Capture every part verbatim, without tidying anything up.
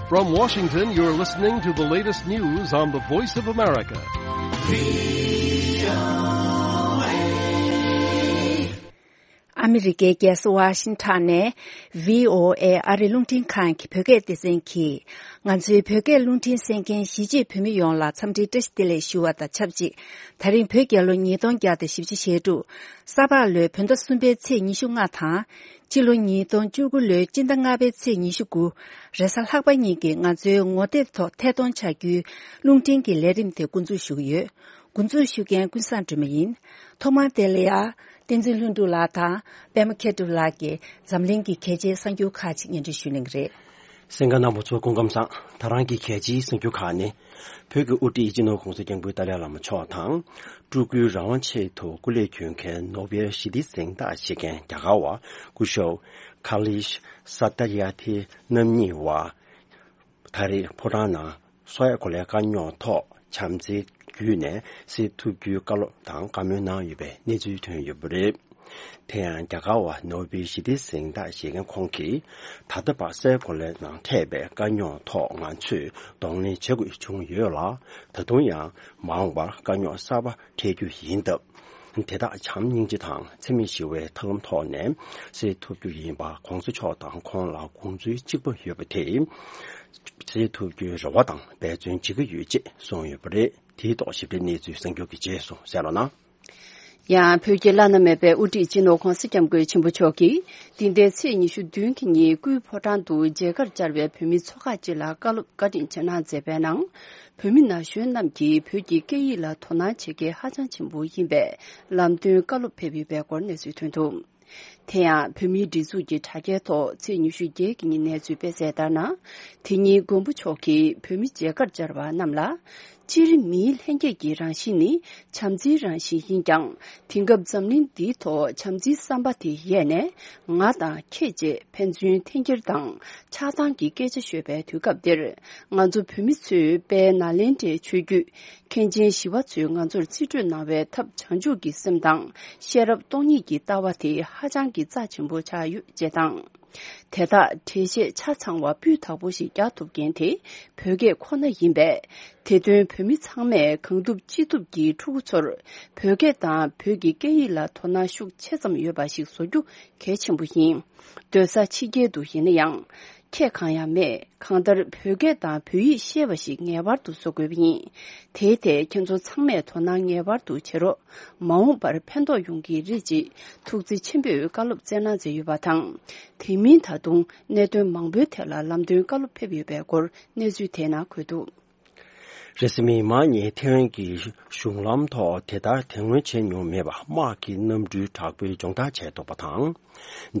From Washington, you're listening to the latest news on the Voice of America. ཨ་མི་རི་ཀའི་རྒྱལ་ས་ཝ་ཤིང་ཊོན་ནས་བྷི་ཨོ་ཨེ་ཨ་རི་རླུང་འཕྲིན་ཁང་གི་བོད་སྐད་སྡེ་ཚན་གྱིས། ང་ཚོའི་བོད་སྐད་རླུང་འཕྲིན་གསན་མཁན་གཞིས་བྱེས་བོད་མི་ཡོངས་ལ་འཚམས་འདྲིའི་བཀྲ་ཤིས་བདེ་ལེགས་ཞུ་བ་དང་ཆབས་ཅིག་ད་རིང་བོད་རྒྱལ་ལོ་ཉིས་སྟོང་བརྒྱ་དང་བཞི་བཅུ་ཞེ་དྲུག་ས་ཕག་ལོའི་བོད་ཟླ་གསུམ་པའི་ཚེས་ཉི་ཤུ་ལྔ་དང་། སྤྱི་ལོ་ཉིས་སྟོང་བཅུ་དགུ་ལོའི་སྤྱི་ཟླ་ལྔ་པའི་ཚེས་ཉི་ཤུ་དགུ། རེས་གཟའ་ལྷག་པ་ཉིན་གྱི་ང་ཚོའི་ངོ་དེབ་ཐོག་ཐད་གཏོང་བྱ་རྒྱུའི་རླུང་འཕྲིན་གྱི་ལས་རིམ་དེ་འགོ་འཛུགས་ཞུ་གི་ཡོད། འགོ་འཛུགས་ཞུ་མཁན་ཀུན་བཟང་སྒྲོལ་མ་ཡིན། ཐོག་མར་དེ་ལ་ཡ། བསྟན་འཛིན་ལྷུན་གྲུབ་ལགས་དང་པད་མ་མཁས་གྲུབ་ལགས་ཀྱིས་འཛམ་གླིང་གི་གལ་ཆེའི་གསར་འགྱུར་ཁག་ཅིག་སྙན་སྒྲོན་ཞུ་གནང་གི་རེད། གསན་མཁན་རྣམ་པ་ཚོ་སྐུ་ཁམས་བཟང་། ད་རང་གི་གལ་ཆེའི་གསར་འགྱུར་ཁག་ནི། བོད་ཀྱི་དབུ་ཁྲིད་སྤྱི་ནོར་༸གོང་ས་༸སྐྱབས་མགོན་ཏཱ་ལའི་བླ་མ་མཆོག་དང་། སྤྲུལ་སྐུའི་རང་དབང་ཆེད་དུ་སྐུ་ལས་བསྐྱོན་མཁན་ནོ་བེལ་ཞི་བདེའི་གཟེངས་རྟགས་བཞེས་མཁན་རྒྱ་གར་བ་སྐུ་ཞབས་ཁ་ལིཤ་ས་ཏ་ཡ་ཐི་རྣམ་གཉིས་བ། ད་རེས་ཕོ་བྲང་ནང་སོག་ཡ་གོ་ལའི་དཀའ་རྙོག་ཐོག་བྱམས་བརྩེའི་བརྒྱུད་ནས་སེལ་ཐུབ་རྒྱུའི་བཀའ་སློབ་དང་བཀའ་མོལ་གནང་ཡོད་པའི་གནས་ཚུལ་ཐོན་ཡོད་པ་རེད། དེ་ཡང་རྒྱ་གར་བ་ནོ་བེལ་ཞི་བདེའི་གཟེངས་རྟགས་བཞེས་མཁན་ཁོང་གིས། ད་ལྟ་བར་སོག་ཡ་གོ་ལའི་ནང་འཕྲད་པའི་དཀའ་རྙོག་ཐོག་ང་ཚོས་གདོང་ལེན་བྱེད་དགོས་བྱུང་ཡོད་ལ། ད་དུང་ཡང་མ་འོངས་པར་དཀའ་རྙོག་གསར་པ་འཕྲད་རྒྱུ་ཡིན་སྟབས། དེ་དག་བྱམས་སྙིང་རྗེ་དང་འཚེ་མེད་ཞི་བའི་ཐབས་ལམ་ཐོག་ནས་སེལ་ཐུབ་རྒྱུ་ཡིན་པ་༸གོང་ས་མཆོག་དང་ཁོང་ལ་དགོངས་ཚུལ་གཅིག་པ་ཡོད་པ་དེས། སེལ་ཐུབ་རྒྱུའི་རེ་བ་དང་འབད་བརྩོན་བྱེད་ཀྱི་ཡོད་ཅེས་གསུངས་ཡོད་པ་རེད། དེའི་ཐོག་ཞིབ་ཕྲའི་གནས་ཚུལ་གསར་འགྱུར་གྱི་རྗེས་སུ་གསན་རོགས་གནང་། ཡང་བོད་ཀྱི་བླ་ན་མེད་པའི་དབུ་ཁྲིད་སྤྱི་ནོར་༸གོང་ས་༸སྐྱབས་མགོན་ཆེན་པོ་མཆོག་གིས། འདི་ཟླའི་ཚེས་ཉི་ཤུ་བདུན་གྱི་ཉིན་སྐུའི་ཕོ་བྲང་དུ་མཇལ་ཁར་བཅར་བའི་བོད་མི་ཚོགས་ཁག་ཅིག་ལ་བཀའ་སློབ་བཀའ་དྲིན་ཆེ་གནང་མཛད་པའི་ནང་། བོད་མི་ན་གཞོན་རྣམས་ཀྱིས་བོད་ཀྱི་སྐད་ཡིག་ལ་དོ་སྣང་བྱེད་མཁན་ཧ་ཅང་ཆེན་པོ་ཡིན་པའི་ལམ་སྟོན་བཀའ་སློབ་ཕེབས་ཡོད་པའི་སྐོར་གནས་ཚུལ་ཐོན་འདུག་དེ་ཡང་བོད་མིའི་སྒྲིག་འཛུགས་ཀྱི་དྲ་རྒྱའི་ཐོག་ཚེས་ཉི་ཤུ་བརྒྱད་ཀྱི་ཉིན་གནས་ཚུལ་སྤེལ་གསལ་ལྟར་ན། དེ་ཉིན་མགོན་པོ་མཆོག་གིས་བོད་མི་མཇལ་ཁར་བཅར་བ་རྣམས་ལ། སྤྱིར་མིའི་ལྷན་སྐྱེས་ཀྱི་རང་བཞིན་ནི་བྱམས་བརྩེའི་རང་བཞིན་ཡིན་ཀྱང་། དེང་སྐབས་འཛམ་གླིང་འདིའི་ཐོག་བྱམས་བརྩེའི་བསམ་པ་དེ་ཡལ་ནས། ང་དང་ཁྱེད་ཅེས་ཕན་ཚུན་འཐེན་འཁྱེར་དང་ཆགས་སྡང་གི་སྐད་ཆ་ཤོད་པའི་དུས་སྐབས་འདིར། ང་ཚོ་བོད་མི་ཚོས་དཔལ་ནཱ་ལེནྡྲའི་ཆོས་བརྒྱུད། མཁན་ཆེན་ཞི་བ་འཚོས་ང་ཚོར་རྩིས་སྤྲོད་གནང་བའི་ཐབས་བྱང་ཆུབ་ཀྱི་སེམས་དང་ཤེས་རབ་སྟོང་ཉིད་ཀྱི་ལྟ་བ་དེ་ཧ་ཅང་གི་རྩ་ཆེན་པོ་ཆགས་ཡོད་ཅེས་དང་། དེ་དག་འགྲེལ་བཤད་ཆ་ཚང་བ་སྤུས་དག་པོ་ཞིག་རྒྱག་ཐུབ་མཁན་དེ་བོད་སྐད་ཁོ་ན་ཡིན་པས། དེ་དོན་བོད་མི་ཚང་མས་གང་ཐུབ་ཅི་ཐུབ་ཀྱིས་ཕྲུ་གུ་ཚོར་བོད་སྐད་དང་བོད་ཀྱི་སྐད་ཡིག་ལ་དོ་སྣང་ཤུགས་ཆེ་ཙམ་ཡོད་པ་ཞིག་བཟོ་རྒྱུ་གལ་ཆེན་པོ་ཡིན། སྡོད་ས་ཕྱི་རྒྱལ་དུ་ཡིན་ན་ཡང་། ཁྱད་གང་ཡང་མེད། གང་ལྟར་བོད་སྐད་དང་བོད་ཡིག་ཤེས་པ་ཞིག་ངེས་པར་དུ་བཟོ་དགོས་པ་ཡིན། དེའི་ཐད་ཁྱེད་ཚོ་ཚང་མས་དོ་སྣང་ངེས་པར་དུ་བྱེད་རོགས། མ་འོངས་པར་ཕན་ཐོགས་ཡོང་གི་རེད་ཅེས་ཐུགས་བརྩེ་ཆེན་པོས་བཀའ་སློབ་སྩལ་གནང་མཛད་ཡོད་པ་དང་། དེ་མིན་ད་དུང་གནད་དོན་མང་པོའི་ཐད་ལ་ལམ་སྟོན་བཀའ་སློབ་ཕེབས་ཡོད་པའི་སྐོར་གནས་ཚུལ་དེའི་ནང་འཁོད་འདུག་རེས་གཟའ་མིག་དམར་ཉིན་ཐེ་ཝན་གྱི་གཞུང་ལམ་ཐོག་དེ་ལྟར་དེ་སྔོན་བྱས་མྱོང་མེད་པར་དམག་གི་གནམ་གྲུའི་དྲག་པོའི་སྦྱོང་བརྡར་བྱས་འདུག་པ་དང་།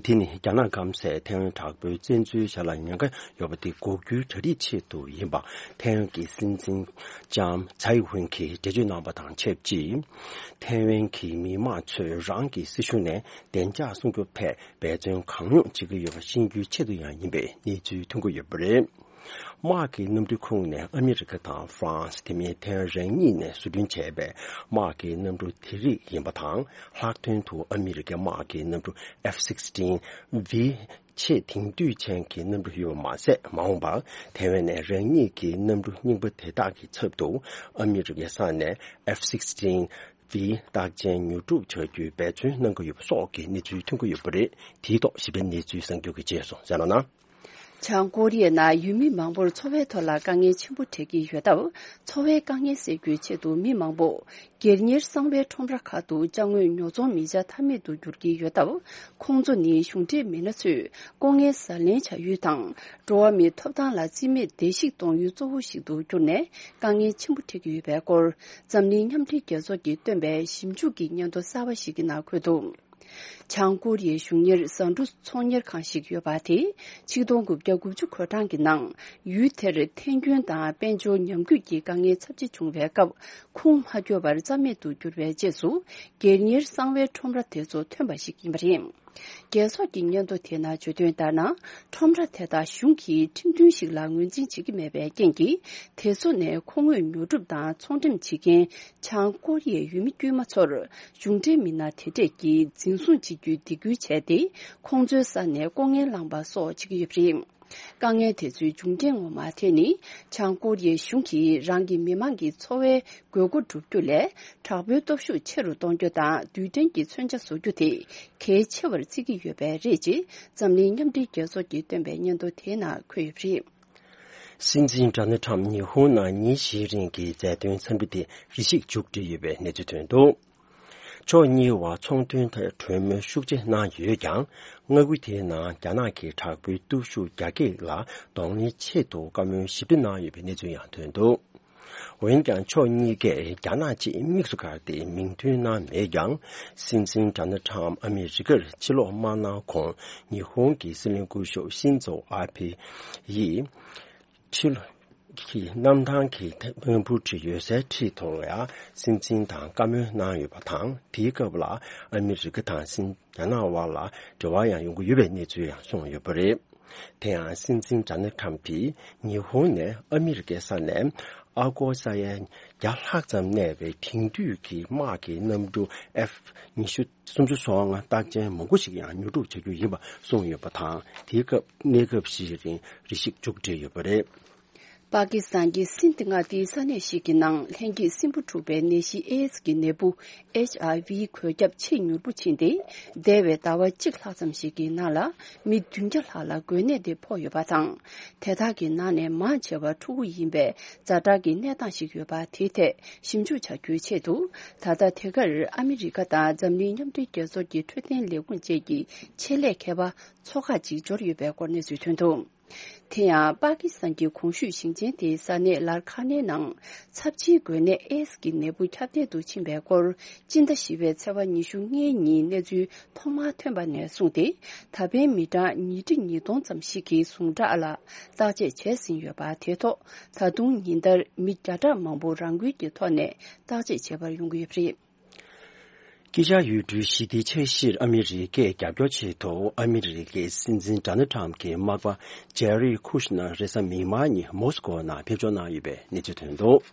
འདི་ནི་རྒྱ་ནག་སྐམ་སས་ཐེ་ཝན་དྲག་པོའི་བཙན་འཛུལ་བྱ་ལ་ཉེན་ཁ་ཡོད་པ་དེ་འགོག་རྒྱུའི་གྲ་སྒྲིག་ཆེད་དུ་ཡིན་པ་ཐེ་ཝན་གྱི་སྲིད་འཛིན་ལྕམ་ཚའེ་ཝེན་གྱིས་འགྲེལ་བརྗོད་གནང་བ་དང་ཆབས་ཅིག་ཐེ་ཝན་གྱི་མི་དམངས་ཚོས་རང་གི་སྲིད་གཞུང་ནས་བདེ་འཇགས་སྲུང་སྐྱོབ་ཐད་འབད་བརྩོན་གང་ཡོང་བྱེད་ཀྱི་ཡོད་པ་ཤེས་རྒྱུའི་ཆེད་དུ་ཡང་ཡིན་པའི་གནས་ཚུལ་ཐོན་གྱི་ཡོད་པ་རེད། དམག་གི་གནམ་གྲུ་ཁོངས་ནས་ཨ་མི་རི་ཀ་དང་ཧྥ་རན་སི། དེ་མིན་ཐེ་ཝན་རང་ཉིད་ནས་བཟོ་སྐྲུན་བྱས་པའི་དམག་གི་གནམ་གྲུ་དེ་རིགས་ཡིན་པ་དང་། ལྷག་དོན་དུ་ཨ་མི་རི་ཀའི་དམག་གི་གནམ་གྲུ་F sixteen V ཆེས་དེང་དུས་ཅན་གྱི་གནམ་གྲུ་ཡོད་པ་མ་ཟད། མ་འོངས་པར་ཐེ་ཝན་ནས་རང་ཉིད་ཀྱི་གནམ་གྲུ་རྙིང་པ་དེ་དག་གི་ཚབ་ཏུ་ཨ་མི་རི་ཀའི་ས་ནས་F sixteen V རྟགས་ཅན་ཉོ་སྒྲུབ་བྱ་རྒྱུའི་འབད་བརྩོན་གནང་གི་ཡོད་པ་སོགས་ཀྱི་གནས་ཚུལ་ཐོན་གྱི་ཡོད་པ་རེད། དེའི་ཐོག་ཞིབ་ཕྲའི་གནས་ཚུལ་གསར་འགྱུར་གྱི་རྗེས་སུ་གསན་རོགས་གནང་། བྱང་ཀོ་རི་ཡའི་ནང་ཡུལ་མི་མང་པོར་འཚོ་བའི་ཐོག་ལ་དཀའ་ངལ་ཆེན་པོ་འཕྲད་ཀྱི་ཡོད་སྟབས། འཚོ་བའི་དཀའ་ངལ་སེལ་རྒྱུའི་ཆེད་དུ་མི་མང་པོ་སྒེར་གཉེར་གསང་བའི་ཁྲོམ་ར་ཁག་ཏུ་ཅ་དངོས་ཉོ་ཚོང་མི་བྱ་ཐབས་མེད་དུ་གྱུར་གྱི་ཡོད་སྟབས། ཁོང་ཚོ་ནི་གཞུང་འབྲེལ་མི་སྣ་ཚོས་ལྐོག་རྔན་ཟ་ལེན་བྱ་ཡུལ་དང་། འགྲོ་བ་མིའི་ཐོབ་ཐང་ལ་རྩིས་མེད་བརྡལ་བཤིག་གཏོང་ཡུལ་གཙོ་བོ་ཞིག་ཏུ་གྱུར་ནས་དཀའ་ངལ་ཆེན་པོ་འཕྲད་ཀྱི་ཡོད་པའི་སྐོར། འཛམ་གླིང་མཉམ་འབྲེལ་རྒྱལ་ཚོགས་ཀྱིས་བཏོན་པའི་ཞིབ་འཇུག་གི་སྙན་ཐོ་གསར་པ་ཞིག་གི་ནང་འཁོད་དུ། བྱང་ཀོ་རི་ཡའི་གཞུང་གཉེར་ཟ་འབྲུ་ཚོང་གཉེར་ཁང་ཞིག་ཡོད་པ་དེས་ཆིག་སྟོང་དགུ་བརྒྱ་དགུ་བཅུ་གོ་གྲངས་ཀྱི་ནང་ཡུལ་དེར་ཐན་སྐྱོན་དང་དཔལ་འབྱོར་ཉམས་རྒུད་ཀྱི་དཀའ་ངལ་ཚབས་ཆེ་བྱུང་བའི་སྐབས། ཁུངས་མ་འཁྱོལ་བར་རྩ་མེད་དུ་གྱུར་བའི་རྗེས་སུ། སྒེར་གཉེར་གསང་བའི་ཁྲོམ་ར་དེ་ཚོ་ཐོན་པ་ཞིག་ཡིན་པ་རེད། རྒྱལ་ཚོགས་ཀྱི་སྙན་ཐོ་དེ་ནང་བརྗོད་དོན་ལྟར་ན། ཁྲོམ་ར་དེ་དག་གཞུང་གིས་ཁྲིམས་མཐུན་ཞིག་ལ་ངོས་འཛིན་བྱེད་ཀྱི་མེད་པའི་རྐྱེན་གྱིས། དེ་ཚོ་ནས་མཁོ་དངོས་ཉོ་སྒྲུབ་དང་ཚོང་འགྲེམས་བྱེད་མཁན་བྱང་ཀོ་རི་ཡའི་ཡུལ་མི་དཀྱུས་མ་ཚོར། གཞུང་འབྲེལ་མི་སྣ་དེ་གྲས་ཀྱིས་འཛིན་བཟུང་བྱེད་རྒྱུའི་སྡིགས་སྐུལ་བྱས་ཏེ། ཁོང་ཚོའི་ས་ནས་ལྐོག་རྔན་བླངས་པ་སོགས་བྱེད་ཀྱི་ཡོད་པ་རེད། དཀའ་ངལ་དེ་ཚོའི་འབྱུང་རྐྱེན་ངོ་མ་དེ་ནི། བྱང་ཀོ་རི་ཡའི་གཞུང་གིས་རང་གི་མི་མང་གི་འཚོ་བའི་དགོས་མཁོ་བསྒྲུབ་རྒྱུ་ལས། དྲག་པོའི་སྟོབས་ཤུགས་ཆེ་རུ་གཏོང་རྒྱུ་དང་། རྡུལ་ཕྲན་གྱི་མཚོན་ཆ་བཟོ་རྒྱུ་དེ་གལ་ཆེ་བར་བརྩི་གི་ཡོད་པ་རེད་ཅེས། འཛམ་གླིང་མཉམ་འབྲེལ་རྒྱལ་ཚོགས་ཀྱིས་བཏོན་པའི་སྙན་ཐོ་དེའི་ནང་འཁོད་ཡོད་པ་རེད། སྲིད་འཛིན་ཌོ་ནལ་ཁྲམ་ཉི་ཧོང་ནང་ཉིན་བཞིའི་རིང་གི་མཛད་དོན་འཚམས་འདྲི་དེ་རེ་ཞིག་མཇུག་སྒྲིལ་ཡོད་པའི་གནས་ཚུལ་ཐོན་འདུག། ཕྱོགས་གཉིས་བར་ཚོང་དོན་ཐད་གྲོས་མོལ་ཤུགས་ཆེ་གནང་ཡོད་ཀྱང་། མངའ་ཁུལ་དེའི་ནང་རྒྱ་ནག་གི་དྲག་པོའི་སྟོབས་ཤུགས་རྒྱ་སྐྱེད་ལ་གདོང་ལེན་ཆེད་དུ་བཀའ་མོལ་ཞིབ་ཕྲ་གནང་ཡོད་པའི་གནས་ཚུལ་ཡང་ཐོན་འདུག། འོན་ཀྱང་ཕྱོགས་གཉིས་ཀས་རྒྱ་ནག་ཅེས་དམིགས་སུ་བཀར་ཏེ་མིང་འདོན་གནང་མེད་ཀྱང་། སྲིད་འཛིན་ཌོ་ནལ་ཁྲམ་ཨ་མི་རི་ཀར་ཕྱིར་ལོག་མ་གནང་གོང་། ཉི་ཧོང་གི་སྲིད་བློན་སྐུ་ཞབས་ཤིན་ཛོ་ཨ་བྷེ་ཡིས། ཁྲི་ལོ་གི་གནམ་ཐང་གི་དཔོན་པོ་ཁྲི་ཡོད་སའི་ཁྲི་ཐོག་ལ་ཡང་སྲིད་འཛིན་དང་བཀའ་མོལ་གནང་ཡོད་པ་དང་། དེའི་སྐབས་ལ་ཨ་མི་རི་ཀ་དང་སྲིད་རྒྱ་ནག་དབར་ལ་འབྲེལ་བ་ཡང་ཡོང་གི་ཡོད་པའི་གནས་ཚུལ་ཡང་གསུངས་ཡོད་པ་རེད། དེ་ཡང་སྲིད་འཛིན་ཌོ་ནལ་ཁྲམ་གྱིས་ཉི་ཧོང་ནས་ཨ་མི་རི་ཀའི་ས་ནས་ཨ་སྒོར་ས་ཡ་བརྒྱ་ལྷག་ཙམ་གནས་པའི་དེང་དུས་ཀྱི་དམག་གི་གནམ་གྲུ་ཨེཕ་ཉི་ཤུ། སུམ་ཅུ་སོ་ལྔ་རྟགས་ཅན་མང་པོ་ཞིག་ཡང་ཉོ་སྒྲུག་བྱ་རྒྱུ་ཡིན་པ་གསུངས་ཡོད་པ་དང་། དེའི་སྐབས་གནས་སྐབས་ཤིག་རིང་རེ་ཞིག་མཇུག་སྒྲིལ་ཡོད་པ་རེད། པ་ཀི་སི་ཐན་གྱི་སིན་དྷི་མངའ་སྡེའི་ས་གནས་ཤིག་གི་ནང་ལྷན་སྐྱེས་སྲིན་འབུ་འཁྲུགས་པའི་ནད་གཞི་ཨེ་ཨེ་ཌི་ཀྱི་ནད་འབུ་ཨེཆ་ཨའི་ཝི་འགོས་ཁྱབ་ཆེས་མྱུར་པོ་ཕྱིན་ཏེ། འདས་པའི་ཟླ་བ་གཅིག་ལྷག་ཙམ་ཞིག་གི་ནང་ལ་མི་བདུན་བརྒྱ་ལྷག་ལ་འགོས་ནད་དེ་ཕོག་ཡོད་པ་དང་། དེ་དག་གི་ནང་ནས་མང་ཆེ་བ་ཕྲུ་གུ་ཡིན་པས་ཛ་དྲག་གི་གནས་སྟངས་ཤིག་ཡོད་པ་དེའི་ཐད་ཞིབ་འཇུག་བྱ་རྒྱུའི་ཆེད་དུ། ད་ལྟ་དེ་གར་ཨ་མི་རི་ཀ་དང་འཛམ་གླིང་མཉམ་འབྲེལ་རྒྱལ་ཚོགས་ཀྱི་འཕྲོད་བསྟེན་ལས་ཁུངས་བཅས་ཀྱི་ཆེད་ལས་མཁས་པ་ཚོགས་ཁག་ཅིག་འབྱོར་ཡོད་པའི་སྐོར་གནས་ཚུལ་ཐོན་འདུག། དེ་ཡང་པ་ཀི་སི་ཐན་གྱི་གོང་ཞུས་ཞིང་ཆེན་དེའི་ས་གནས་ལར་ཁ་ནའི་ནང་ཚབས་ཆེའི་འགོས་ནད་ཨེ་ཨེ་ཌི་ཀྱི་ནད་འབུ་ཁྱབ་གདལ་དུ་ཕྱིན་པའི་སྐོར་སྤྱི་ཟླ་བཞི་པའི་ཚེས་པ་ཉི་ཤུ་ལྔའི་ཉིན་གནས་ཚུལ་ཐོག་མར་ཐོན་པ་ནས་བཟུང་སྟེ། ད་ཕན་མི་གྲངས་ཉིས་ཁྲི་ཉིས་སྟོང་ཙམ་ཞིག་གི་ཟུངས་ཁྲག་ལ་བརྟག་དཔྱད་བྱས་ཟིན་ཡོད་པ་དེ་ཐོག་ད་དུང་ཉིན་ལྟར་མི་བརྒྱ་ཕྲག་མང་པོ་རང་འགུལ་གྱི་ཐོག་ནས་བརྟག་དཔྱད་བྱེད་པར་ཡོང་གི་ཡོད་པ་རེད། དཀྱིལ་ཤར་ཡུལ་གྲུའི་ཞི་བདེའི་འཆར་གཞིར་ཨ་མི་རི་ཀས་རྒྱབ་སྐྱོར་ཆེད་དུ་ཨ་མི་རི་ཀའི་སྲིད་འཛིན་ཌོ་ནལ་ཁྲམ་གྱི་མག་པ་ཇེ་རི་ཁུ་ཤ་ནར་རེས་གཟའ་མིག་དམར་ཉིན་མོ་སི་ཀོ་ནང་ཕེབས་འབྱོར་གནང་ཡོད་པའི་གནས་ཚུལ་ཐོན་འདུག།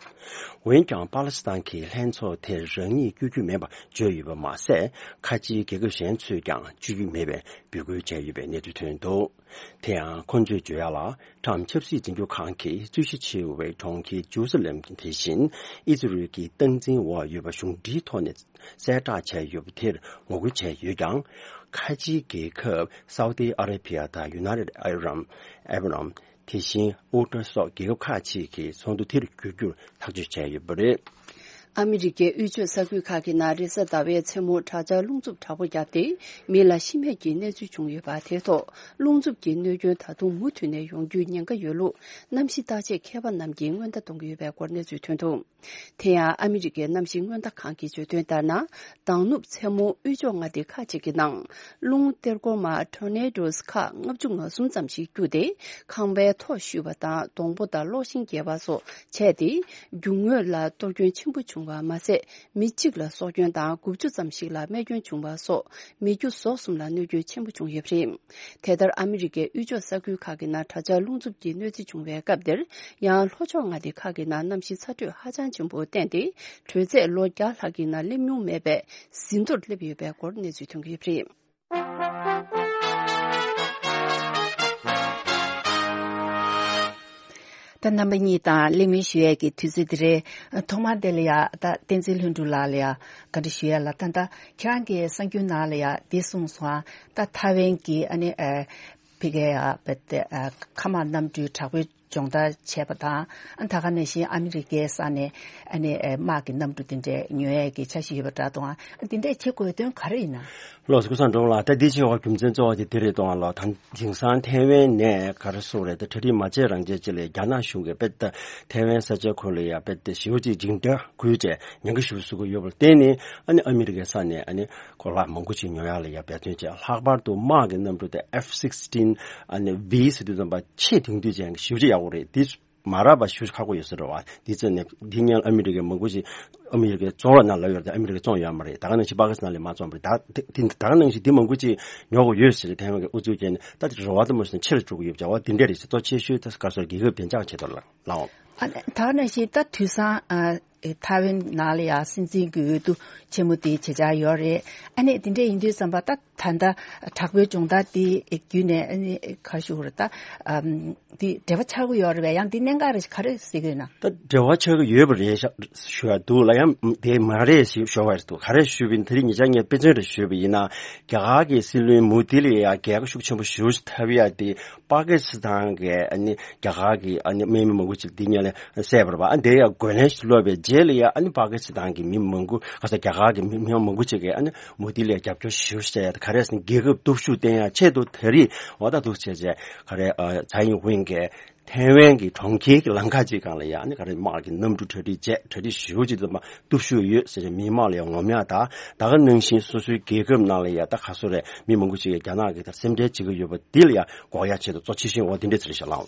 འོན་ཀྱང་པ་ལི་སི་ཐན་གྱི་ལྷན་ཚོགས་དེར་རང་ཉིད་བསྐྱོད་རྒྱུ་མེད་པ་བརྗོད་ཡོད་པ་མ་ཟད། ཁ་ཆེའི་རྒྱལ་ཁབ་གཞན་ཚོས་ཀྱང་བསྐྱོད་རྒྱུ་མེད་པའི་འབོད་སྐུལ་བྱས་ཡོད་པའི་གནས་ཚུལ་ཐོན་འདུག། དེ་ཡང་ཁོང་ཚོས་བརྗོད་ཡག་ལ། ཁྲམ་ཆབ་སྲིད་འཛིན་སྐྱོང་ཁང་གིས་རྩོད་གཞི་ཆེ་བའི་གྲོང་ཁྱེར་ཇེ་རུ་ས་ལེམ་དེ་བཞིན་ཨི་ཛི་རལ་གྱི་སྟངས་འཛིན་འོག་ཡོད་པ་གཞུང་འབྲེལ་ཐོག་ནས་གསལ་བསྒྲགས་བྱས་ཡོད་པ་དེར་ངོ་རྒོལ་བྱས་ཡོད་ཀྱང་། ཁ་ཆེའི་རྒྱལ་ཁབ་སའུ་ཏི་ཨ་ར་བྷི་ཡ་དང་ཡུ་ནའི་ཊེཌ་ཨ་རབ་ཨེ་མི་རེཊ། དེ་བཞིན་ཨུ་ཏྲ་སོགས་རྒྱལ་ཁབ་ཁག་ཅིག་གིས་ཚོགས་འདུ་དེར་འགྱུར་རྒྱུར་ཐག་གཅོད་བྱས་ཡོད་པ་རེད། ཨ་མི་རི་ཀའི་དབུས་ཕྱོགས་ས་ཁུལ་ཁག་གི་ནང་རེས་གཟའ་ཟླ་བའི་མཚན་མོ་དྲག་ཆར་རླུང་འཚུབ་དྲག་པོ་བརྒྱབ་སྟེ། མི་ལ་ཤི་རྨས་ཀྱི་གནས་ཚུལ་བྱུང་ཡོད་པ་དེ་ཐོག་རླུང་འཚུབ་ཀྱི་གནོད་སྐྱོན་ད་དུང་མུ་མཐུད་ནས་ཡོང་རྒྱུའི་ཉེན་ཁ་ཡོད་ལུགས་གནམ་གཤིས་བརྟག་དཔྱད་མཁས་པ་རྣམས་ཀྱིས་སྔོན་བརྡ་གཏོང་གི་ཡོད་པའི་སྐོར་གནས་ཚུལ་ཐོན་འདུག། དེ་ཡང་ཨ་མི་རི་ཀའི་གནམ་གཤིས་སྔོན་བརྡ་ཁང་གིས་བརྗོད་དོན་ལྟར་ན། མདང་ནུབ་མཚན་མོ་དབུས་ཕྱོགས་མངའ་སྡེ་ཁག་ཅིག་གི་ནང་རླུང་གཏེར་སྐོར་མ་ཊོར་ནེ་ཌོས་ཁག་ལྔ་བཅུ་ང་གསུམ་ཙམ་ཞིག་རྒྱུག་སྟེ། ཁང་པའི་ཐོག་བཤུས་པ་དང་སྡོང་པོ་དང་གློག་ཤིང་འགྱེལ་བ་སོགས་བྱས་ཏེ། རྒྱུ་དངོས་ལ་གཏོར་སྐྱོན་ཆེན་པོ་བྱུང་བ་མ་ཟད། མི་གཅིག་ལ་སྲོག་སྐྱོན་དང་དགུ་བཅུ་ཙམ་ཞིག་ལ་རྨས་སྐྱོན་བྱུང་བ་སོགས། མི་རྒྱུ་ཟོག་གསུམ་ལ་གནོད་སྐྱོན་ཆེན་པོ་བྱུང་ཡོད་པ་རེད། དེ་ལྟར་ཨ་མི་རི་ཀའི་དབུས་ཕྱོགས་ས་ཁུལ་ཁག་གི་ནང་དྲག་ཆར་རླུང་འཚུབ་ཀྱི་གནོད་འཚེ་བྱུང་བའི་སྐབས་དེར། ཡང་ལྷོ་ཕྱོགས་མངའ་སྡེ་ཁག་གི་ནང་གནམ་གཤིས་ཚ་དྲོད་ཧ་ཅང་ཆེན་པོ་བརྟེན་ཏེ། དྲོད་ཚད་ལོ་བརྒྱ་ལྷག་གི་ནང་སླེབས་མྱོང་མེད་པའི་ཟིན་ཐོར་སླེབས་ཡོད་པའི་སྐོར་གནས་ཚུལ་ཐོན་གྱི་ཡོད་པ་རེད། ད་རྣམ་པ་གཉིས་དང་གླེང་མོལ་ཞུ་ཡས་ཀྱི་དུས་ཚོད་འདི་རེད། ཐོག་མར་དེ་ལ་ཡ་ད་བསྟན་འཛིན་ལྷུན་གྲུབ་ལགས་ལ་ཡ་བཀའ་འདྲི་ཞུ་ཡས་ལ། ད་ད་ཁྱེད་རང་གི་གསར་འགྱུར་ནང་ལ་ཡ་འདི་གསུངས་སོང་ཨ། ད་ཐའེ་ཝན་གྱི་ཨ་ནི་ཨ་ཕ་གི་ཡ་བེད་ཨ་མཁའ་དམག་གནམ་གྲུའི་དྲག་པོའི་སྦྱོང་བརྡར་བྱས་པ་དང་། ཨ་ད་ག་ནང་བཞིན་ཨ་མི་རི་ཀའི་ས་ནས་ཨ་ནི་ཨ་དམག་གི་གནམ་གྲུ་དེ་འདྲའི་ཉོ་ཡས་ཀྱི་འཆར་གཞི་ཡོད་པ་འདྲ་འདུག་ཨ། འདི་འདྲས་བྱེད་དགོས་དོན་ག་རེ་ཡིན་ན། ལགས་སོ། ཀུན་བཟང་སྒྲོལ་མ་ལགས། ད་འདི་བྱེད་པའི་རྒྱུ་མཚན་གཙོ་བོ་དེ་དེ་རེད་འདུག་ཨ། ལགས་ད་དེང་སང་ཐའེ་ཝན་ནས་ག་རེ་ཟེར་དགོས་རེད། ད་གྲ་སྒྲིག་མ་བྱས་རང་བྱས་ཅིག་ལ་རྒྱ་ནག་གཞུང་གིས་རྦད་དེ་ཐའེ་ཝན་ས་ཆའི་ཁུལ་ལ་ཡ་རྦད་དེ་ཞེ་པོ་ཅིག་འཇིགས་སྐུལ་བྱས་ཉེན་ཁ་ཞེ་པོ་བཟོ་གི་ཡོད་པར་བརྟེན་ནས། ཨ་ནི་ཨ་མི་རི་ཀའི་ས་ནས་ཨ་ནི་གོ་ལག་མང་པོ་ཅིག་ཉོ་ཡག་ལ་ཡ་འབད་བརྩོན་བྱས། ལྷག་པར་དུ་དམག་གི་གནམ་གྲུ་དེ་ཨེཕ་སིགས་ཊིན་ཨ་ནི་ཝི་ཟེར་དུས་ཙམ་པ་ཆེས་དེང་དུས་ཅན་གྱི་ཞེ་པོ་ཅིག་ཡག་པོ་རེད། དེ་མ་རག་པ་ཞེ་པོ་ཅིག་ཁག་པོ་ཡོད་ས་རེད་བ། དེ་ཚོ་ནས་དེ་སྔོན་ཨ་མི་རི་ཀའི་མང་པོ་ཅིག་ཨ་མི་རི་ཀའི་བཙོང་རོགས་གནང་ལབ་ཡོད་རེད་དེ། ཨ་མི་རི་ཀས་བཙོང་ཡོད་མ་རེད། ད་ག་ནང་བཞིན་པ་ཀི་སི་ཐན་ལ་མ་བཙོང་བ་རེད། ད་དེ་དེ་ད་ག་ནང་བཞིན་དེ་མང་པོ་ཅིག་ཉོ་དགོས་ཡོད་ཟེར་ཏེ། ཐའེ་ཝན་གྱི་ཨུ་ཚུགས་བྱས་ནས་ད་དེ་རེ་བ་དུ་མ་ཞིག་ཆེ་རུ་འགྲོ་གི་ཡོད་བྱ་བ་དེ་འདྲས་རེད་ཟེར། གཙོ་ཆེ་ཤོས་ད་ག་སོར་རྒྱལ་ཁབ་བདེ་འཇགས་ཆེད་དུ་ལ་ལའོ། ཨ་ད་ག་ནང་བཞིན་ད་དུས་སང་ཨ། ཨེ་ཐའེ་ཝན་ནང་ལ་ཡང་སྲིད་འཛིན་གྱི་འོས་བསྡུ་ཆེན་མོ་དེ་བྱེད་འཆར་ཡོད་རེད། ཨ་ནི་དེ་འདྲ་ཡིན་དུས་ཙམ་པ་ད་ད་ལྟ་དྲག་པོའི་སྦྱོང་བརྡར་དེ་བརྒྱུད་ནས་ཨ་ནི་ག་རེ་ཞུ་དགོས་རེད། ད་ཨམ་དེ་འབྲེལ་བ་ཆགས་ཀྱི་ཡོད་རེད་པས། ཡང་དེ་གནད་འགག་རེད་ག་རེ་ཟེར་གྱི་ཡོད་ན། ད་འབྲེལ་བ་ཆགས་ཀྱི་ཡོད་པ་རེད་ཤག་ཞུ་ཡ་འདུག་ལ། ཡང་དེ་མ་རེད་ཞེས་ཞུ་བ་རེད་འདུག་ག་རེ་ཞུས་པ་ཡིན་ན། དེ་རིང་ཉེ་ཆར་ངས་དཔེ་མཚོན་རེ་ཞུས་པ་ཡིན་ན། རྒྱ་གར་གྱི་སྲིད་བློན་མོ་དི་ལ་ཡ་རྒྱལ་ཁ་ཤུགས་ཆེན་པོ་ཞེ་པོ་ཞིག་འཐོབ་ཡ་དེ། པ་ཀི་སི་ཐན་གྱི་ཨ་ནི་རྒྱ་གར་གྱི་ཨ་ནི་དམག་མི་མང་པོ་ཅིག་འདི་ཉིད་ལ་བསད་པ་རེད་པ། ཨ་འདི་ཡང་རྒོལ་ལན་ཞིག་སློག་པའི་རྗེས་ལ་ཡང་ཨ་ནི་པ་ཀི་སི་ཐན་གྱི་མི་མང་པོ་ག་ས་རྒྱ་གར་གྱི་མི་མི་མང་པོ་ཅིག་གིས་ཨ་ནི་མོ་དི་ལ་རྒྱབ་སྐྱོར་ཞེ་པོ་བྱས་ཡ་དང་། ག་རེ་ཟེར་ན་རྒྱལ་ཁབ་སྟོབས་ཤུགས་བསྟན་ཡ་ཆེད་དུ་ད་རེས་འོ་ད་འདུག་བྱས་བྱས་ག་རེ་ཨ་ཚའེ་ཡིན་ཝེན་གྱིས་ཐའེ་ཝན་གྱི་གྲོང་ཁྱེར་གྱི་ལམ་ཁ་ཅིག་སྒང་ལ་ཡང་ཨ་ནི་ག་རེ་དམག་གི་གནམ་གྲུ་གྲ་སྒྲིག་བྱས། གྲ་སྒྲིག་ཞེ་པོ་ཅིག་དང་སྟོབས་ཤུགས་ཡོད་ཟེར་བྱས་མི་དམངས་ལ་ཡང་ངོམ་ཡ་དང་། ད་ག་ནང་བཞིན་སོ་སོའི་རྒྱལ་ཁབ་ནང་ལ་ཡང་ད་ག་སོ་རེད། མི་མང་པོ་ཅིག་གིས་རྒྱ་ནག་གི་ད་སེམས་ཁྲལ་བྱེད་ཀྱི་ཡོད་པ་འདི་ལ་ཡང་འགོག་ཡ་ཆེད་དུ་གཙོ་ཆེ་ཤོས་འོ་འདི་འདྲས་ཟེར་ཤག་ལགས།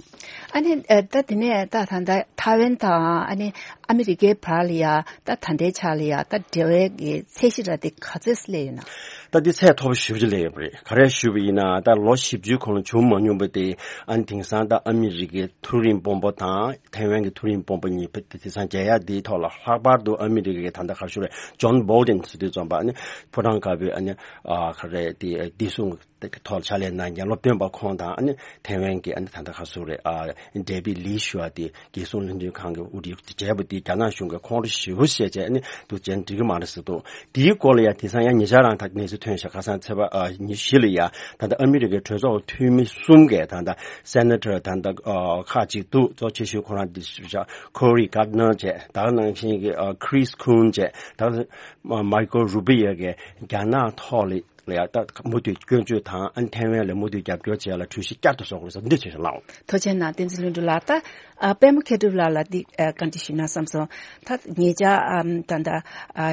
ཨ་ནི་ཨ་ད་དེ་ནས་ད་ད་ད་ཐའེ་ཝན་དང་ཨ་ནི་ཨ་མི་རི་ཀའི་བར་ལ་ཡ་ད་ད་ལྟའི་ཆ་ལ་ཡ་ད་འབྲེལ་བའི་གི་ཚད་གཞི་ར་དེ་ག་ཚོད་སླེབས་ཡོད་ན། ད་འདི་ཚད་མཐོ་པོ་ཞེ་པོ་ཅིག་སླེབས་ཡོད་པ་རེད། ག་རེ་ཞུས་པ་ཡིན་ན། ད་ལོ་བཞི་བཅུའི་གོང་ལ་བྱུང་མ་མྱོང་པ་དེ། ཨ་ནི་དེང་སང་ད་ཨ་མི་རི་ཀའི་མཐོ་རིམ་དཔོན་པོ་དང་ཐའེ་ཝན་གྱི་མཐོ་རིམ་དཔོན་པོ་གཉིས་དེ་དེང་སང་མཇལ་ཡ་འདིའི་ཐོག་ལ། ལྷག་པར་དུ་ཨ་མི་རི་ཀའི་ད་ལྟ་ག་རེ་ཞུ་རེད། ཇོན་བོལ་ཏན་ཟེར་དུས་ཙམ་པ་ཨ་ནི་ཕོ་བྲང་དཀར་པོའི་ཨ་ནི་ཨ་ག་རེ་དེ་བདེ་སྲུང་གི་ཐོག་ཕྱག་ལས་གནང་མཁན་སློབ་སྟོན་པ་ཁོང་དང་། ཨ་ནི་ཐའེ་ཝན་གྱི་ཨ་ནི་ད་ལྟ་ག་རེ་ཞུ་རེད། ཨ་ཌེ་བིད་ལི་ཞུ་བ་དེ་རྒྱལ་སྲུང་བློན་ཆེན་ཁང་གི་དབུ་ཁྲིད་བྱས་པ་དེ་རྒྱ་ནག་གཞུང་གིས་ཁོང་ཁྲོ་ཞེ་པོ་བྱས་བྱས་ཨ་ནི་འདུག་བྱས་འགྲིག་གི་མ་རེད་ཟེར་འདུག་དེའི་སྐོར་ལ་ཡང་དེང་སང་ཡང་ཉེ་ཆར་རང་ད་གནས་ཚུལ་ཐོན་ཤག་ཁ་སང་ཚེས་པ་ཨ་ཉི་ཤུ་ལ་ཡ་ད་ལྟ་ཨ་མི་རི་ཀའི་གྲོས་ཚོགས་འཐུས་མི་གསུམ་གས། ད་ལྟ་སེ་ནེ་ཊར་ད་ལྟ་ཨ་ཁག་ཅིག་འདུག་གཙོ་ཆེ་ཤོས་ཁོ་རང་དེ་ཞུ་བྱ་ཁོ་རི་གྷར་ནར་བྱས། ད་ག་ནང་བཞིན་གྱི་ཨ་ཁྲིས་ཁུན་བྱས། ད་མར་ཀོ་རུ་བི་ཡོ་གས་རྒྱ་ནག་ཐོག་ལ་ལ་ཡ་ད་མུ་མཐུད་སྐྱོན་བརྗོད་དང་། ཨ་ནི་ཐའེ་ཝན་ལ་མུ་མཐུད་རྒྱབ་སྐྱོར་བྱས་ལ་གྲོས་གཞི་བསྐྱར་དུ་བཟོ་དགོས་ཟེར་འདི་བྱས་ཤིང་གནང་། ཐུགས་རྗེ་གནང་། བསྟན་འཛིན་ལྷུན་གྲུབ་ལགས། ད་ཨ་པད་མ་མཁས་གྲུབ་ལགས་ལ་འདི་ཨ་བཀའ་འདྲི་ཞུས་ན་བསམ་སོང་། ད་ཉེ་ཆར་ཨམ་ད་ད་ཨ་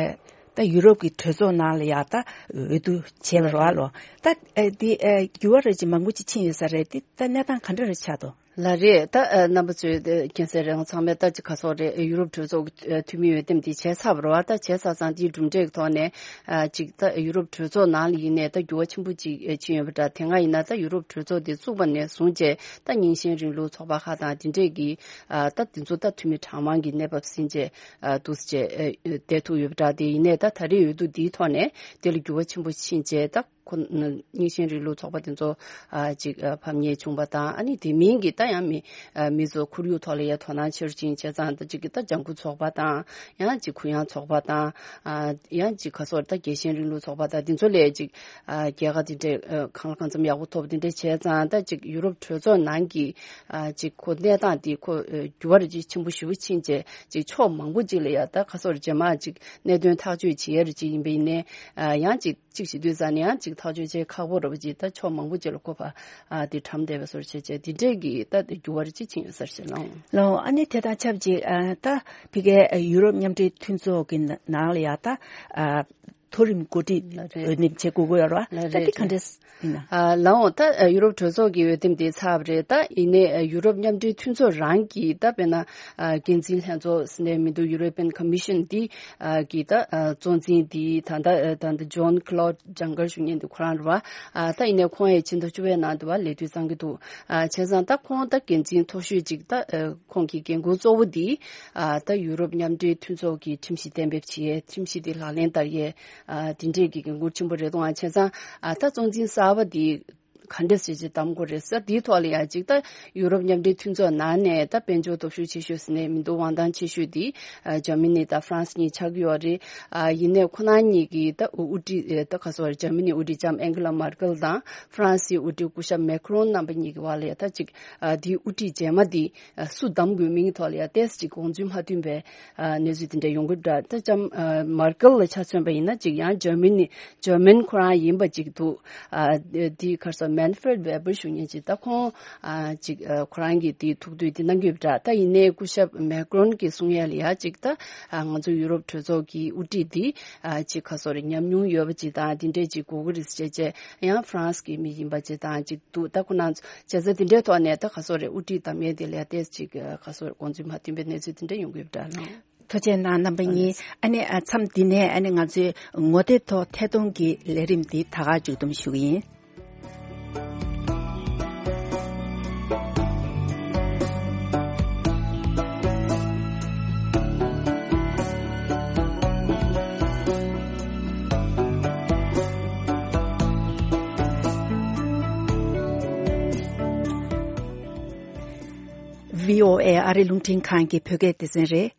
ད་ཡུ་རོབ་ཀྱི་གྲོས་ཚོགས་ནང་ལ་ཡ་ད་འོས་བསྡུ་བྱས་པ་རེད་བ་ལོ། ད་ཨ་འདི་ཨ་འགྱུར་བ་རེ་ཅིག་མང་པོ་ཅིག་ཕྱིན་ཡོད་ས་རེད། འདི་ད་གནས་སྟངས་ག་འདྲ་རེ་ཆགས་འདུག་ལགས་རེད། ད་ཨ་རྣམ་པ་ཚོས་ཨ་མཁྱེན་གསལ་རེད། ང་ཚང་མས་ད་ཅིག་ག་སོགས་རེད། ཡུ་རོབ་གྲོས་ཚོགས་ཀྱི་ཨ་འཐུས་མི་འོས་འདེམས་དེ་བྱས་ཚར་བ་རེད་བ། ད་བྱས་ཚར་ཙང་དེའི་གྲུབ་འབྲས་ཀྱི་ཐོག་ནས་ཨ་ཅིག་ད་ཡུ་རོབ་གྲོས་ཚོགས་ནང་ལ་ཡིན་ནའི་ད་འགྱུར་བ་ཆེན་པོ་ཅིག་ཨ་ཕྱིན་ཡོད་པ་འདྲ། དེ་སྔ་ཡིན་ན་ད་ཡུ་རོབ་གྲོས་ཚོགས་དེ་བཙུགས་པ་ནས་བཟུང་བྱས་ད་རྙིང་ཞེན་རིང་ལུགས་ཚོགས་པ་ཁག་དང་དེ་འདྲས་ཀྱི་ཨ་ད་དེ་ཚོ་ད་འཐུས་མི་གྲངས་མང་གི་གནས་བབ་ཟིན་བྱས་ཨ་འདུག་སེ་བྱས་ཨ་བསྡད་ཐུབ་ཡོད་པ་འདྲ། དེ་ཡིན་ནའི་ད་ད་རེས་འོས་བསྡུ་འདིའི་ཐོག་ནས་དེ་ལ་འགྱུར་བ་ཆེན་པོ་ཕྱིན་བྱས་ད། ཁོ་རྙིང་ཞེན་རིང་ལུགས་ཚོགས་པ་དེ་ཚོ་ཨ་ཅིག་ཨ་ཕམ་ཉེས་བྱུང་བ་དང་། ཨ་ནི་དེ་མིན་གྱི་ད་ཡང་མི་ཨ་མི་ཚོ་ཁོར་ཡུག་ཐོག་ལ་ཡ་དོ་སྣང་ཆེ་རུ་ཕྱིན་བྱས་ཙང་། ད་ཅིག་གི་ད་ལྗང་ཁུ་ཚོགས་པ་དང་། ཡང་ཅིག་གུ་ཡངས་ཚོགས་པ་དང་། ཨ་ཡང་ཅིག་ག་སོགས་ད་རྒྱལ་ཞེན་རིང་ལུགས་ཚོགས་པ་དང་དེ་ཚོ་ལས་ཅིག་ཨ་རྒྱལ་ཁ་དེ་འདྲས་ཨ་གང་ལ་གང་འཚམ་ཡག་པོ་ཐོབ་དེ་འདྲས་བྱས་ཙང་། ད་ཅིག་ཡུ་རོབ་གྲོས་ཚོགས་ནང་གི་ཨ་ཅིག་ཁོ་གནས་སྟངས་དེ་ཁོ་ཨ་འགྱུར་བ་རེ་ཅིག་ཆེན་པོ་ཞེ་པོ་ཕྱིན་བྱས་ཅིག་ཕྱོགས་མང་པོ་ཅིག་ལ་ཡ་ད་ག་སོགས་རྗེས་མ་ཅིག་གནད་དོན་ཐག་གཅོད་བྱེད་ཡ་རེ་ཅིག་ཡིན་པ་ཡིན་ནའི་ཨ་ཡང་ཅིག་གཅིག་བྱེད་དུས་ཙང་ནས་ཡང་གཅིག་ཐག་གཅོད་བྱེད་ཁག་པོ་རེད་པ་ཅིག་ད་ཕྱོགས་མང་པོ་ཅིག་ལ་ཁོ་ཕ་ཨ་དེ་གྲམ་བསྡད་པའི་བཟོ་འདྲ་བྱས་བྱས་དེ་འདྲས་ཀྱི་ད་དེ་འགྱུར་བ་རེ་ཅིག་ཕྱིན་ཡོད་ས་རེད་ལགས། ལགས། ཨ་ནི་དེ་དང་ཆབས་ཅིག་ཨ་ད་ཕ་གིའི་ཡུ་རོབ་མཉམ་འབྲེལ་མཐུན་ཚོགས་ཀྱི་ནང་ལ་ཡ་ད་ཨ་མཐོ་རིམ་འགོ་ཁྲིད་ལགས་རེད། འོས་འདེམས་བྱེད་དགོས་ཀྱི་ཡོད་རེད་བ། ལགས་ད་རེད། དེ་ག་འདྲས་ཡིན་ན། ཨ་ལགས་འོང་། ད་ཨ་ཡུ་རོབ་གྲོས་ཚོགས་ཀྱི་འོས་འདེམས་དེ་ཚར་བ་རེད། ད་ཡིན་ནའི་ཨ་ཡུ་རོབ་མཉམ་འབྲེལ་མཐུན་ཚོགས་རང་གི་ད་དཔེར་ན་ཨ་འགན་འཛིན་ལྷན་ཚོགས་ཟེར་ནས་མི་འདུག European Commission འདི་ཨ་གི་ད་ཨ་གཙོ་འཛིན་འདི་ད་ལྟ་ཨ་ད་ལྟ་ཇོན་ཁི་ལོད་ཇང་གར་ཞུ་མཁན་འདི་ཁོ་རང་རེད་བ། ཨ་ད་ཡིན་ནའི་ཁོང་ཡང་ཕྱི་ཟླ་བཅུ་པའི་ནང་དུ་བ་ལས་དུས་གཙང་གི་འདུག་ཨ་བྱས་ཙང་ད་ཁོང་ད་འགན་འཛིན་མཐོ་ཤོས་ཅིག་ད་ཨ་ཁོང་གི་འགན་ཁུར་གཙོ་བོ་འདི་ཨ་ད་ཡུ་རོབ་མཉམ་འབྲེལ་མཐུན་ཚོགས་ཀྱི་ཁྲིམས་གཞི་གཏན་འབེབས་བྱེད་ཡས། ཁྲིམས་གཞི་འདི་ལག་ལེན་བསྟར་ཡས། ཨ་དེ་འདྲས་ཀྱི་འགན་ཁུར་ཆེན་པོ་རེད་འདུག་ཨ་བྱས་ཙང་ཨ་ད་གཙོ་འཛིན་གསར་པ་འདི་ག་འདྲས་ཟེར་ཅིག་གདམ་དགོས་རེད་ཟེར། དེའི་ཐོག་ལ་ཡང་ཅིག་ད་ཡུ་རོབ་མཉམ་འབྲེལ་མཐུན་ཚོགས་ནང་ནས་ད་དཔལ་འབྱོར་སྟོབས་ཤུགས་ཆེ་ཤོས་ཟེར་ནས་མི་འདུག་དབང་ཐང་ཆེ་ཤོས་དེ་ཨ་ཇར་མ་ནི་དང་ཧྥ་རན་སི་གཉིས་ཆགས་ཀྱི་ཡོད་རེད། ཨ་ཡིན་ནའི་ཁོ་རང་གཉིས་ཀྱི་ད་དབུ་ཁྲིད་ཨ་ད་ག་སོ་ཇར་མ་ནི་དབུ་ཁྲིད་ལྕམ་ཨན་གྷི་ལ་མར་ཀེལ་དང་ཧྥ་རན་སིའི་དབུ་ཁྲིད་སྐུ་ཞབས་མེ་ཁི་རོན་རྣམ་པ་གཉིས་ཀྱི་བར་ལ་ཡ་ད་ཅིག་ཨ་དེའི་དབུ་ཁྲིད་རྗེས་མ་དེ་ཨ་སུ་གདམ་དགོས་མིན་གྱི་ཐོག་ལ་ཡ་ཏོག་ཙམ་ཅིག་དགོངས་ཚུལ་མ་མཐུན་པའི་ཨ་གནས་ཚུལ་དེ་འདྲ་ཡོང་གི་འདུག་ད་ལྕམ་ཨ་མར་ཀེལ་ལ་ཆ་མཚོན་པ་ཡིན་ན་ཅིག་ཡང་ཇར་མ་ནི་ཇར་མན་ཁོ་རང་ཡིན་པ་ཅིག་འདུག་ཨ་དེ་ག་རེ་ཟེར་མན་ཧྥི་རེད་ཝེ་པར་ཞུ་མཁན་ཅིག་ད་ཁོང་ཨ་ཅིག་ཨ་ཁོ་རང་གིས་དེ་ཐུགས་འདོད་དེ་གནང་གི་ཡོད་པ་འདྲ། ད་ཡིན་ནའི་སྐུ་ཞབས་མེ་ཀི་རོན་གྱིས་གསུང་ཡ་ལ་ཡ་ཅིག་ད་ཨ་ང་ཚོ་ཡུ་རོབ་གྲོས་ཚོགས་ཀྱི་དབུ་ཁྲིད་དེ་ཨ་ཅིག་ག་རེ་ཟེར་ཉམས་མྱོང་ཡོད་པ་ཅིག་དང་དེ་འདྲས་ཅིག་དགོས་ཀྱི་རེད་ཟེར་བྱས་བྱས་ཡང་ཧྥ་རན་སི་གི་མི་ཡིན་པ་ཅིག་དང་ཅིག་འདུག་ད་ཁོ་རང་ཚོ་བྱས་ཙང་དེ་འདྲའི་ཐོག་ནས་ད་ག་རེ་ཟེར་དབུ་ཁྲིད་གདམ་ཡས་དེ་ལ་ཡ་ཏོག་ཙམ་ཅིག་ག་རེ་ཟེར་དགོངས་ཚུལ་མ་མཐུན་པའི་གནས་ཚུལ་དེ་འདྲ་ཡོང་གི་ཡོད་པ་འདྲ་ལགས། ཐུགས་རྗེ་གནང་རྣམ་པ་གཉིས། ཨ་ནི་ཨ་མཚམས་འདི་ནས་ཨ་ནི་ང་ཚོའི་ངོ་དེབ་ཐོག་ཐད་གཏོང་གི་ལས་རིམ་འདི་ད་ག་མཇུག་བསྡོམས་ཞུ་གི་ཡིན། ཝི་ཨོ་ཨེ་ཨ་རི་རླུང་འཕྲིན་ཁང་གི་བོད་སྐད་སྡེ་ཚན་རེད།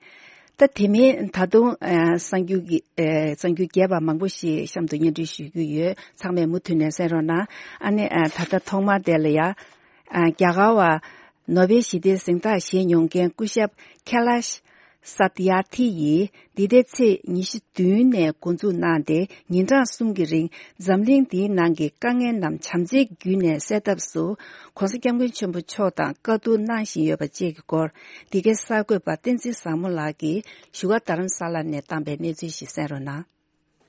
ད་དེ་མིན་ད་དུང་ཨ་གསར་འགྱུར་གྱི་ཨ་གསར་འགྱུར་རྒྱས་པ་མང་པོ་ཞིག་གཤམ་དུ་སྙན་སྒྲོན་ཞུ་རྒྱུ་ཡོད། ཚང་མས་མུ་མཐུད་ནས་གསན་རོགས་གནང་། ཨ་ནི་ཨ་ད་ལྟ་ཐོག་མར་དེ་ལ་ཡ། ཨ་རྒྱ་གར་བ་ནོ་བེལ་ཞི་བདེའི་གཟེངས་རྟགས་བཞེས་མྱོང་མཁན་སྐུ་ཞབས་ཁེ་ལཱཤ་སཏྱར་ཐི་ཡིས་འདི་ཟླའི་ཚེས་ཉི་ཤུ་བདུན་ནས་འགོ་འཛུགས་གནང་སྟེ། ཉིན་གྲངས་གསུམ་གྱི་རིང་འཛམ་གླིང་འདིའི་ནང་གི་དཀའ་ངལ་རྣམས་བྱམས་བརྩེའི་བརྒྱུད་ནས་སེལ་ཐབས་སུ་ྋགོང་ས་ྋསྐྱབས་མགོན་ཆེན་པོ་མཆོག་དང་བཀའ་བསྡུར་གནང་བཞིན་ཡོད་པ་བཅས་ཀྱི་སྐོར། འདི་གའི་གསར་འགོད་པ་བསྟན་འཛིན་བཟང་མོ་ལགས་ཀྱིས་བཞུགས་སྒར་རྡ་རམ་ས་ལ་ནས་བཏང་པའི་གནས་ཚུལ་ཞིག་གསན་རོགས་གནང་།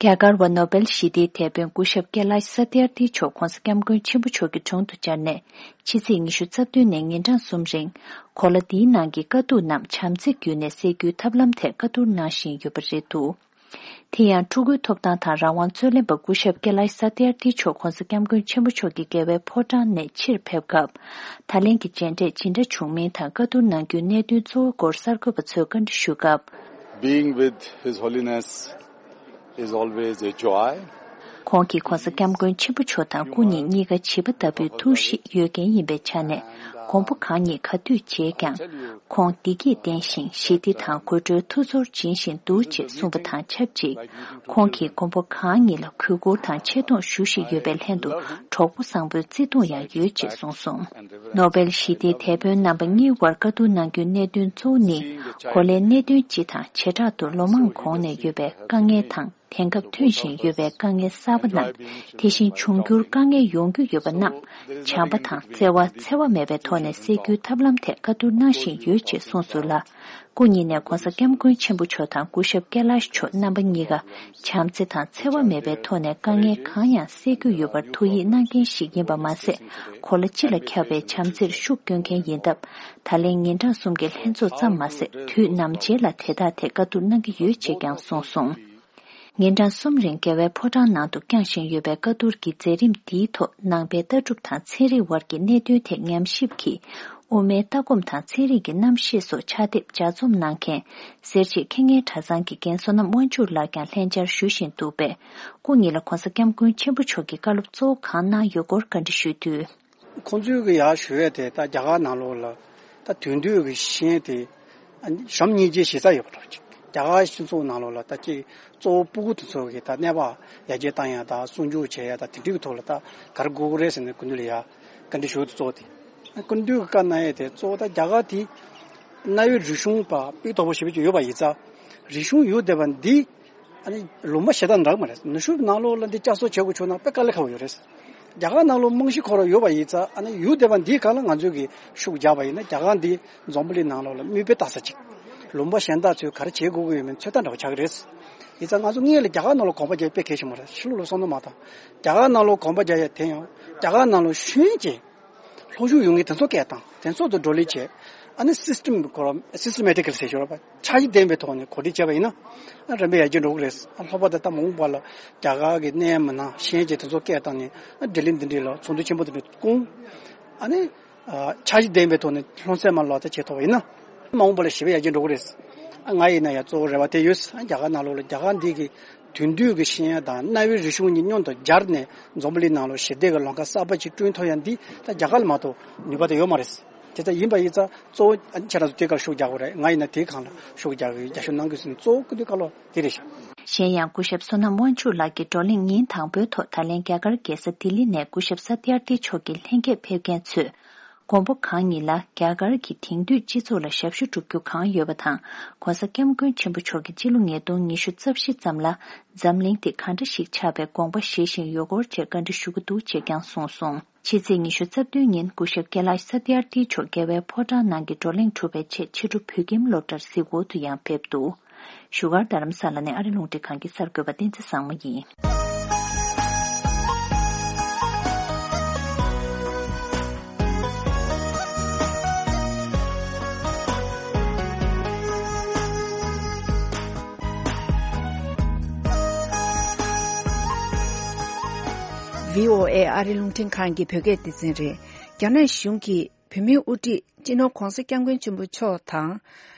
རྒྱ་གར་བ་ནོ་བེལ་ཞི་བདེའི་དེད་དཔོན་སྐུ་ཞབས་ཀེ་ལཱཤ་སཏྱར་ཐི་མཆོག་ྋགོང་ས་ྋསྐྱབས་མགོན་ཆེན་པོ་མཆོག་གི་དྲུང་དུ་བཅར་ནས། ཕྱི་ཚེས་ཉི་ཤུ་རྩ་བདུན་ནས་ཉིན་གྲངས་གསུམ་རིང་། གོ་ལ་འདིའི་ནང་གི་དཀའ་སྡུག་རྣམས་བྱམས་བརྩེ་བརྒྱུད་ནས་སེལ་རྒྱུའི་ཐབས་ལམ་ཐད་བཀའ་བསྡུར་གནང་བཞིན་ཡོད་པ་རེད་འདུག། དེ་ཡང་ཕྲུ་གུའི་ཐོབ་ཐང་དང་རང་དབང་རྩོད་ལེན་པ་སྐུ་ཞབས་ཀེ་ལཱཤ་སཏྱར་ཐི་མཆོག་ྋགོང་ས་ྋསྐྱབས་མགོན་ཆེན་པོ་མཆོག་གི་རྒྱལ་བའི་ཕོ་བྲང་ནས་ཕྱིར་ཕེབས་སྐབས། ད་ལན་གྱི་མཇལ་འཕྲད་ཇི་འདྲ་བྱུང་མིན་དང་བཀའ་བསྡུར་གནང་རྒྱུའི་གནད་དོན་གཙོ་བོའི་སྐོར་གསར་འགོད་པ་ཚོས་བཀའ་འདྲི་ཞུས་སྐབས། Being with His Holiness is always a joy. ཁོང་གིས་ྋགོང་ས་ྋསྐྱབས་མགོན་ཆེན་པོ་མཆོག་དང་སྐུ་ཉིད་གཉིས་ཀ་བྱིས་པ་ལྟ་བུའི་ཐུགས་གཤིས་ཡོད་མཁན་ཡིན་པའི་ཆ་ནས། དགོངས་པ་གང་ཉིད་ག་དུས་བརྗེད་ཀྱང་། ཁོང་བདེ་སྐྱིད་ལྡན་ཞིང་ཞི་བདེ་དང་དགོད་བྲོའི་ཐུགས་ཚོར་སྦྱིན་བཞིན་འདུག་ཅེས་གསུངས་པ་དང་ཆབས་ཅིག། ཁོང་གིས་མགོན་པོ་གང་ཉིད་ལ་གུས་བཀུར་དང་ཆེ་མཐོང་ཞུ་བཞིན་ཡོད་པའི་ལྷན་དུ་གྲོགས་པོ་བཟང་པོའི་བརྩེ་དུང་ཡང་ཡོད་ཅེས་གསུངས་སོང་། ནོ་བེལ་ཞི་བདེའི་དེད་དཔོན་རྣམ་པ་གཉིས་དབར་བཀའ་བསྡུར་གནང་རྒྱུའི་གནད་དོན་གཙོ་བོ་ནི། གོ་ལའི་གནད་དོན་སྤྱི་དང་བྱེ་བྲག་ཏུ་ལོ་མང་གོང་ནས་ཡོད་པའི་དཀའ་ངལ་དང་། དེང་སྐབས་ཐོན་བཞིན་ཡོད་པའི་དཀའ་ངལ་གསར་པ་རྣམས། དེ་བཞིན་འབྱུང་འགྱུར་དཀའ་ངལ་ཡོང་རྒྱུ་ཡོད་པ་རྣམས། བྱམས་པ་དང་བརྩེ་བ་འཚེ་བ་མེད་པའི་ཐོག་ནས་སེལ་རྒྱུའི་ཐབས་ལམ་ཐད་བཀའ་བསྡུར་གནང་བཞིན་ཡོད་ཅེས་གསུངས་སོང་ལ། སྐུ་ཉིད་ནས་ྋགོང་ས་ྋསྐྱབས་མགོན་ཆེན་པོ་མཆོག་དང་སྐུ་ཞབས་ཀེ་ལཱཤ་མཆོག་རྣམ་པ་གཉིས་ཀ་བྱམས་བརྩེ་དང་འཚེ་བ་མེད་པའི་ཐོག་ནས་དཀའ་ངལ་གང་ཡང་སེལ་རྒྱུ་ཡོད་པར་ཐུགས་ཡིད་གནང་མཁན་ཞིག་ཡིན་པ་མ་ཟད། གོ་ལ་སྤྱི་ལ་ཁྱབ་པའི་བྱམས་བརྩེར་ཤུགས་སྐྱོན་མཁན་ཡིན་སྟབས། ད་ལན་ཉིན་གྲངས་གསུམ་གྱི་ལྷན་ཚོགས་ཙམ་མ་ཟད། དུས་ནམ་མཇལ་ལ་དེ་དག་ཐད་བཀའ་བསྡུར་གནང་གི་ཡོད་ཅེས་ཀྱང་གསུངས་སོང་། ཉིན་གྲངས་གསུམ་རིང་རྒྱལ་བའི་ཕོ་བྲང་ནང་དུ་བསྐྱངས་བཞིན་ཡོད་པའི་བཀའ་བསྡུར་གྱི་མཛད་རིམ་འདིའི་ཐོག་ནང་པའི་ལྟ་གྲུབ་དང་ཚན་རིག་དབར་གྱི་གནད་དོན་ཐད་ཉམས་ཞིབ་ཀྱིས། དབུ་མའི་ལྟ་སྒོམ་དང་ཚན་རིག་གི་རྣམ་ཤེས་སོགས་ཕྱག་དེབ་ལྗགས་རྩོམ་གནང་མཁན། སེར་བྱེས་མཁས་སྙན་གྲྭ་ཚང་གི་རྒན་བསོད་ནམས་དབང་ཕྱུག་ལགས་ཀྱང་ལྷན་བཅར་ཞུ་བཞིན་འདུག་པས། སྐུ་ཉིད་ལ་༧གོང་ས་༧སྐྱབས་མགོན་ཆེན་པོ་མཆོག་གིས་བཀའ་སློབ་གཙོ་བོ་གང་གནང་ཡོད་སྐོར་བཀའ་འདྲི་ཞུས་དུས། ཁོང་ཚོའི་གི་ཡར་ཞུ་ཡས་དེ་ད་རྒྱ་གར་ནང་ལོགས་ལ་ད་དེང་དུས་ཀྱི་ཤེས་ཡོན་དེ་གཞོན་སྙིང་རྗེ་ཞེ་ས་ཡོད་པ་འདྲ་ཅིག། རྒྱ་གར་སྤྱི་ཚོགས་ནང་ལོགས་ལ་ད་ཅིག་གཙོ་བོ་སྤུ་གུ་དེ་ཚོ་གི་ད་གནས་བབ་ཡར་རྒྱས་བཏང་ཡ་ད་སྲུང་སྐྱོབ་བྱེད་ཡ་ད་དེ་འདྲའི་གི་ཐོག་ལ་ད་ག་རེ་དགོས་ཀྱི་རེད་ཟེར་ནས་སྐུ་མདུན་ལ་ཡ་བཀའ་འདྲི་ཞུ་དུས་གཙོ་བོ་དེ། སྐུ་མདུན་གི་བཀའ་གནང་ཡས་དེ་གཙོ་བོ་ད་རྒྱ་གར་དེ་གནའ་བོའི་རིག་གཞུང་པ་སྤུས་དག་པོ་ཞེ་པོ་ཅིག་ཡོད་པ་ཡིན་ཙང་། རིག་གཞུང་ཡོད་བསྡད་པ་འདི། ཨ་ནི་ལུང་པ་གཞན་དང་འདྲ་གི་མ་རེད། ནུབ་ཕྱོགས་ནང་ལོགས་ལ་འདི་བསྐྱར་གསོ་བྱེད་དགོས་བྱུང་ན་དཔེ་དཀའ་ལས་ཁག་པོ་ཡོད་རེད། རྒྱ་གར་ནང་ལོགས་རྨང་གཞི་ཁོ་རང་ཡོད་པ་ཡིན་ཙང་ཨ་ནི་ཡོད་བསྡད་པ་འདིའི་སྒང་ལ་ང་ཚོས་ཀྱི་ཤུགས་རྒྱག་པ་ཡིན་ན་རྒྱ་གར་འདི་འཛམ་བུ་གླིང་ནང་ལོགས་ལ་མིག་དཔེ་ལྟ་ས་ཅིག། ལུང་པ་གཞན་དག་ཚོས་ག་རེ་བྱེད་དགོས་ཀྱི་ཡོད་མེད་ཚོད་ལྟ་འདྲ་པོ་ཆགས་ཀྱི་རེད། ཡིན་ཙང་ང་ཚོ་སྔོན་ལ་རྒྱ་གར་ནང་ལོགས་གོམ་པ་རྒྱག་ཡ་དཔེ་གལ་ཆེན་པོ་རེད། ཕྱི་ལོགས་ལ་བསམ་བློ་མ་བཏང་། རྒྱ་གར་ནང་ལོགས་གོམ་པ་རྒྱག་ཡ་དེ་ཡང་རྒྱ་གར་ནང་ལོགས་ཤེས་ཡོན་ཅན། ལྷོ་ཕྱོགས་ཡོང་མཁན་དེ་ཚོ་སྐད་བཏང་དེ་ཚོ་དང་བགྲོ་གླེང་བྱས། ཨ་ནི་སི་སི་ཊེམ་ཁོ་རང་སི་སི་ཊེ་མེ་ཊི་ཀལ་ཟེར་ཞོར་བ་འཆར་གཞི་ལྡན་པའི་ཐོག་ནས་གོ་སྒྲིག་བྱས་པ་ཡིན་ན། ཨ་རིམ་པས་ཡར་རྒྱས་འགྲོ་གི་རེད། ཨ་ལྷག་པར་དུ་ད་མ་འོངས་པ་ལ་རྒྱ་གར་གྱི་གནད་ཡོད་མི་སྣ་ཤེས་ཡོན་ཅན་དེ་ཚོ་སྐད་བཏང་ནས་ཨ་བགྲོ་གླེང་འདི་འདྲའི་ལ་ཚོགས་འདུ་ཆེན་པོ་འདི་འདྲ་བསྐོང་། ཨ་ནི་ཨ་འཆར་གཞི་ལྡན་པའི་ཐོག་ནས་ལྷུང་བཟེད་མ་ལོག་ད་བྱེད་ཐུབ་པ་ཡིན་ན། མ་འོངས་པ་ལ་ཞེ་པོ་ཡར་རྒྱས་འགྲོ་གི་རེད། ཨ་ང་ཡིན་ན་ཡང་གཙོ་བོ་རེ་བ་དེ་ཡོད། ཨ་རྒྱ་གར་ནང་ལོགས་ལ་རྒྱ་གར་འདི་གི་དེང་དུས་ཀྱི་ཤེས་ཡོན་དང་གནའ་བོའི་རིག་གཞུང་གཉིས་མཉམ་དུ་སྦྱར་ནས་འཛམ་བུ་གླིང་ནང་ལོགས་ཞི་བདེ་གི་ལམ་ཁ་གསར་པ་ཅིག་བསྐྲུན་ཐུབ་ཡ་འདི་ད་རྒྱ་གར་ལ་མ་གཏོགས་ནུས་པ་དེ་ཡོད་མ་རེད། དེ་ལྟར་ཡིན་པ་ཡིན་ཙང་གཙོ་བོ་ཨ་ནི་ཁྱེད་རང་ཚོ་དེ་གར་ཤུགས་རྒྱག་དགོས་རེད། ང་ཡིན་ན་དེའི་སྒང་ལ་ཤུགས་རྒྱག་གི་རྒྱབ་སྐྱོར་གནང་དགོས་ཟེར་ནས་གཙོ་བོ་སྐུ་མདུན་བཀའ་སློབ་དེ་རེད་ཤག། གཞན་ཡང་སྐུ་ཞབས་བསོད་ནམས་དབང་ཕྱུག་ལགས་ཀྱི་བགྲོ་གླེང་ཉིན་དང་པོའི་ཐོག་ད་ལན་རྒྱ་གར་རྒྱལ་ས་ལྡི་ལི་ནས་སྐུ་ཞབས་ས་ཏི་ཨར་ཏི་མཆོག་གི་ལྷན་རྒྱས་ཕེབས་མཁན་ཚོས། མགོན་པོ་གང་ཉིད་ལ་རྒྱ་གར་གྱི་དེང་དུས་སྤྱི་ཚོགས་ལ་ཞབས་ཞུ་སྒྲུབ་རྒྱུ་གང་ཡོད་པ་དང་། ྋགོང་ས་ྋསྐྱབས་མགོན་ཆེན་པོ་མཆོག་གིས་སྤྱི་ལོ་ཉིས་སྟོང་ཉི་ཤུ་རྩ་བཞི་ཙམ་ལ་འཛམ་གླིང་འདི་གང་འདྲ་ཞིག་ཆགས་པའི་དགོངས་པ་བཞེས་བཞིན་ཡོད་སྐོར་བཅས་བཀའ་འདྲི་ཞུ་གི་འདུག་ཅེས་ཀྱང་གསུངས་སོང་། ཕྱི་ཚེས་ཉི་ཤུ་རྩ་བདུན་ཉིན་སྐུ་ཞབས་ཀེ་ལཱཤ་ས་ཏི་ཨར་ཏི་མཆོག་རྒྱལ་བའི་ཕོ་བྲང་ནང་གི་བགྲོ་གླེང་གྲུབ་པའི་རྗེས་ཕྱི་དྲོ་བོད་ཁྱིམ་སློབ་གྲྭར་གཟིགས་སྐོར་དུ་ཡང་ཕེབས་འདུག། བཞུགས་སྒར་རྡ་རམ་ས་ལ་ནས་ཨ་རི་རླུང་འཕྲིན་ཁང་གི་གསར་འགོད་པ་བསྟན་འཛིན་བཟང་མོ་ཡིན། ཝི་ཨོ་ཨེ་ཨ་རི་རླུང་འཕྲིན་ཁང་གི་བོད་སྐད་སྡེ་ཚན་རེད། རྒྱ་ནག་གཞུང་གིས་བོད་མིའི་དབུ་ཁྲིད་སྤྱི་ནོར་༧གོང་ས་༧སྐྱབས་མགོན་ཆེན་པོ་མཆོག་དང་།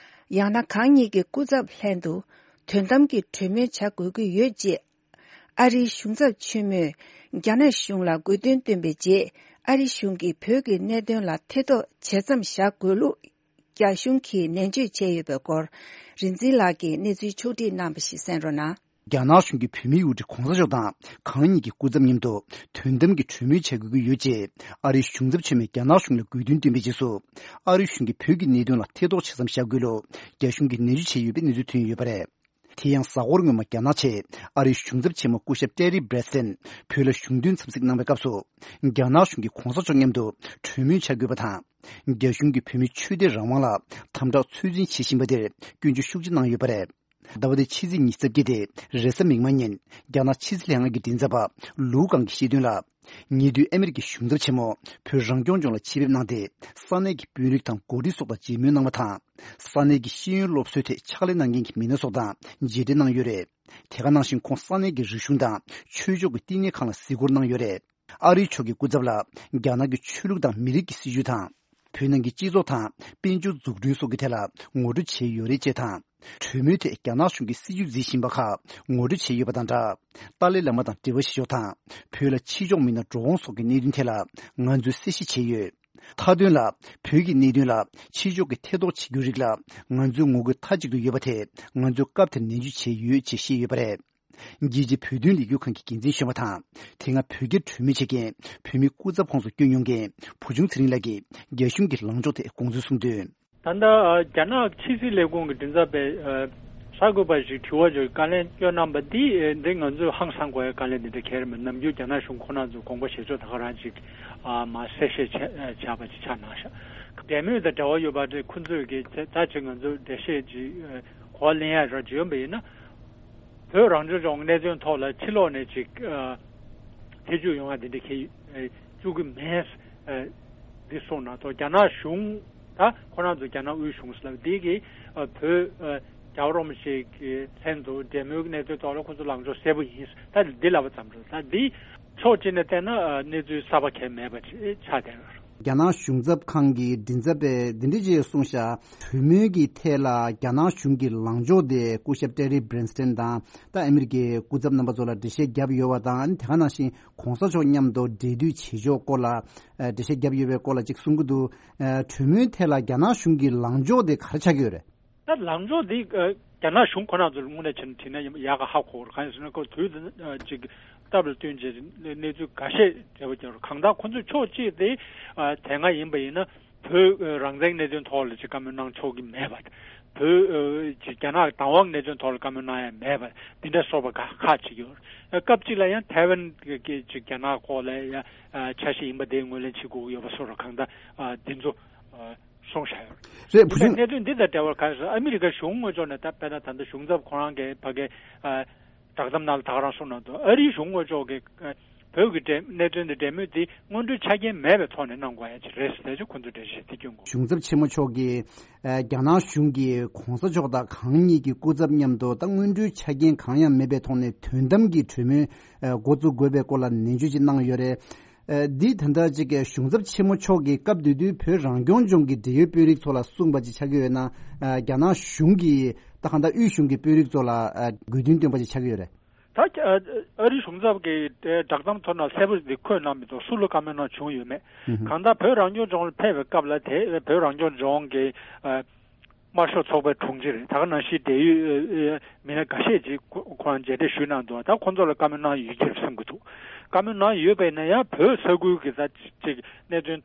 ཡང་ན་གང་ཉིད་ཀྱི་སྐུ་ཚབ་ལྷན་དུ་དོན་དམ་གྱི་གྲོས་མོལ་བྱ་དགོས་ཀྱི་ཡོད་ཅེས། ཨ་རིའི་གཞུང་ཚབ་ཆེན་མོས་རྒྱ་ནག་གཞུང་ལ་དགོས་འདུན་བཏོན་པའི་རྗེས། ཨ་རི་གཞུང་གིས་བོད་ཀྱི་གནད་དོན་ལ་ཐེ་གཏོགས་བྱེད་མཚམས་བཞག་དགོས་ལུགས་ རྒྱ་གཞུང་གིས་ནན་བརྗོད་བྱས་ཡོད་པའི་སྐོར། རིག་འཛིན་ལགས་ཀྱིས་གནས་ཚུལ་ཕྱོགས་བསྒྲིགས་གནང་བ་ཞིག་གསན་རོགས་གནང་། རྒྱ་ནག་གཞུང་གིས་བོད་མིའི་དབུ་ཁྲིད་གོང་ས་མཆོག་དང་གང་ཉིད་ཀྱི་སྐུ་ཚབ་མཉམ་དུ་དོན་དམ་གྱི་གྲོས་མོལ་བྱ་དགོས་ཀྱི་ཡོད་ཅེས་ཨ་རིའི་གཞུང་ཚབ་ཆེན་མོས་རྒྱ་ནག་གཞུང་ལ་དགོས་འདུན་བཏོན་པའི་རྗེས་སུ། ཨ་རིའི་གཞུང་གིས་བོད་ཀྱི་གནད་དོན་ལ་ཐེ་གཏོགས་བྱེད་མཚམས་བཞག་དགོས་ལུགས་རྒྱ་གཞུང་གིས་ནན་བརྗོད་བྱས་ཡོད་པའི་གནས་ཚུལ་ཐོན་ཡོད་པ་རེད། དེ་ཡང་གཟའ་འཁོར་སྔོན་མ་རྒྱ་ནག་ཆེད་ཨ་རིའི་གཞུང་ཚབ་ཆེན་མོ་སྐུ་ཞབས་ཏེ་རི་སྦྲེ་སན་བོད་ལ་གཞུང་དོན་འཚམས་གཟིགས་གནང་བའི་སྐབས་སུ། རྒྱ་ནག་གཞུང་གིས་གོང་ས་མཆོག་མཉམ་དུ་གྲོས་མོལ་བྱ་དགོས་པ་དང་། རྒྱ་གཞུང་གིས་བོད་མིའི་ཆོས་དད་རང་དབང་ལ་དམ་དྲག་ཚོད་འཛིན་བྱེད་བཞིན་པ་དེར་སྐྱོན་བརྗོད་ཤུགས་ཆེ་གནང་ཡོད་པ་རེད། ཟླ་བ་འདིའི་ཕྱི་ཚེས་ཉི་ཤུ་རྩ་བརྒྱད་སྟེ་རེས་གཟའ་མིག་དམར་ཉིན་རྒྱ་ནག་ཕྱི་སྲིད་ལྷན་ཁང་གི་མགྲིན་ཚབ་པ་ལུའུ་ཀང་གིས་བཤད་དོན་ལ། ཉེ་དུས་ཨ་མི་རི་ཀའི་གཞུང་ཚབ་ཆེན་མོ་བོད་རང་སྐྱོང་ལྗོངས་ལ་ཆེད་ཕེབས་གནང་སྟེ་ས་གནས་ཀྱི་དཔོན་རིགས་དང་འགོ་ཁྲིད་སོགས་དང་མཇལ་མོལ་གནང་བ་དང་། ས་གནས་ཀྱི་ཤེས་ཡོན་སློབ་གསོའི་ཐད་ཕྱག་ལས་གནང་མཁན་གྱི་མི་སྣ་སོགས་དང་མཇལ་འཕྲད་གནང་ཡོད་རེད། དེ་ག་ནང་བཞིན་ཁོང་ས་གནས་ཀྱི་རིག་གཞུང་དང་ཆོས་ཕྱོགས་ཀྱི་བསྟི་གནས་ཁང་ལ་གཟིགས་སྐོར་གནང་ཡོད་རེད། ཨ་རིའི་ཕྱོགས་ཀྱི་སྐུ་ཚབ་ལ་རྒྱ་ནག་གི་ཆོས་ལུགས་དང་མི་རིགས་ཀྱི་སྲིད་བྱུས་དང་། བོད་ནང་གི་སྤྱི་ཚོགས་དང་དཔལ་འབྱོར་འཛུགས་སྐྲུན་སོགས་ཀྱི་ཐད་ལ་ངོ་སྤྲོད་བྱས་ཡོད་རེད་ཅེས་དང་། གྲོས་མོལ་ཐད་རྒྱ་ནག་གཞུང་གིས་སྲིད་བྱུས་འཛིན་བཞིན་པ་ཁག་ངོ་སྤྲོད་བྱས་ཡོད་པ་དང་སྦྲགས། ཏཱ་ལའི་བླ་མ་དང་འབྲེལ་བ་བྱེད་ཕྱོགས་དང་། བོད་ལ་ཕྱི་ཕྱོགས་མི་སྣ་འགྲོ་འོང་སོགས་ཀྱི་གནད་དོན་ཐད་ལ་ང་ཚོས་གསལ་བཤད་བྱས་ཡོད། མཐའ་དོན་ལ་བོད་ཀྱི་གནད་དོན་ལ་ཕྱི་ཕྱོགས་ཀྱིས་ཐེ་གཏོགས་བྱེད་རྒྱུའི་རིགས་ལ་ང་ཚོའི་ངོ་རྒོལ་མཐའ་གཅིག་ཏུ་ཡོད་པ་དེ་ང་ཚོས་སྐབས་དེར་ནན་བརྗོད་བྱས་ཡོད་ཅེས་བཤད་ཡོད་པ་རེད། རྒྱལ་སྤྱིའི་བོད་དོན་ལས་འགུལ་ཁང་གི་འགན་འཛིན་གཞོན་པ་དང་། དེ་སྔ་བོད་རྒྱའི་གྲོས་མོལ་བྱེད་མཁན་བོད་མིའི་སྐུ་ཚབ་ཁོངས་སུ་བསྐྱོད་མྱོང་མཁན་བུ་ཆུང་ཚེ་རིང་ལགས་ཀྱིས་རྒྱ་གཞུང་གི་ལངས་ཕྱོགས་ཐད་དགོངས་ཚུལ་གསུངས་དོན། ད་ལྟ་རྒྱ་ནག་ཕྱི་སྲིད་ལས་ཁུངས་ཀྱི་མགྲིན་ཚབ་པས་གསར་འགོད་པ་ཞིག་དྲི་བ་བརྗོད་བཀའ་ལན་བསྐྱོན་གནང་པ་འདི་འདི་ང་ཚོས་ཧང་སང་དགོས་ཡ་བཀའ་ལན་འདི་འདྲ་གལ་མེད། ནམ་རྒྱུན་རྒྱ་ནག་གཞུང་ཁོ་རང་ཚོ་དགོངས་པ་བཞེས་ཕྱོགས་ད་ག་རང་ཅིག་མ་གསལ་བཤད་བྱས་བྱས་པ་ཅིག་ཆགས་གནང་ཤག་འབྲེལ་མོལ་དང་འབྲེལ་བ་ཡོད་པ་འདྲ་ཁོ་ཚོས་ཀྱི་ད་ཅིག་ང་ཚོ་འགྲེལ་བཤད་ཅིག་གོ་བ་ལེན་ཡ་ར་བརྗོད་པ་ཡིན་ན། བོད་རང་སྐྱོང་ལྗོངས་གནད་དོན་ཐོག་ལ་ཕྱི་ལོགས་ནས་ཅིག་ཨ་ཐེ་བྱུས་ཡོང་བ་འདི་འདྲ་གལ་ཨ་བཅུག་གི་མེད། ཨ་འདི་གསུངས་གནང་ཐོག་རྒྱ་ནག་གཞུང་ད་ཁོ་རང་ཚོ་རྒྱ་ནག་དབུས་གཞུང་ཟེར་ལབ་འདི་གི་ཨ་བོད་ཨ་རྒྱལ་བ་རིན་པོ་ཆེ་གི་ལྷན་དུ་འབྲེལ་མོལ་གནད་དོན་ཐོག་ལ་ཁོ་ཚོ་ལངས་ཕྱོགས་གསལ་པོ་ཡིན། ད་འདི་ལབ་པ་ཙམ་རེད། ད་འདི་ཕྱོགས་གཅིག་ནས་བལྟས་ན་ཨ་གནས་ཚུལ་གསར་པ་གང་ཡང་མེད་པ་ཅིག་ཆགས་བསྡད་ཡོད་རེད། རྒྱ་ནག་གཞུང་ཚབ་ཁང་གི་མགྲིན་ཚབ་པས་འདི་འདྲ་ཅིག་གསུངས་ཤག་གྲོས་མོལ་གྱི་ཐད་ལ་རྒྱ་ནག་གཞུང་གི་ལངས་ཕྱོགས་དེ་སྐུ་ཞབས་ཏེ་རི་སྦྲེན་སི་ཏན་དང་ད་ཨ་མི་རི་ཀའི་སྐུ་ཚབ་རྣམ་པ་ཚོ་ལ་འགྲེལ་བཤད་བརྒྱབ་ཡོད་པ་དང་། དེ་ག་ནང་བཞིན་གོང་ས་མཆོག་མཉམ་དུ་འབྲེལ་མཐུད་བྱེད་ཕྱོགས་སྐོར་ལ་ཨ་འགྲེལ་བཤད་བརྒྱབ་ཡོད་པའི་སྐོར་ལ་ཅིག་གསུང་གི་འདུག་ཨ་གྲོས་མོལ་ཐད་ལ་རྒྱ་ནག་གཞུང་གི་ལངས་ཕྱོགས་དེ་ག་རེ་ཆགས་ཀྱི་ཡོད་རེད། ད་ལངས་ཕྱོགས་འདི་ཨ་རྒྱ་ནག་གཞུང་ཁོ་རང་ཚོར་དངོས་གནས་བྱས་ན་དྲིས་ན་ཡག་ག་ཧ་གོ་གི་རེད། གང་ཡིན་ཟེར་ན་ཁོ་དུས་དང་ཨ་ཅིག་སྟབས་ལ་བསྟུན་བྱས་གནས་ཚུལ་འགའ་ཤས་འབྲེལ་བ་བརྒྱབ་རེད། གང་ལྟར་ཁོ་ཚོས་ཕྱོགས་གཅིག་དེ་ཨ་དེ་སྔ་ཡིན་པ་ཡིན་ན་བོད་ཨ་རང་བཙན་གནད་དོན་ཐོག་ལ་ཅིག་བཀའ་མོལ་གནང་ཆོག་གི་མེད་པ། བོད་ཨ་ཅིག་རྒྱ་ནག་གི་བདག་དབང་གནད་དོན་ཐོག་ལ་བཀའ་མོལ་གནང་ཡ་མེད་པ་འདི་འདྲ་སོགས་པ་ཁག་ཁག་ཅིག་ཡོད་རེད། སྐབས་གཅིག་ལ་ཡང་ཐའེ་ཝན་གྱི་ཅིག་རྒྱ་ནག་ཁོག་ལ་ཡ་ཨ་ཆ་ཤས་ཡིན་པ་དེ་ངོས་ལེན་བྱེད་དགོས་ཀྱི་ཡོད་པ་སོགས་རེད། གང་ལྟར་ཨ་འདི་ཚོ་ཨ་གསུངས་བཞག་ཡོད་རེད། རེད། བུ་ཆུང་། གནད་དོན་འདི་དང་འབྲེལ་བར་ག་རེ་ཟེར་ན་ཨ་མི་རི་ཀ་གཞུང་དངོས་ཕྱོགས་ནས་ད་དཔེར་ན་ད་ལྟ་གཞུང་ཚབ་ཁོ་རང་གིས་ཕ་གི་ཨ་བསྒྲགས་གཏམ་ནང་ལ་ད་ག་རང་གསུངས་གནང་འདུག་ཨ་རིའི་གཞུང་དངོས་ཕྱོགས་ཀྱིས་ཨ་བོད་ཀྱི་འབྲེལ་གནད་དོན་དེ་འབྲེལ་མོལ་དེ་སྔོན་འགྲོའི་ཆ་རྐྱེན་མེད་པའི་ཐོག་ནས་གནང་དགོས་ཡ་ཅིག་རེད་ཟེར་ཏེ་ཁོ་ཚོས་འགྲེལ་བཤད་དེ་བསྐྱོན་དགོས། གཞུང་ཚབ་ཆེན་མོ་མཆོག་གིས་ཨ་རྒྱ་ནག་གཞུང་གིས་གོང་ས་མཆོག་དང་གང་ཉིད་ཀྱི་སྐུ་ཚབ་མཉམ་དུ་ད་སྔོན་འགྲོའི་ཆ་རྐྱེན་གང་ཡང་མེད་པའི་ཐོག་ནས་དོན་དམ་གྱི་གྲོས་མོལ་ཨ་འགོ་བཙུགས་དགོས་པའི་སྐོར་ལ་ནན་བརྗོད་ཅིག་གནང་ཡོད་རེད། ཨ་འདི་ད་ལྟ་ཅིག་གཞུང་ཚབ་ཆེན་མོ་མཆོག་གིས་སྐབས་དེ་དུས་བོད་རང་སྐྱོང་ལྗོངས་ཀྱི་འབྲེལ་ཡོད་དཔོན་རིགས་ཚོ་ལ་གསུངས་པ་ཅིག་ཆགས་ཀྱི་ཡོད་ན། ཨ་རྒྱ་ནག་གཞུང་གིས་ད་གང་ལྟར་དབུས་གཞུང་གི་དཔོན་རིགས་ཚོ་ལ་ཨ་དགོས་འདུན་བཏོན་པ་ཅིག་ཆགས་ཀྱི་ཡོད་རེད། ད་ཨ་རིའི་གཞུང་ཚབ་ཀྱིས་བསྒྲགས་གཏམ་ཐོག་ན་གསལ་པོ་འདི་འཁོད་གནང་མི་འདུག་སུ་ལ་བཀའ་མོལ་གནང་བྱུང་ཡོད་མེད། ཧུམ་ཧུམ། གང་ལྟར་བོད་རང་སྐྱོང་ལྗོངས་ལ་ཕེབས་པའི་སྐབས་ལ་དེ་བོད་རང་སྐྱོང་ལྗོངས་ཀྱི་ཨ་དམར་ཤོག་ཚོགས་པའི་དྲུང་ཆེ་རེད། ད་ག་ནང་བཞིན་འབྲེལ་ཡོད་མི་སྣ་འགའ་ཤས་ཅིག་ཁོ་ཁོ་རང་མཇལ་འཕྲད་ཞུས་གནང་འདུག་ད་ཁོ་ཚོ་ལ་བཀའ་མོལ་གནང་ཡོད་ཀྱི་རེད་བསམ་གྱི་འདུག་བཀའ་མོལ་གནང་ཡོད་པ་ཡིན་ན་ཡང་བོད་ས་ཁུལ་གྱི་ད་ཅིག་གནད་དོན་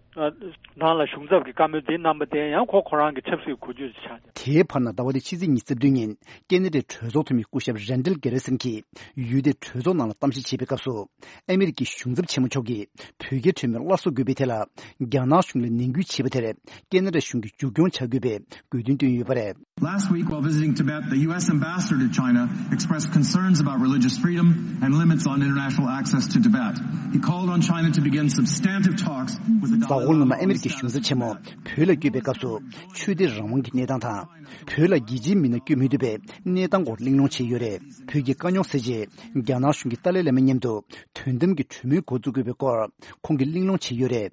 ནང་ལ་གཞུང་ཚབ་ཀྱི་བཀའ་མོལ་དེ་གནང་པ་དེ་ཡང་ཁོ་ཁོ་རང་གི་ཆབ་སྲིད་གོ་རྒྱུ་ཆགས་ཏེ། དེའི་བར་ན་ཟླ་བ་འདིའི་ཕྱི་ཚེས་ཉི་ཤུ་རྩ་བདུན་ཉིན་ཀེ་ན་ཌའི་གྲོས་ཚོགས་འཐུས་མི་སྐུ་ཞབས་རན་ཌལ་གེ་རེ་སན་གྱིས་ཡུལ་དེའི་གྲོས་ཚོགས་ནང་ལ་གཏམ་བཤད་བྱེད་པའི་སྐབས་སུ། ཨ་མི་རི་ཀའི་གཞུང་ཚབ་ཆེན་མོ་མཆོག་གིས་བོད་རྒྱའི་གྲོས་མོལ་སླར་གསོ་དགོས་པའི་ཐད་ལ་རྒྱ་ནག་གཞུང་ལ་ནན་སྐུལ་བྱས་པ་དེར་ཀེ་ན་ཌ་གཞུང་གིས་མཇུག་སྐྱོང་བྱ་དགོས་པའི་དགོས་འདུན་བཏོན་ཡོད་པ་རེད། Last week, while visiting Tibet, the U S ambassador to China expressed concerns about religious freedom and limits on international access to Tibet. He called on China to begin substantive talks with the Dalai Lama on the status of Tibet. གཟའ་འཁོར་སྔོན་མ་ཨ་མི་རི་ཀའི་གཞུང་ཚབ་ཆེན་མོ་བོད་ལ་བསྐྱོད་པའི་སྐབས་སུ་ཆོས་དད་རང་དབང་གི་གནས་སྟངས་དང་། བོད་ལ་རྒྱལ་སྤྱིའི་མི་སྣ་བསྐྱོད་མི་ཐུབ་པའི་གནས་སྟངས་སྐོར་གླེང་སློང་བྱས་ཡོད་རེད། བོད་ཀྱི་དཀའ་རྙོག་སེལ་ཆེད་རྒྱ་ནག་གཞུང་གིས་ཏཱ་ལའི་བླ་མ་མཉམ་དུ་དོན་དམ་གྱི་གྲོས་མོལ་འགོ་འཛུགས་དགོས་པའི་སྐོར་ཁོང་གིས་གླེང་སློང་བྱས་ཡོད་རེད།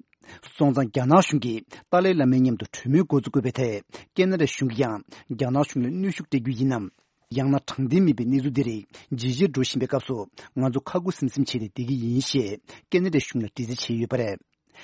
སོང་ཙང་རྒྱ་ནག་གཞུང་གིས་ཏཱ་ལའི་བླ་མའི་མཉམ་དུ་གྲོས་མོལ་འགོ་འཛུགས་དགོས་པའི་ཐད་ཀེ་ན་ཌ་གཞུང་གིས་ཡང་རྒྱ་ནག་གཞུང་ལ་གནོན་ཤུགས་སྤྲད་རྒྱུ་ཡིན་ནམ། ཡང་ན་དྲང་བདེན་མིན་པའི་གནས་ཚུལ་འདི་རིགས་ཇེ་ཆེར་འགྲོ་བཞིན་པའི་སྐབས་སུ་ང་ཚོ་ཁ་ཁུ་སིམ་སིམ་བྱས་ཏེ་བསྡད་ཀྱི་ཡིན་ཞེས་ཀེ་ན་ཌའི་གཞུང་ལ་དྲི་རྩད་བྱས་ཡོད་པ་རེད།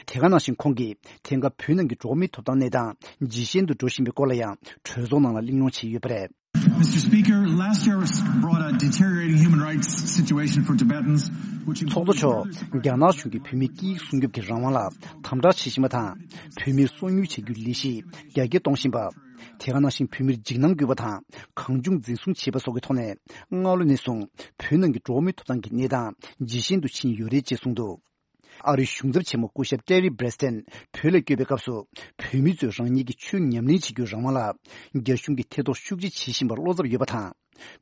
དེ་ག་ནང་བཞིན་ཁོང་གིས་ཐེངས་འགའ་བོད་ནང་གི་འགྲོ་བ་མིའི་ཐོབ་ཐང་གནས་སྟངས་ཇེ་ཞན་དུ་འགྲོ་བཞིན་པའི་སྐོར་ལ་ཡང་གྲོས་ཚོགས་ནང་ལ་གླེང་སློང་བྱས་ཡོད་པ་རེད། Mister Speaker, last year brought a deteriorating human rights situation for Tibetans, which ཚོགས་གཙོ་མཆོག་རྒྱ་ནག་གཞུང་གིས་བོད་མིའི་སྐད་ཡིག་སྲུང་སྐྱོབ་ཀྱི་རང་དབང་ལ་དམ་དྲག་བྱེད་བཞིན་པ་དང་། བོད་མིར་སོ་ཉུལ་བྱ་རྒྱུའི་ལས་གཞི་རྒྱ་སྐྱེད་གཏོང་བཞིན་པ། དེ་ག་ནང་བཞིན་བོད་མིར་འཇིགས་སྣང་བསྐུལ་བ་དང་གང་བྱུང་འཛིན་བཟུང་བྱེད་པ་སོགས་ཀྱི་ཐོག་ནས། སྔ་ལོ་ནས་བཟུང་བོད་ནང་གི་འགྲོ་བ་མིའི་ཐོབ་ཐང་གི་གནས་སྟངས་ཇེ་ཞན་དུ་ཕྱིན་ཡོད་རེད་ཅེས་གསུངས་འདུག་ཨ་རིའི་གཞུང་ཚབ་ཆེན་མོ་སྐུ་ཞབས་ཀྲེ་རི་སྦྲེ་སི་ཏན་བོད་ལ་བསྐྱོད་པའི་སྐབས་སུ། བོད་མི་ཚོས་རང་ཉིད་ཀྱི་ཆོས་ཉམས་ལེན་བྱེད་རྒྱུའི་རང་དབང་ལ་རྒྱ་གཞུང་གིས་ཐེ་གཏོགས་ཤུགས་ཆེ་བྱེད་བཞིན་པར་བློ་འཚབ་ཡོད་པ་དང་།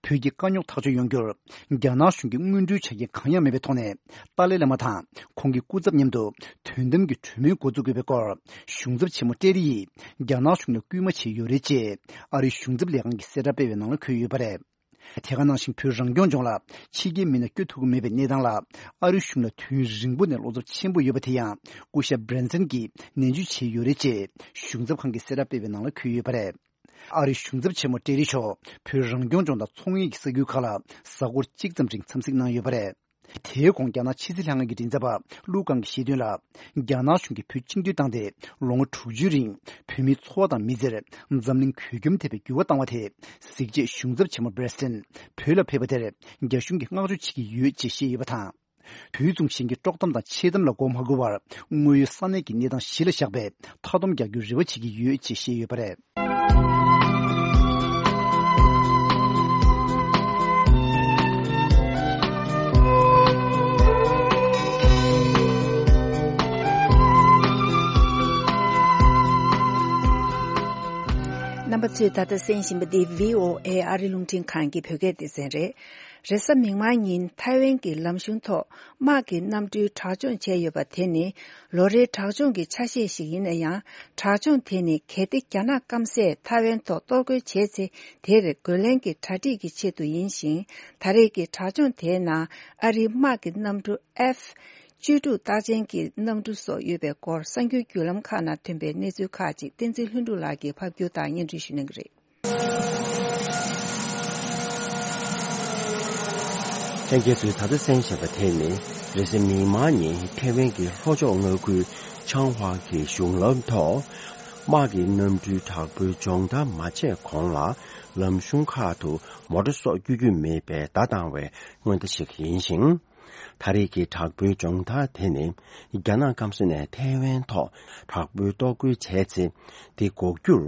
བོད་ཀྱི་དཀའ་རྙོག་ཐག་གཅོད་ཡོང་རྒྱུར་རྒྱ་ནག་གཞུང་གིས་སྔོན་འགྲོའི་ཆ་རྐྱེན་གང་ཡང་མེད་པའི་ཐོག་ནས། ཏཱ་ལའི་བླ་མ་དང་ཁོང་གི་སྐུ་ཚབ་མཉམ་དུ་དོན་དམ་གྱི་གྲོས་མོལ་འགོ་འཛུགས་དགོས་པའི་སྐོར། གཞུང་ཚབ་ཆེན་མོ་ཀྲེ་རི་ཡིས་རྒྱ་ནག་གཞུང་ལ་སྐུལ་མ་བྱས་ཡོད་རེད་ཅེས་ཨ་རིའི་གཞུང་ཚབ་ལས་ཁང་གིས་གསལ་བསྒྲགས་སྤེལ་བའི་ནང་ལ་འཁོད་ཡོད་པ་རེད། དེ་ག་ནང་བཞིན་བོད་རང་སྐྱོང་ལྗོངས་ལ་ཕྱི་རྒྱལ་མི་སྣ་བསྐྱོད་ཐུབ་ཀྱི་མེད་པའི་གནས་སྟངས་ལ་ཨ་རིའི་གཞུང་ལ་དུས་ཡུན་རིང་པོ་ནས་བློ་འཚབ་ཆེན་པོ་ཡོད་པ་དེ་ཡང་སྐུ་ཞབས་སྦྲེན་སན་གྱིས་ནན་བརྗོད་བྱས་ཡོད་རེད་ཅེས་གཞུང་ཚབ་ཁང་གི་གསལ་བསྒྲགས་སྤེལ་བའི་ནང་ལ་འཁོད་ཡོད་པ་རེད། ཨ་རིའི་གཞུང་ཚབ་ཆེན་མོ་ཀྲེ་རི་མཆོག་བོད་རང་སྐྱོང་ལྗོངས་དང་ཚོང་གཉེར་གྱི་ས་ཁུལ་ཁག་ལ་གཟའ་འཁོར་གཅིག་ཙམ་རིང་འཚམས་གཟིགས་གནང་ཡོད་པ་རེད། དེའི་གོང་རྒྱ་ནག་ཕྱི་སྲིད་ལྷན་ཁང་གི་མགྲིན་ཚབ་པ་ཀླུ་ཁང་གིས་བཤད་དོན་ལ། རྒྱ་ནག་གཞུང་གིས་བོད་བཅིངས་འགྲོལ་བཏང་སྟེ་ལོ་ངོ་དྲུག་ཅུའི་རིང་བོད་མིའི་འཚོ་བ་དང་མི་ཚེར་འཛམ་གླིང་བོད་ཁྱིམ་ཐེབས་པའི་འགྱུར་བ་བཏང་བ་དེ་གཟིགས་རྗེས། གཞུང་ཚབ་ཆེན་མོ་སྦྲེ་སི་ཏན་བོད་ལ་ཕེབས་པ་དེར་རྒྱ་གཞུང་གིས་བསྔགས་བརྗོད་བྱེད་ཀྱི་ཡོད་ཅེས་བཤད་ཡོད་པ་དང་། དུས་མཚུངས་གཞན་གྱི་དཀྲོག་གཏམ་དང་འཆལ་གཏམ་ལ་མགོ་མ་སྒུར་བར་དངོས་ཡོད་ས་གནས་ཀྱི་གནས་སྟངས་གཞི་ལ་བཞག་པའི་མཐའ་སྡོམ་རྒྱག་རྒྱུའི་རེ་བ་བྱེད་ཀྱི་ཡོད་ཅེས་བཤད་ཡོད་པ་རེད། རྣམ་པ་ཚོས་ད་ལྟ་གསན་བཞིན་པ་འདི་བྷི་ཨོ་ཨེ་ཨ་རི་རླུང་འཕྲིན་ཁང་གི་བོད་སྐད་སྡེ་ཚན་རེད། རེས་གཟའ་མིག་དམར་ཉིན་ཐའེ་ཝན་གྱི་ལམ་གཞུང་ཐོག་དམག་གི་གནམ་གྲུའི་དྲག་སྦྱོང་བྱས་ཡོད་པ་དེ་ནི། ལོ་རེའི་དྲག་སྦྱོང་གི་ཆ་ཤས་ཤིག་ཡིན་ན་ཡང་། དྲག་སྦྱོང་དེ་ནི་གལ་ཏེ་རྒྱ་ནག་སྐམ་སས་ཐའེ་ཝན་ཐོག་གཏོར་རྒོལ་བྱས་ཚེ། དེར་རྒོལ་ལན་གྱི་གྲ་སྒྲིག་གི་ཆེད་དུ་ཡིན་ཞིང་། ད་རེས་ཀྱི་དྲག་སྦྱོང་དེའི་ནང་ཨ་རིའི་དམག་གི་གནམ་གྲུ་ཨེཕ་བཅུ་དྲུག་རྟགས་ཅན་གྱི་གནམ་གྲུ་སོགས་ཡོད་པའི་སྐོར། གསར་འགྱུར་བརྒྱུད་ལམ་ཁག་ནང་ཐོན་པའི་གནས་ཚུལ་ཁག་ཅིག་བསྟན་འཛིན་ལྷུན་གྲུབ་ལགས་ཀྱིས་ཕབ་སྒྱུར་དང་སྙན་སྒྲོན་ཞུ་གནང་གི་རེད། ལྷན་རྒྱས་ཚོས་ད་ལྟ་གསན་བཞིན་པ་དེ་ནི། རེས་གཟའ་མིག་དམར་ཉིན་ཐའེ་ཝན་གྱི་ལྷོ་ཕྱོགས་མངའ་ཁུལ་ཆང་ཧྭ་གི་གཞུང་ལམ་ཐོག་དམག་གི་གནམ་གྲུའི་དྲག་པོའི་སྦྱོང་བརྡར་མ་བྱས་གོང་ལ། ལམ་གཞུང་ཁག་ཏུ་མོ་ཊ་སོགས་བསྐྱོད་རྒྱུ་མེད་པའི་བརྡ་བཏང་བའི་སྔོན་བརྡ་ཞིག་ཡིན་ཞིང་། ད་རེས་ཀྱི་དྲག་པོའི་སྦྱོང་བརྡར་དེ་ནི། རྒྱ་ནག་སྐམ་ས་ནས་ཐའེ་ཝན་ཐོག་དྲག་པོའི་གཏོར་རྒོལ་བྱས་ཚེ། དེ་འགོག་རྒྱུར་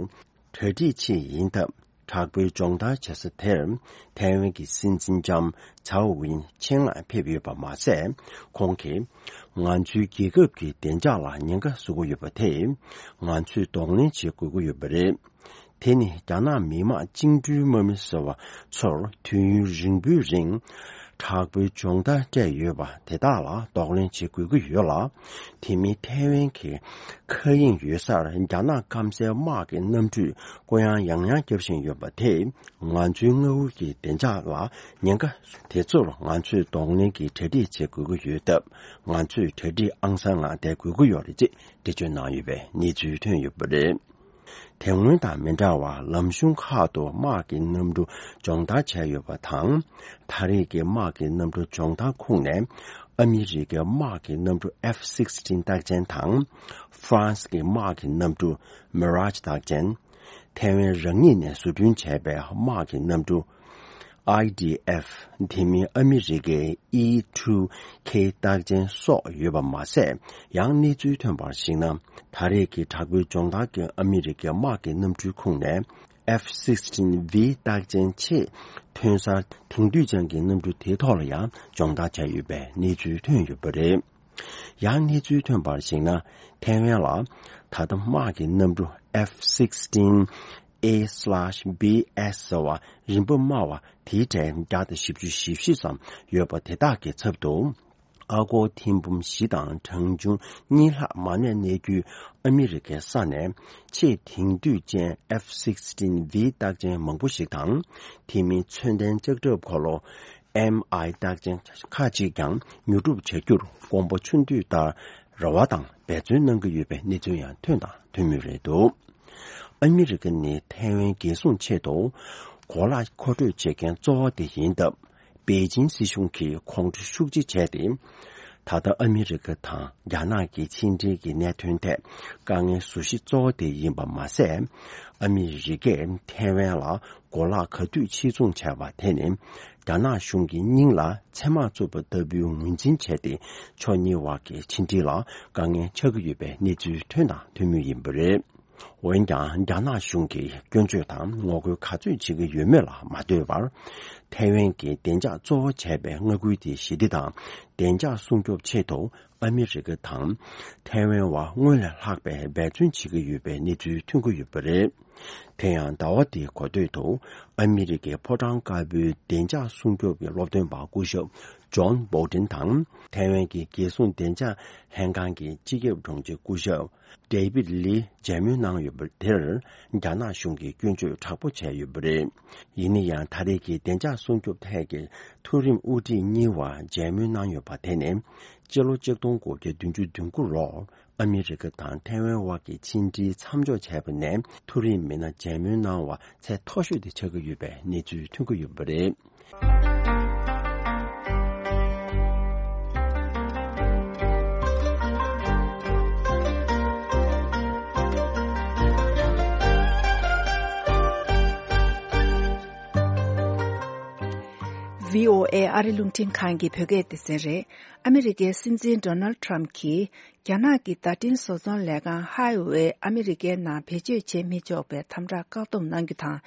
གྲ་སྒྲིག་ཆེད་ཡིན་སྟབས། དྲག་པོའི་སྦྱོང་བརྡར་བྱེད་ས་དེར། ཐའེ་ཝན་གྱི་སྲིད་འཛིན་ལྕམ་ཚའོ་ཝིན་ཆིན་ལགས་ཕེབས་ཡོད་པ་མ་ཟད། ཁོང་གིས། ང་ཚོའི་རྒྱལ་ཁབ་ཀྱི་བདེ་འཇགས་ལ་ཉེན་ཁ་བཟོ་གི་ཡོད་པ་དེ། ང་ཚོས་གདོང་ལེན་བྱེད་དགོས་ཀྱི་ཡོད་པ་རེད། དེ་ནི་རྒྱ་ནག་མི་དམངས་བཅིངས་འགྲོལ་དམག་མི་ཟེར་བ་ཚོར་དུས་ཡུན་རིང་པོའི་རིང་དྲག་པོའི་སྦྱོང་བརྡར་སྤྲད་ཡོད་པ་དེ་དག་ལ་གདོང་ལེན་བྱེད་དགོས་ཀྱི་ཡོད་ལ། དེ་མིན་ཐའེ་ཝན་གྱི་མཁའ་དབྱིངས་ཡོད་སར་རྒྱ་ནག་སྐམ་སའི་དམག་གི་གནམ་གྲུས་ཀོ་ཡང་ཡང་ཡང་བརྒྱབ་བཞིན་ཡོད་པ་དེས་ང་ཚོའི་མངའ་ཁུལ་གྱི་བདེ་འཇགས་ལ་ཉེན་ཁ། དེ་ཚོར་ང་ཚོས་གདོང་ལེན་གྱི་གྲ་སྒྲིག་བྱེད་དགོས་ཀྱི་ཡོད་སྟབས། ང་ཚོས་གྲ་སྒྲིག་ཨང་གསར་ངང་བསྡད་དགོས་ཀྱི་ཡོད་རེད་ཅེས་འགྲེལ་བརྗོད་གནང་ཡོད་པའི་གནས་ཚུལ་ཐོན་ཡོད་པ་རེད། དེ་སྔོན་དང་མི་འདྲ་བར་ལམ་གཞུང་ཁག་ཏུ་དམག་གི་གནམ་གྲུ་སྦྱོང་བརྡར་བྱས་ཡོད་པ་དང་། ད་རེས་ཀྱི་དམག་གི་གནམ་གྲུ་སྦྱོང་བརྡར་ཁུངས་ནས་ཨ་མི་རི་ཀའི་དམག་གི་གནམ་གྲུ་ཨེཕ་སིགས་ཊིན་རྟགས་ཅན་དང་། ཧྥ་རན་སི་གི་དམག་གི་གནམ་གྲུ་མི་རཱཇ་རྟགས་ཅན། ཐའེ་ཝན་རང་ཉིད་ནས་བཟོ་སྐྲུན་བྱས་པའི་དམག་གི་གནམ་གྲུ། ཨའི་ཌི་ཨེཕ། དེ་མིན་ཨ་མི་རི་ཀའི་ཨི་ཊུ་ཁེ་རྟགས་ཅན་སོགས་ཡོད་པ་མ་ཟད། ཡང་གནས་ཚུལ་ཐོན་པར་གཞིགས་ན། ད་རེས་ཀྱི་དྲག་པོའི་སྦྱོང་བརྡར་གྱི་ཨ་མི་རི་ཀའི་དམག་གི་གནམ་གྲུའི་ཁུངས་ནས་ཨེཕ་སིགས་ཊིན་ཝི་རྟགས་ཅན་ཆེས་ཐོན་གསར་དེང་དུས་ཅན་གྱི་གནམ་གྲུ་དེའི་ཐོག་ལ་ཡང་སྦྱོང་བརྡར་བྱས་ཡོད་པའི་གནས་ཚུལ་ཐོན་ཡོད་པ་རེད། ཡང་གནས་ཚུལ་ཐོན་པར་གཞིགས་ན། ཐའེ་ཝན་ལ་ད་ལྟ་དམག་གི་གནམ་གྲུ་ཨེཕ་སིགས་ཊིན་ཨེ་སི་ལེཤ་བི་ཨེསི་ཟེར་བ་རིམ་པ་དམའ་བ་དེའི་གྲས་བརྒྱ་དང་བཞི་བཅུ་ཞེ་བཞི་ཙམ་ཡོད་པ་དེ་དག་གི་ཚབ་ཏུ། ཨ་སྒོར་ཐེར་འབུམ་བཞི་དང་གྲངས་ཆུང་གཉིས་ལྷག་མ་གནས་གནས་རྒྱུའི་ཨ་མི་རི་ཀའི་ས་ནས་ཆེས་དེང་དུས་ཅན་ཨེཕ་སིགས་ཊིན་ཝི་རྟགས་ཅན་མང་པོ་ཞིག་དང་། དེ་མིན་མཚོན་ལྡན་ལྕགས་ཁྲབ་འཁོར་ལོ་ཨེམ་ཨའི་རྟགས་ཅན་ཁག་ཅིག་ཀྱང་ཉོ་སྒྲུབ་བྱ་རྒྱུར་དགོངས་པ་ཆུང་དུས་ལྟར་རེ་བ་དང་འབད་བརྩོན་གནང་གི་ཡོད་པའི་གནས་ཚུལ་ཡང་ཐོན་དང་ཐོན་མུས་རེད་འདུག་ཨ་མི་རི་ཀ་ནི་ཐའེ་ཝན་རྒྱལ་སྲུང་ཆེད་དུ་གོ་ལ་མཁོ་སྤྲོད་བྱེད་མཁན་གཙོ་བོ་དེ་ཡིན་སྟབས། པེ་ཅིན་སྲིད་གཞུང་གིས་ཁོང་ཁྲོ་ཤུགས་ཆེ་བྱས་ཏེ། ད་ལྟ་ཨ་མི་རི་ཀ་དང་རྒྱ་ནག་གི་ཕྱི་འབྲེལ་གྱི་གནད་དོན་ཐད་དཀའ་ངལ་བཟོ་གཞི་གཙོ་བོ་དེ་ཡིན་པ་མ་ཟད། ཨ་མི་རི་ཀས་ཐའེ་ཝན་ལ་གོ་ལག་ག་དུས་ཕྱིར་ཚོང་བྱས་པ་དེ་ནི། རྒྱ་ནག་གཞུང་གི་སྙིང་ལ་ཚེར་མ་བཙུགས་པ་ལྟ་བུའི་ངོས་འཛིན་བྱས་ཏེ། ཕྱོགས་གཉིས་བར་གྱི་ཕྱི་འབྲེལ་ལ་དཀའ་ངལ་ཆགས་ཀྱི་ཡོད་པའི་གནས་ཚུལ་ཐོན་དང་ཐོན་མུས་ཡིན་པ་རེད། འོན་ཀྱང་། རྒྱ་ནག་གཞུང་གིས་སྐྱོན་བརྗོད་དང་ངོ་རྒོལ་ག་ཚོད་བྱེད་ཀྱི་ཡོད་མེད་ལ་མ་ལྟོས་པར། ཐའེ་ཝན་གྱི་བདེ་འཇགས་གཙོ་བོ་བྱས་པའི་མངའ་ཁུལ་དེའི་ཞི་བདེ་དང་བདེ་འཇགས་སྲུང་སྐྱོབ་ཆེད་དུ། ཨ་མི་རི་ཀ་དང་ཐའེ་ཝན་བར་སྔོན་ལས་ལྷག་པའི་འབད་བརྩོན་བྱེད་ཀྱི་ཡོད་པའི་གནས་ཚུལ་ཐོན་གྱི་ཡོད་པ་རེད། དེ་ཡང་ཟླ་བ་འདིའི་འགོ་སྟོད་དུ། ཨ་མི་རི་ཀའི་ཕོ་བྲང་དཀར་པོའི་བདེ་འཇགས་སྲུང་སྐྱོབ་ཀྱི་སློབ་སྟོན་པ་སྐུ་ཞབས་ཇོན་བོལ་ཏིན་དང་། ཐའེ་ཝན་གྱི་རྒྱལ་སྲུང་བདེ་འཇགས་ལྷན་ཁང་གི་སྤྱི་ཁྱབ་དྲུང་ཆེ་སྐུ་ཞབས་ཌེ་བིད་ལི་མཇལ་མོལ་གནང་ཡོད་པ་དེར། རྒྱ་ནག་གཞུང་གིས་སྐྱོན་བརྗོད་དྲག་པོ་བྱས་ཡོད་པ་རེད། ཡིན་ན་ཡང་། ད་རེས་ཀྱི་བདེ་འཇགས་སྲུང་སྐྱོབ་ཐད་ཀྱི་མཐོ་རིམ་དབུ་ཁྲིད་གཉིས་བར་མཇལ་མོལ་གནང་ཡོད་པ་དེ་ནི། སྤྱི་ལོ་གཅིག་སྟོང་དགུ་བརྒྱ་བདུན་ཅུ་དོན་དགུ་ལོར་ཨ་མི་རི་ཀ་དང་ཐའེ་ཝན་དབར་གྱི་ཕྱི་འབྲེལ་མཚམས་འཇོག་བྱས་པ་ནས། མཐོ་རིམ་མི་སྣ་མཇལ་མོལ་གནང་བ་ཚད་མཐོ་ཤོས་དེ་ཆགས་ཀྱི་ཡོད་པའི་གནས་ཚུལ་ཐོན་གྱི་ཡོད་པ་རེད། ཝི་ཨོ་ཨེ་ཨ་རི་རླུང་འཕྲིན་ཁང་གི་བོད་སྐད་སྡེ་ཚན་རེད། ཨ་མི་རི་ཀའི་སྲིད་འཛིན་ཌོ་ནལ་ཌི་ཊརམ་ཕི་གྱིས། རྒྱ་ནག་གི་བརྡ་འཕྲིན་བཟོ་ཚོང་ལས་ཁང་ཧའེ་ཝེ་ཨ་མི་རི་ཀའི་ནང་བེད་སྤྱོད་བྱེད་མི་ཆོག་པའི་དམ་དྲག་བཀག་སྡོམ་གནང་རྒྱུ་དང་།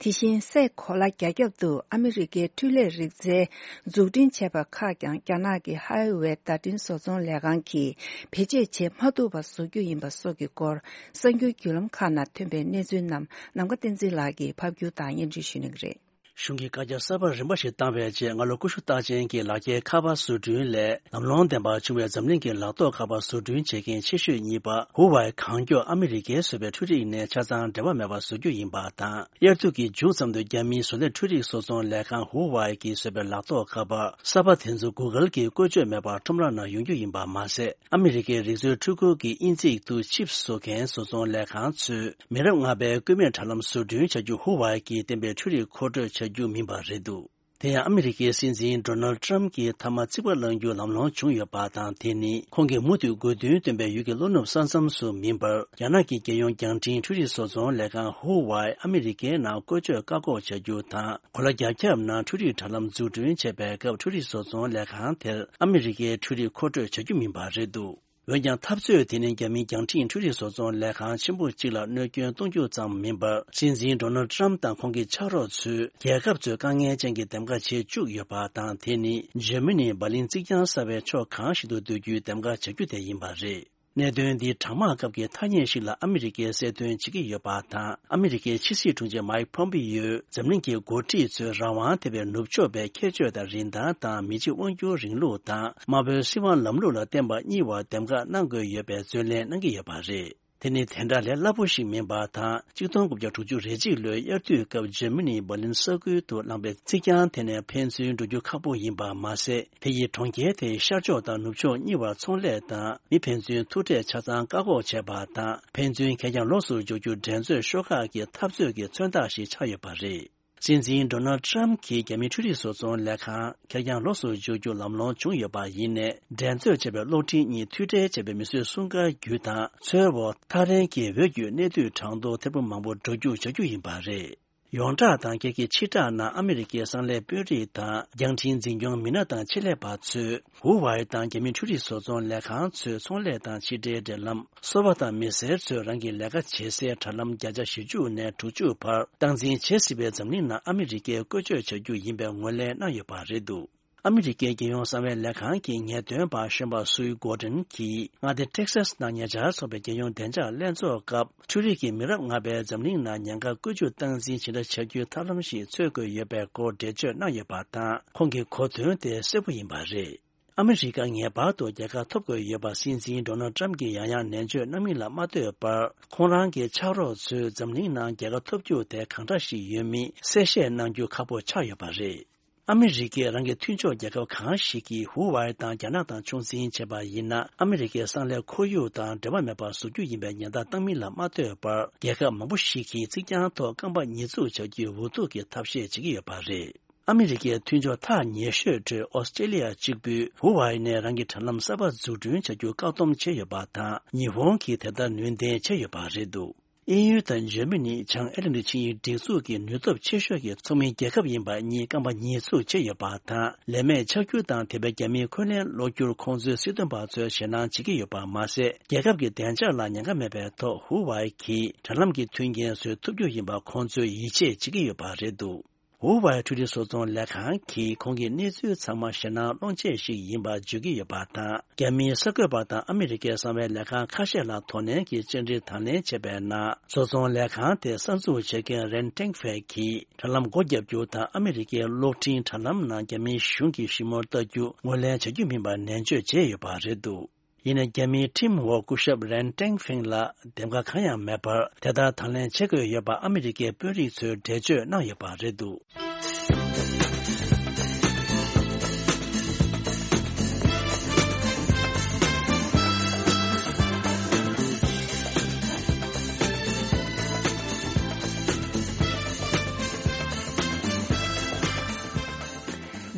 དེ་བཞིན་སའི་གོ་ལ་རྒྱ་ཁྱབ་ཏུ་ཨ་མི་རི་ཀའི་འཕྲུལ་ལས་རིག་རྩལ་འཛུགས་སྐྲུན་བྱས་པ་ཁག་ཀྱང་རྒྱ་ནག་གི་ཧའེ་ཝེ་བརྡ་འཕྲིན་བཟོ་ཚོང་ལས་ཁང་གིས་བེད་སྤྱོད་བྱེད་མ་ཐུབ་པ་བཟོ་རྒྱུ་ཡིན་པ་སོགས་ཀྱི་སྐོར། གསར་འགྱུར་བརྒྱུད་ལམ་ཁག་ནང་ཐོན་པའི་གནས་ཚུལ་རྣམས་ནམ་མཁའ་བསྟན་འཛིན་ལགས་ཀྱིས་ཕབ་སྒྱུར་དང་སྙན་སྒྲོན་ཞུ་གནང་གི་རེད། གཞུང་གིས་བཀའ་རྒྱ་གསར་པ་རིམ་པ་ཞིག་བཏང་བའི་རྗེས། སྔ་ལོ་ཀུ་ཤུ་རྟགས་ཅན་གྱི་ལག་འཁྱེར་ཁ་པར་བཟོ་སྐྲུན་ལས་ལམ་ལྷོང་ལྡན་པ་བྱུང་བའི་འཛམ་གླིང་གི་ལག་ཐོགས་ཁ་པར་བཟོ་སྐྲུན་བྱེད་མཁན་ཆེ་ཤོས་གཉིས་པ་ཧུ་ཝའེ་གང་མགྱོགས་ཨ་མི་རི་ཀས་བཟོས་པའི་འཕྲུལ་རིག་ནས་ཆ་ཚང་འབྲེལ་བ་མེད་པར་བཟོ་རྒྱུ་ཡིན་པ་དང་། དབྱར་དུས་ཀྱི་མཇུག་ཙམ་དུ་རྒྱ་མིའི་བཟོ་ལས་འཕྲུལ་རིག་བཟོ་ཚོང་ལས་ཁང་ཧུ་ཝའེ་གིས་བཟོས་པའི་ལག་ཐོགས་ཁ་པར་གསར་པ་དེ་ཚོ་གུ་གལ་གྱི་བཀོལ་སྤྱོད་མེད་པར་ཁྲོམ་ར་ནང་ཡོང་རྒྱུ་ཡིན་པ་མ་ཟད། ཨ་མི་རི་ཀའི་རིག་མཛོད་འཕྲུལ་འཁོར་གྱི་དབྱིན་ཚིག་ཏུ་ཆིབ་བཟོ་མཁན་བཟོ་ཚོང་ལས་ཁང་ཚོས་མི་རབས་ལྔ་པའི་བཀོད་མིའི་དྲ་ལམ་བཟོ་སྐྲུན་བྱ་རྒྱུ་ཧུ་ཝའེ་གིས་བཏོན་པའི་འཕྲུལ་རིག་མཁོ་སྤྲོད་བྱ་རྒྱུ་མིན་པ་རེད་འདུག་དེ་ཡང་ཨ་མི་རི་ཀའི་སྲིད་འཛིན་ཌོ་ནལ་ཌི་ཊརམ་གྱིས་མཐའ་མ་རྩིག་པ་བསླང་རྒྱུ་ལམ་ལྷོང་བྱུང་ཡོད་པ་དང་། དེ་ནི་ཁོང་གིས་མུ་མཐུད་དགོས་འདུན་བཏོན་པའི་ཡུལ་གྱི་བློ་ནུབ་ས་མཚམས་སུ་མིན་པར། རྒྱ་ནག་གི་རྒྱལ་ཡོངས་རྒྱང་འཕྲིན་འཕྲུལ་རིག་བཟོ་ཚོང་ལས་ཁང་ཧུ་ཝའེ་ཨ་མི་རི་ཀའི་ནང་བཀོལ་སྤྱོད་བཀག་འགོག་བྱ་རྒྱུ་དང་། གོ་ལ་རྒྱ་ཁྱབ་ནང་འཕྲུལ་རིག་དྲ་ལམ་འཛུགས་སྐྲུན་བྱེད་པའི་སྐབས། འཕྲུལ་རིག་བཟོ་ཚོང་ལས་ཁང་དེར་ཨ་མི་རི་ཀའི་འཕྲུལ་རིག་མཁོ་སྤྲོད་བྱ་རྒྱུ་མིན་པ་རེད་འདུག་འོན་ཀྱང་། འཐབ་རྩོད་དེ་ནི་རྒྱ་མིའི་རྒྱང་འཕྲིན་འཕྲུལ་རིག་བཟོ་ཚོང་ལས་ཁང་ཆེན་པོ་གཅིག་ལ་གནོད་སྐྱོན་གཏོང་རྒྱུ་ཙམ་མིན་པར། སྲིད་འཛིན་ཌོ་ནལ་ཌི་ཊརམ་དང་ཁོང་གི་ཕྱག་རོགས་ཚོས་རྒྱལ་ཁབ་ཚོའི་དཀའ་ངལ་ཅན་གྱི་འདེམས་ཀ་བྱེད་བཅུག་ཡོད་པ་དང་། དེ་ནི་འཇར་མ་ནི་འབར་ལིན་རྩིག་གྱང་གསར་པའི་ཕྱོགས་གང་ཞིག་ཏུ་བསྡུ་རྒྱུའི་འདེམས་ཀ་བྱ་རྒྱུ་དེ་ཡིན་པ་རེད། གནད་དོན་འདི་གྲང་དམག་སྐབས་ཀྱི་ཐ་སྙད་ཞིག་ལ་ཨ་མི་རི་ཀས་གསལ་སྟོན་བྱེད་ཀྱི་ཡོད་པ་དང་། ཨ་མི་རི་ཀའི་ཕྱི་སྲིད་དྲུང་ཆེ་མའིག་ཕོམ་པི་ཡོས་འཛམ་གླིང་གི་འགོ་ཁྲིད་ཚོའི་རང་དབང་ཐེ་བའི་ནུབ་ཕྱོགས་པའི་ཁྱད་ཆོས་དང་རིན་ཐང་དང་། མི་གཅིག་དབང་སྒྱུར་རིང་ལུགས་དང་། དམར་པོའི་སྲིད་དབང་ལམ་ལུགས་ལ་བརྟེན་པ་གཉིས་བར་འདེམས་ཀ་གནང་དགོས་ཡོད་པའི་རྩོད་ལེན་གནང་གི་ཡོད་པ་རེད། དེ་ནི་དེ་འདྲ་ལས་སླ་པོ་ཞིག་མིན་པ་དང་། གཅིག་སྟོང་དགུ་བརྒྱ་དྲུག་ཅུ་རེ་གཅིག་ལོའི་དབྱར་དུས་སྐབས་འཇར་མ་ནིའི་འབར་ལིན་ས་ཁུལ་དུ་བསླངས་པའི་རྩིག་གྱང་དེ་ནས་ཕན་ཚུན་འགྲོ་རྒྱུ་ཁག་པོ་ཡིན་པ་མ་ཟད། དེ་ཡིས་གྲོང་ཁྱེར་དེའི་ཤར་ཕྱོགས་དང་ནུབ་ཕྱོགས་གཉིས་བར་ཚོང་ལས་དང་མི་ཕན་ཚུན་ཐུག་འཕྲད་ཆ་ཚང་བཀག་འགོག་བྱས་པ་དང་། ཕན་ཚུན་གད་རྒྱངས་ལོགས་སུ་འཇོག་རྒྱུ་འགྲན་རྩོད་ཤོག་ཁག་གི་འཐབ་རྩོད་ཀྱི་མཚོན་རྟགས་ཤིག་ཆགས་ཡོད་པ་རེད། སྲིད་འཛིན་ཌོ་ནལ་ཌི་ཊརམ་གྱིས་རྒྱ་མིའི་འཕྲུལ་རིག་བཟོ་ཚོང་ལས་ཁང་གད་རྒྱངས་ལོགས་སུ་འཇོག་རྒྱུ་ལམ་ལྷོང་བྱུང་ཡོད་པ་ཡིན་ནའི། འགྲན་རྩོད་བྱས་པའི་གློག་འཕྲིན་གཉིས་མཐུད་སྦྲེལ་བྱས་པའི་མི་གསོད་སྲུང་སྐར་བརྒྱུད་དང་། མཚོའི་འོག་ཐག་རིང་གི་འོད་བརྒྱུད་གནས་དུས་གྲངས་ཐོ་ཐེར་འབུམ་མང་པོ་འགྲོ་རྒྱུ་བྱ་རྒྱུ་ཡིན་པ་རེད། ཡོངས་གྲགས་དང་སྒེར་གྱི་ཕྱིར་བསྒྲགས་ནང་ཨ་མི་རི་ཀའི་གསང་ལས་དཔོན་རིགས་དང་། རྒྱང་འཕྲིན་འཛིན་སྐྱོང་མི་སྣ་དང་ཆེད་ལས་པ་ཚོས་ཧུ་ཝའེ་དང་རྒྱ་མིའི་འཕྲུལ་རིག་བཟོ་ཚོང་ལས་ཁང་ཚོའི་ཚོང་ལས་དང་ཕྱི་འབྲེལ་འབྲེལ་ལམ། སོ་པ་དང་མི་སེར་ཚོས་རང་གི་ལས་ཀ་བྱེད་སའི་དྲ་ལམ་བརྒྱ་ཆ་བཞི་བཅུ་ནས་དྲུག་ཅུ་བར་སྟངས་འཛིན་བྱེད་སྲིད་པའི་འཛམ་གླིང་ནང་ཨ་མི་རི་ཀས་བཀོལ་སྤྱོད་བྱ་རྒྱུ་ཡིན་པའི་ངོས་ལེན་གནང་ཡོད་པ་རེད་འདུག་ཨ་མི་རི་ཀའི་རྒྱལ་ཡོངས་གསང་བའི་ལས་ཁང་གི་ངེས་སྟོན་པ་གཞོན་པ་སུའི་གོ་ཏན་གྱིས་མངའ་སྡེ་ཊེག་སཱས་ནང་ཉེ་ཆར་འཚོགས་པའི་རྒྱལ་ཡོངས་བདེ་འཇགས་ལྷན་ཚོགས་སྐབས། འཕྲུལ་རིག་གིས་མི་རབས་ལྔ་པའི་འཛམ་གླིང་ནང་ཉེན་ཁ་བཀོད་ཇུས་སྟངས་འཛིན་ཇི་འདྲ་བྱ་རྒྱུའི་ཐབས་ལམ་ཞིག་འཚོལ་དགོས་ཡོད་པའི་སྐོར་འགྲེལ་བརྗོད་གནང་ཡོད་པ་དང་། ཁོང་གིས་གོ་དོན་དེ་གསལ་པོ་ཡིན་པ་རེད། ཨ་མི་རི་ཀ་ངེས་པར་དུ་རྒྱལ་ཁ་ཐོབ་དགོས་ཡོད་པ་སྲིད་འཛིན་ཌོ་ནལ་ཌི་ཊརམ་གྱིས་ཡང་ཡང་ནན་བརྗོད་གནང་མིན་ལ་མ་ལྟོས་པར། ཁོང་རང་གི་ཕྱག་རོགས་ཚོས་འཛམ་གླིང་ནང་རྒྱལ་ཁ་ཐོབ་རྒྱུ་དེ་གང་འདྲ་ཞིག་ཡོད་མིན་གསལ་བཤད་གནང་རྒྱུ་ཁག་པོ་ཆགས་ཡོད་པ་རེད། ཨ་མི་རི་ཀས་རང་གི་མཐུན་ཕྱོགས་རྒྱལ་ཁབ་གང་ཞིག་གིས་ཧུ་ཝའེ་དང་རྒྱ་ནག་དང་ཕྱོགས་འཛིན་བྱས་པ་ཡིན་ན། ཨ་མི་རི་ཀའི་གསང་ལས་ཁོར་ཡུག་དང་འབྲེལ་བ་མེད་པར་བཟོ་རྒྱུ་ཡིན་པའི་ཉེན་བརྡ་བཏང་མིན་ལ་མ་ལྟོས་པར། རྒྱལ་ཁབ་མང་པོ་ཞིག་གིས་རྩིག་གྱང་ཐོག་རྐང་པ་ཉེས་འཛུགས་བྱ་རྒྱུའི་འུ་ཐུག་གི་ཐབས་ཤེས་བྱེད་ཀྱི་ཡོད་པ་རེད། ཨ་མི་རི་ཀའི་མཐུན་ཕྱོགས་ཐག་ཉེ་ཤོས་ཁྲོད་ཨོ་སི་ཀྲེ་ལི་ཡ་གཅིག་པུས་ཧུ་ཝའི་ནས་རང་གི་དྲ་ལམ་གསར་པ་འཛུགས་སྐྲུན་བྱ་རྒྱུ་བཀག་སྡོམ་བྱས་ཡོད་པ་དང་། ཉི་ཧོང་གིས་དེ་ལྟར་ནུས་ལྡན་བྱས་ཡོད་པ་རེད་འདུག་དབྱིན་ཡུལ་དང་འཇར་མ་ནི་བྱང་ཨེ་ཊ་ལན་ཊིག་ཆིངས་ཡིག་སྒྲིག་འཛུགས་ཀྱི་ནུས་སྟོབས་ཆེ་ཤོས་ཀྱི་ཚོགས་མི་རྒྱལ་ཁབ་ཡིན་པ་གཉིས་རྐང་པ་གཉིས་འཛུགས་བྱས་ཡོད་པ་དང་། ལས་མེད་ཆགས་རྒྱུ་དང་། དེ་བས་རྒྱ་མིའི་འཁོན་ལན་སློག་རྒྱུར་ཁོང་ཚོའི་སྲིད་དོན་པ་ཚོས་ཞེད་སྣང་བྱེད་ཀྱི་ཡོད་པ་མ་ཟད། རྒྱལ་ཁབ་ཀྱི་བདེ་འཇགས་ལ་ཉེན་ཁ་མེད་པའི་ཐོག་ཧུ་ཝའི་གིས་དྲ་ལམ་གྱི་མཐུན་རྐྱེན་བཟོ་ཐུབ་རྒྱུ་ཡིན་པ་ཁོང་ཚོས་ཡིད་ཆེས་བྱེད་ཀྱི་ཡོད་པ་རེད་འདུག་ཧུ་ཝའི་འཕྲུལ་རིག་བཟོ་ཚོང་ལས་ཁང་གིས་ཁོང་གི་གནས་ཚུལ་ཚང་མ་ཞེད་སྣང་སློང་ཆེད་ཞིག་ཡིན་པ་བརྗོད་ཀྱི་ཡོད་པ་དང་། རྒྱ་མིའི་གསར་འགོད་པ་དང་ཨ་མི་རི་ཀའི་གསང་བའི་ལས་ཁང་ཁ་ཤས་ལ་དོ་ནན་གྱིས་བཅར་འདྲི་དང་ལེན་བྱས་པའི་ནང་། བཟོ་ཚོང་ལས་ཁང་དེ་གསར་འཛུགས་བྱེད་མཁན་རན་ཏེང་ཧྥེ་གིས་དྲ་ལམ་སྒོ་བརྒྱབ་རྒྱུ་དང་ཨ་མི་རི་ཀའི་གློག་འཕྲིན་དྲ་ལམ་ནང་རྒྱ་མིའི་གཞུང་གི་ཞི་མོལ་བཏབ་རྒྱུ་ངོས་ལེན་བྱ་རྒྱུ་མིན་པ་ནན་བརྗོད་བྱས་ཡོད་པ་རེད་འདུག་ཡིན་ནའི་རྒྱ་མིའི་ཁྲིམས་འོག་སྐུ་ཞབས་རན་ཏེང་ཧྥེང་ལ་འདེམས་ཀ་གང་ཡང་མེད་པར་དེ་ལྟར་དང་ལེན་བྱེད་དགོས་ཡོད་པ་ཨ་མི་རི་ཀའི་དཔོན་རིགས་ཚོས་འགྲེལ་བརྗོད་གནང་ཡོད་པ་རེད་འདུག་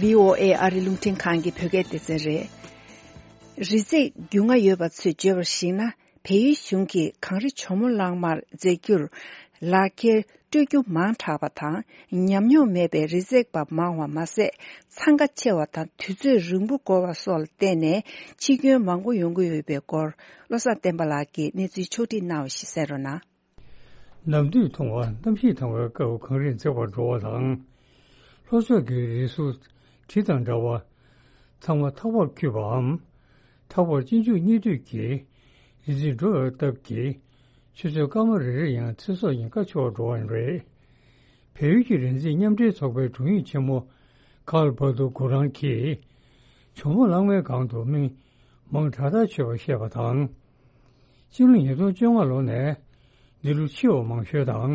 བྷི་ཨོ་ཨེ་ཨ་རི་རླུང་འཕྲིན་ཁང་གི་བོད་སྐད་སྡེ་ཚན་རེད། རི་འཛེག་རྒྱུས་མངའ་ཡོད་པ་ཚོས་བརྗོད་པར་གཞིགས་ན། བལ་ཡུལ་གཞུང་གིས་གངས་རི་ཇོ་མོ་གླང་དམར་འཛེག་རྒྱུར་ལག་འཁྱེར་སྤྲོད་རྒྱུ་མང་དྲགས་པ་དང་། ཉམས་མྱོང་མེད་པའི་རི་འཛེག་པ་མང་བ་མ་ཟད། འཚང་ཁ་ཆེ་བ་དང་དུས་ཚོད་རིང་པོ་འགོར་བ་སོགས་ལ་བརྟེན་ནས་འཆི་སྐྱོན་མང་པོ་ཡོང་གི་ཡོད་པའི་སྐོར། བློ་བཟང་བསྟན་པ་ལགས་ཀྱིས་གནས་ཚུལ་ཕྱོགས་སྒྲིག་གནང་བ་ཞིག་གསན་རོགས་གནང་། ནམ་དུས་ཐུང་བ། གནམ་གཤིས་ཐང་བའི་སྐབས་གངས་རི་འཛེག་པར་འགྲོ་བ་དང་། ལྷོ་ཕྱོགས་ཀྱི་རི་ཟུར་གྲི་དང་འདྲ་བ། ཚང་མ་ཐག་པར་འཁྱུད་པའམ། ཐག་པར་གཅིན་མཇུག་གཉིས་མཐུད་ཀྱིས་རི་འཛེག་འགྲོ་བའི་སྟབས་ཀྱིས། ཆུ་ཚོད་སྐར་མ་རེ་རེར་ཡང་ཚེ་སྲོག་ཉེན་ཁ་ཆེ་བར་འགྲོ་བ་རེད། བལ་ཡུལ་གྱི་རི་འཛེག་མཉམ་འབྲེལ་ཚོགས་པའི་དྲུང་ཡིག་ཆེན་མོ་ཀཱརལ་བྷར་ཏུ་གུ་རང་གིས། ཇོ་མོ་གླང་མའི་སྒང་དུ་མི་མང་དྲག་ཐག་ཆོད་པ་བཤད་པ་དང་། སྤྱི་ལོ་ཉིས་སྟོང་བཅོ་ལྔ་ལོ་ནས་འདི་ལོ་འཆི་བ་མང་ཤོས་དང་།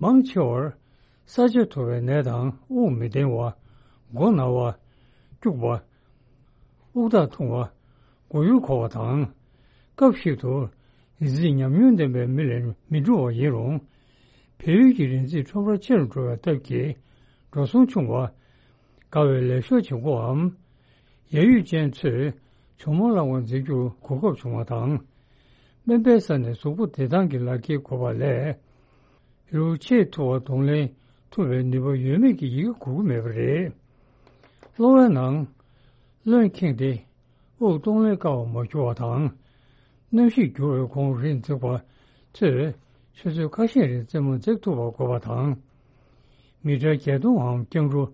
མང་ཆེ་བར་ས་ཆ་མཐོ་བའི་ནད་དང་དབུགས་མི་བདེ་བ། མགོ་ན་བ། སྐྱུག་པ། དབུགས་ཐག་ཐུང་བ། མགོ་ཡུར་འཁོར་བ་དང་། སྐབས་ཤིག་ཏུ་རི་འཛེག་ཉམས་མྱོང་ལྡན་པའི་མི་ལས་མི་འགྲོ་བ་ཡིན་རུང་། བལ་ཡུལ་གྱི་རི་འཛེག་ཁྲོམ་ར་ཆེ་རུ་འགྲོ་བའི་སྟབས་ཀྱིས་འགྲོ་སོང་ཆུང་བ། དགའ་བའི་ལས་ཤོར་བྱེད་མགོའམ། ཡ་ཡུས་ཅན་ཚོས་ཇོ་མོ་གླང་མ་འཛེག་རྒྱུར་གོ་སྐབས་བྱུང་བ་དང་། དམན་པའི་ས་ནས་གཟུགས་པོ་བདེ་ཐང་གི་ལག་འཁྱེར་དགོས་པ་ལས། རི་བོ་ཆེས་མཐོ་བ་གདོང་ལེན་ཐུབ་པའི་ནུས་པ་ཡོད་མེད་ཀྱི་ཡི་གེ་འགོད་ཀྱི་མེད་པ་རེད། གློ་བའི་ནང་རློན་ཁེངས་ཏེ། དབུགས་གཏོང་ལེན་དཀའ་བ་མ་གྱུར་བ་དང་། གནམ་གཤིས་འགྱུར་བའི་གོང་རི་འཛེག་པ་ཚོས་ཆུ་ཚོད་ཁ་ཤས་རིང་རྩེད་མོ་འཛེག་ཐུབ་པ་དགོས་པ་དང་། མི་ཊར་བརྒྱད་སྟོང་འམ་རྐྱང་འགྲོ་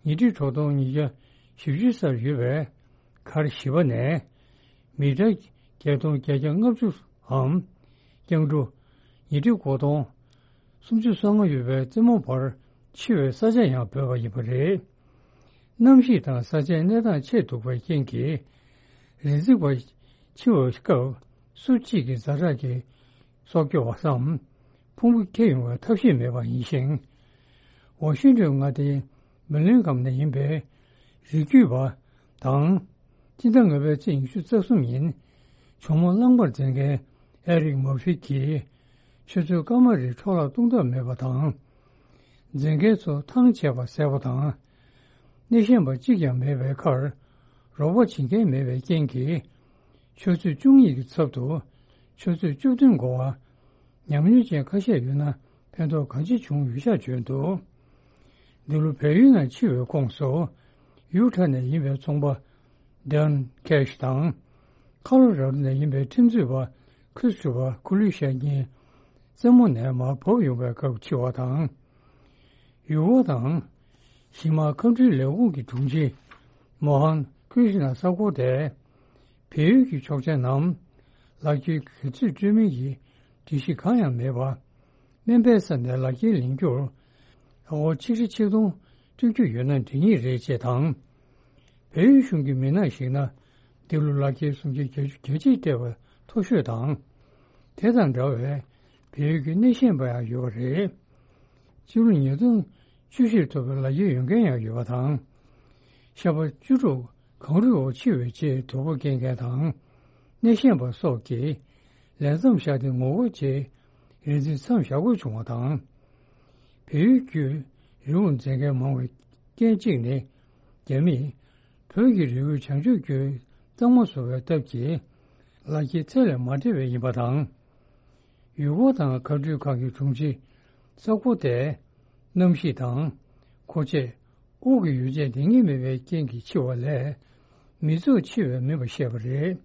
ཉིས་ཁྲི་དྲུག་སྟོང་ཉིས་བརྒྱ་བཞི་བཅུ་སར་ཡོད་པའི་མཁར་བཞི་པ་ནས། མི་ཊར་བརྒྱད་སྟོང་བརྒྱད་བརྒྱ་ལྔ་བཅུ་འམ་རྐྱང་འགྲོ་ཉིས་ཁྲི་དགུ་སྟོང་སུམ་ཅུ་སོ་ལྔ་ཡོད་པའི་རྩེད་མོ་བར་འཆི་བའི་ས་ཆ་ཡང་འབོད་པ་ཡིན་པ་རེད། གནམ་གཤིས་དང་ས་ཆའི་གནས་སྟངས་ཆེས་སྡུག་པའི་རྐྱེན་གྱིས། རི་འཛེག་པ་འཆི་བའི་སྐབས་སུ་གཅིག་གི་ཛ་དྲག་གི་སྲོག་སྐྱོབ་པ་སམ། ཕུང་པོ་འཁྱེར་ཡོང་བའི་ཐབས་ཤེས་མེད་པ་ཡིན་ཞིང་། ཝ་ཤིང་ཏོན་མངའ་སྡེའི་བྷར་མིང་ཧམ་ནས་ཡིན་པའི་རི་རྒྱུད་པ་དང་། སྤྱི་ཟླ་ལྔ་པའི་ཚེས་ཉི་ཤུ་རྩ་གསུམ་ཉིན། ཇོ་མོ་གླང་མར་འཛེག་མཁན་ཨེ་རིག་མོར་ཕི་གིས། ཆུ་ཚོད་སྐར་མ་རེའི་འཕྲོ་བརླག་གཏོང་ཐབས་མེད་པ་དང་། འཛེག་མཁན་ཚོ་ཐང་ཆད་པ་གསལ་པོ་དང་། སྣེ་ཤན་པ་གཅིག་ཀྱང་མེད་པའི་ཁར། རོགས་པ་བྱེད་མཁན་མེད་པའི་རྐྱེན་གྱིས། ཆུ་ཚོད་བཅུ་གཉིས་ཀྱི་ཚབ་ཏུ་ཆུ་ཚོད་བཅུ་བདུན་འགོར་བ། ཉམས་མྱོང་ཅན་ཁ་ཤས་ཡོད་ན་ཕན་ཐོགས་གང་ཆེ་བྱུང་ཡོད་ཤག་བརྗོད་འདུག་འདི་ལོ་བལ་ཡུལ་ནང་འཆི་བའི་ཁོངས་སུ། ཡུ་ཊ་ནས་ཡིན་པའི་ཚོང་པ་ཌན་ཁེ་ཤི་དང་། ཁ་ལོ་ར་ཌོ་ནས་ཡིན་པའི་ཁྲིམས་རྩོད་པ་ཁྲིས་ཊོ་ཕར་ཁུ་ལི་ཤ་གཉིས། རྩེད་མོ་ནས་མར་བབས་ཡོང་བའི་སྐབས་འཆི་བ་དང་། ཡུར་བ་དང་། གཞི་མ་ཁམས་འཕྲུལ་ལས་ཁུངས་ཀྱི་དྲུང་ཆེ་མོ་ཧན་ཁུ་ཤི་ན་ས་ཁོ་དེས། བལ་ཡུལ་གྱི་ཆོག་མཆན་ནམ། ལག་འཁྱེར་གྱི་ག་ཚོད་སྤྲོད་མིན་གྱི་སྒྲིག་གཞི་གང་ཡང་མེད་པ། སྨན་པའི་ས་ནས་ལག་འཁྱེར་ལེན་རྒྱུར། ཨ་ཧོ་ཆིག་ཁྲི་ཆིག་སྟོང་སྤྲོད་རྒྱུ་ཡོད་ན་འགྲིག་ངེས་རེད་ཅེས་དང་། བལ་ཡུལ་གཞུང་གི་མི་སྣར་གཞིགས་ན། འདི་ལོ་ལག་འཁྱེར་སུམ་ཆ་བརྒྱད་ཅུ་གྱ་གཅིག་སྤྲད་པ་མཐོ་ཤོས་དང་། དེ་དང་འདྲ་བའི་བལ་ཡུལ་གྱི་སྣེ་ཤན་པ་ཡང་ཡོད་པ་རེད། སྤྱི་ལོ་ཉིས་སྟོང་བཅུ་བཞིར་ཐོབ་པའི་ལག་འཁྱེར་ཡོད་མཁན་ཡང་ཡོད་པ་དང་། ཤ་པ་བཅུ་དྲུག་གངས་རིའི་འོག་འཆི་བའི་རྗེས་དོ་པོ་སྐྱེལ་མཁན་དང་། སྣེ་ཤན་པ་སོགས་ཀྱིས་ལས་མཚམས་བཞག་སྟེ་ངོ་རྒོལ་བྱས། རི་འཛེག་མཚམས་བཞག་དགོས་བྱུང་བ་དང་། བལ་ཡུལ་བརྒྱུད་རི་འོག་འཛེག་མཁན་མང་བའི་ རྐྱེན་གཅིག་ནི། རྒྱ་མིས་བོད་ཀྱི་རི་བོའི་བྱང་ཆུབ་ཀྱི་གཙང་མ་བཟོ་བའི་སྟབས་ཀྱིས་ལག་འཁྱེར་ཚད་ལས་མ་བྲལ་བས་ཡིན་པ་དང་། ཡུལ་སྐོར་དང་མཁའ་འགྲུལ་ཁང་གི་དྲུང་ཆེ་ས་ཁུལ་དེ་གནམ་གཤིས་དང་། མཁོ་ཆས། དབུགས་ཀྱི་ཡོ་བྱད་ལྡེང་ངེས་མེད་པའི་རྐྱེན་གྱིས་འཆི་བ་ལས་མི་ཚོགས་འཆི་བས་མིན་པ་བཤད་པ་རེད།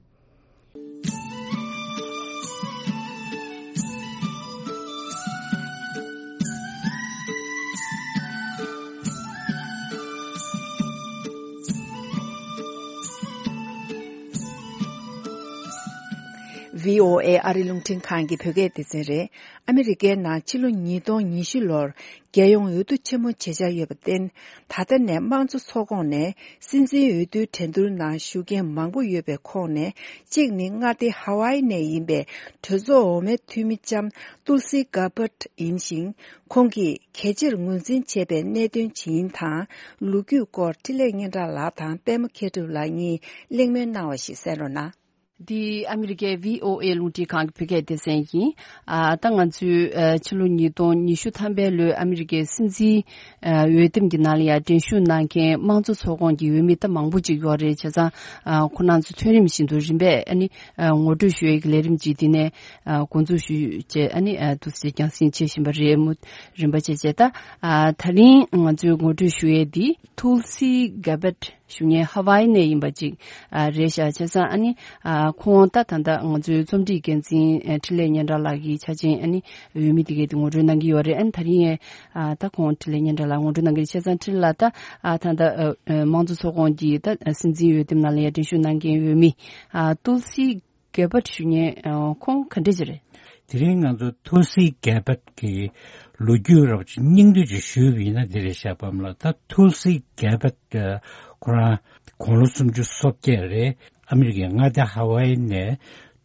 ཝི་ཨོ་ཨེ་ཨ་རི་རླུང་འཕྲིན་ཁང་གི་བོད་སྐད་སྡེ་ཚན་རེད། ཨ་མི་རི་ཀའི་ནང་ཕྱི་ལོ་ཉིས་སྟོང་ཉི་ཤུ་ལོར་རྒྱལ་ཡོངས་འོས་བསྡུ་ཆེན་མོ་བྱེད་འཆར་ཡོད་པར་བརྟེན། ད་ལྟ་ནས་དམངས་གཙོ་ཚོགས་ཁོངས་ནས་སྲིད་འཛིན་འོས་བསྡུའི་འགྲན་བསྡུར་ནང་ཞུགས་མཁན་མང་པོ་ཡོད་པའི་ཁོངས་ནས་གཅིག་ནི་མངའ་སྡེ་ཧ་ཝཱ་ཡི་ནས་ཡིན་པའི་གྲོས་ཚོགས་འོག་མའི་འཐུས་མི་ལྕམ་ཏུལ་སི་གྷ་བྷཊ་ཡིན་ཞིང་། ཁོང་གིས་གལ་ཆེར་ངོས་འཛིན་བྱས་པའི་གནད་དོན་ཇི་ཡིན་དང་། ལོ་རྒྱུས་སྐོར་འཕྲིན་ལས་སྙན་གྲགས་ལགས་དང་པད་མ་མཁས་གྲུབ་ལགས་གཉིས་གླེང་མོལ་གནང་བ་ཞིག་གསན་རོགས་གནང་། འདི་ཨ་མི་རི་ཀའི་ཝི་ཨོ་ཨེ་རླུང་འཕྲིན་ཁང་གི་བོད་སྐད་སྡེ་ཚན་ཡིན། ཨ། ད་ང་ཚོས་ཨ་ཕྱི་ལོ་ཉིས་སྟོང་ཉི་ཤུ་ཐམ་པའི་ལོའི་ཨ་མི་རི་ཀའི་སྲིད་འཛིན་ཨ་འོས་འདེམས་ཀྱི་ནང་ལ་ཡང་འགྲན་ཞུགས་གནང་མཁན་དམངས་གཙོ་ཚོགས་ཁོངས་ཀྱི་འོས་མི་ད་མང་པོ་ཅིག་ཡོད་རེད། བྱས་ཙང་ཨ་ཁོ་རང་ཚོ་ཐོན་རིམ་བཞིན་དུ་རིམ་པས་ཨ་ནི་ཨ་ངོ་སྤྲོད་ཞུ་ཡས་ཀྱི་ལས་རིམ་ཅིག་འདི་ནས་ཨ་འགོ་འཛུགས་ཞུས་བྱས། ཨ་ནི་ཨ་འདུག་སེ་རྒྱང་སྲིང་བྱེད་བཞིན་པ་རེད་མོ། རིམ་པ་བྱས་བྱས་ད་ཨ་ད་རིང་ང་ཚོས་ངོ་སྤྲོད་ཞུ་ཡས་འདི་ཏུལ་སི་གྷ་བྷཊ་ཞུ་མཁན་ཧ་ཝཱ་ཡི་ནས་ཡིན་པ་ཅིག་ཨ་རེད་ཤག་བྱས་ཙང་ཨ་ནི་ཨ་ཁོང་ད་ད་ལྟ་ང་ཚོའི་རྩོམ་སྒྲིག་འགན་འཛིན་ཨ་འཕྲིན་ལས་སྙན་གྲགས་ལགས་ཀྱི་ཆ་ཅན་ཨ་ནི་འོས་མི་དེ་གའི་དེ་ངོ་སྤྲོད་གནང་གི་ཡོད་རེད། ཨ་ནི་ད་རིང་ཡང་ཨ་ད་ཁོང་འཕྲིན་ལས་སྙན་གྲགས་ལགས་ངོ་སྤྲོད་གནང་གི་རེད། བྱས་ཙང་འཕྲིན་ལགས་ད་ཨ་ད་ལྟ་ཨ་ཨ་དམངས་གཙོ་ཚོགས་ཁོངས་ཀྱི་ད་སྲིད་འཛིན་འོས་འདེམས་ནང་ལ་ཡང་འགྲན་ཞུགས་གནང་མཁན་འོས་མི་ཨ་ཏུལ་སི་གྷ་བྷཊ་ཞུ་མཁན་ཨ་ཁོང་ག་འདྲ་ཅིག་རེད། དེ་རིང་ང་ཚོ་ཏུལ་སི་གྷ་བྷཊ་ཀྱི་ལོ་རྒྱུས་རོབ་ཅིག་སྙིང་བསྡུས་ཅིག་ཞུས་པ་ཡིན་ན་འདི་རེད་ཤག་པ་མ་ལ། ད་ཏུལ་སི་གྷ་བྷཊ་ཁོ་རང་དགུང་ལོ་སུམ་ཅུ་སོ་བརྒྱད་རེད། ཨ་མི་རི་ཀའི་མངའ་སྡེ་ཧ་ཝཱ་ཡི་ནས་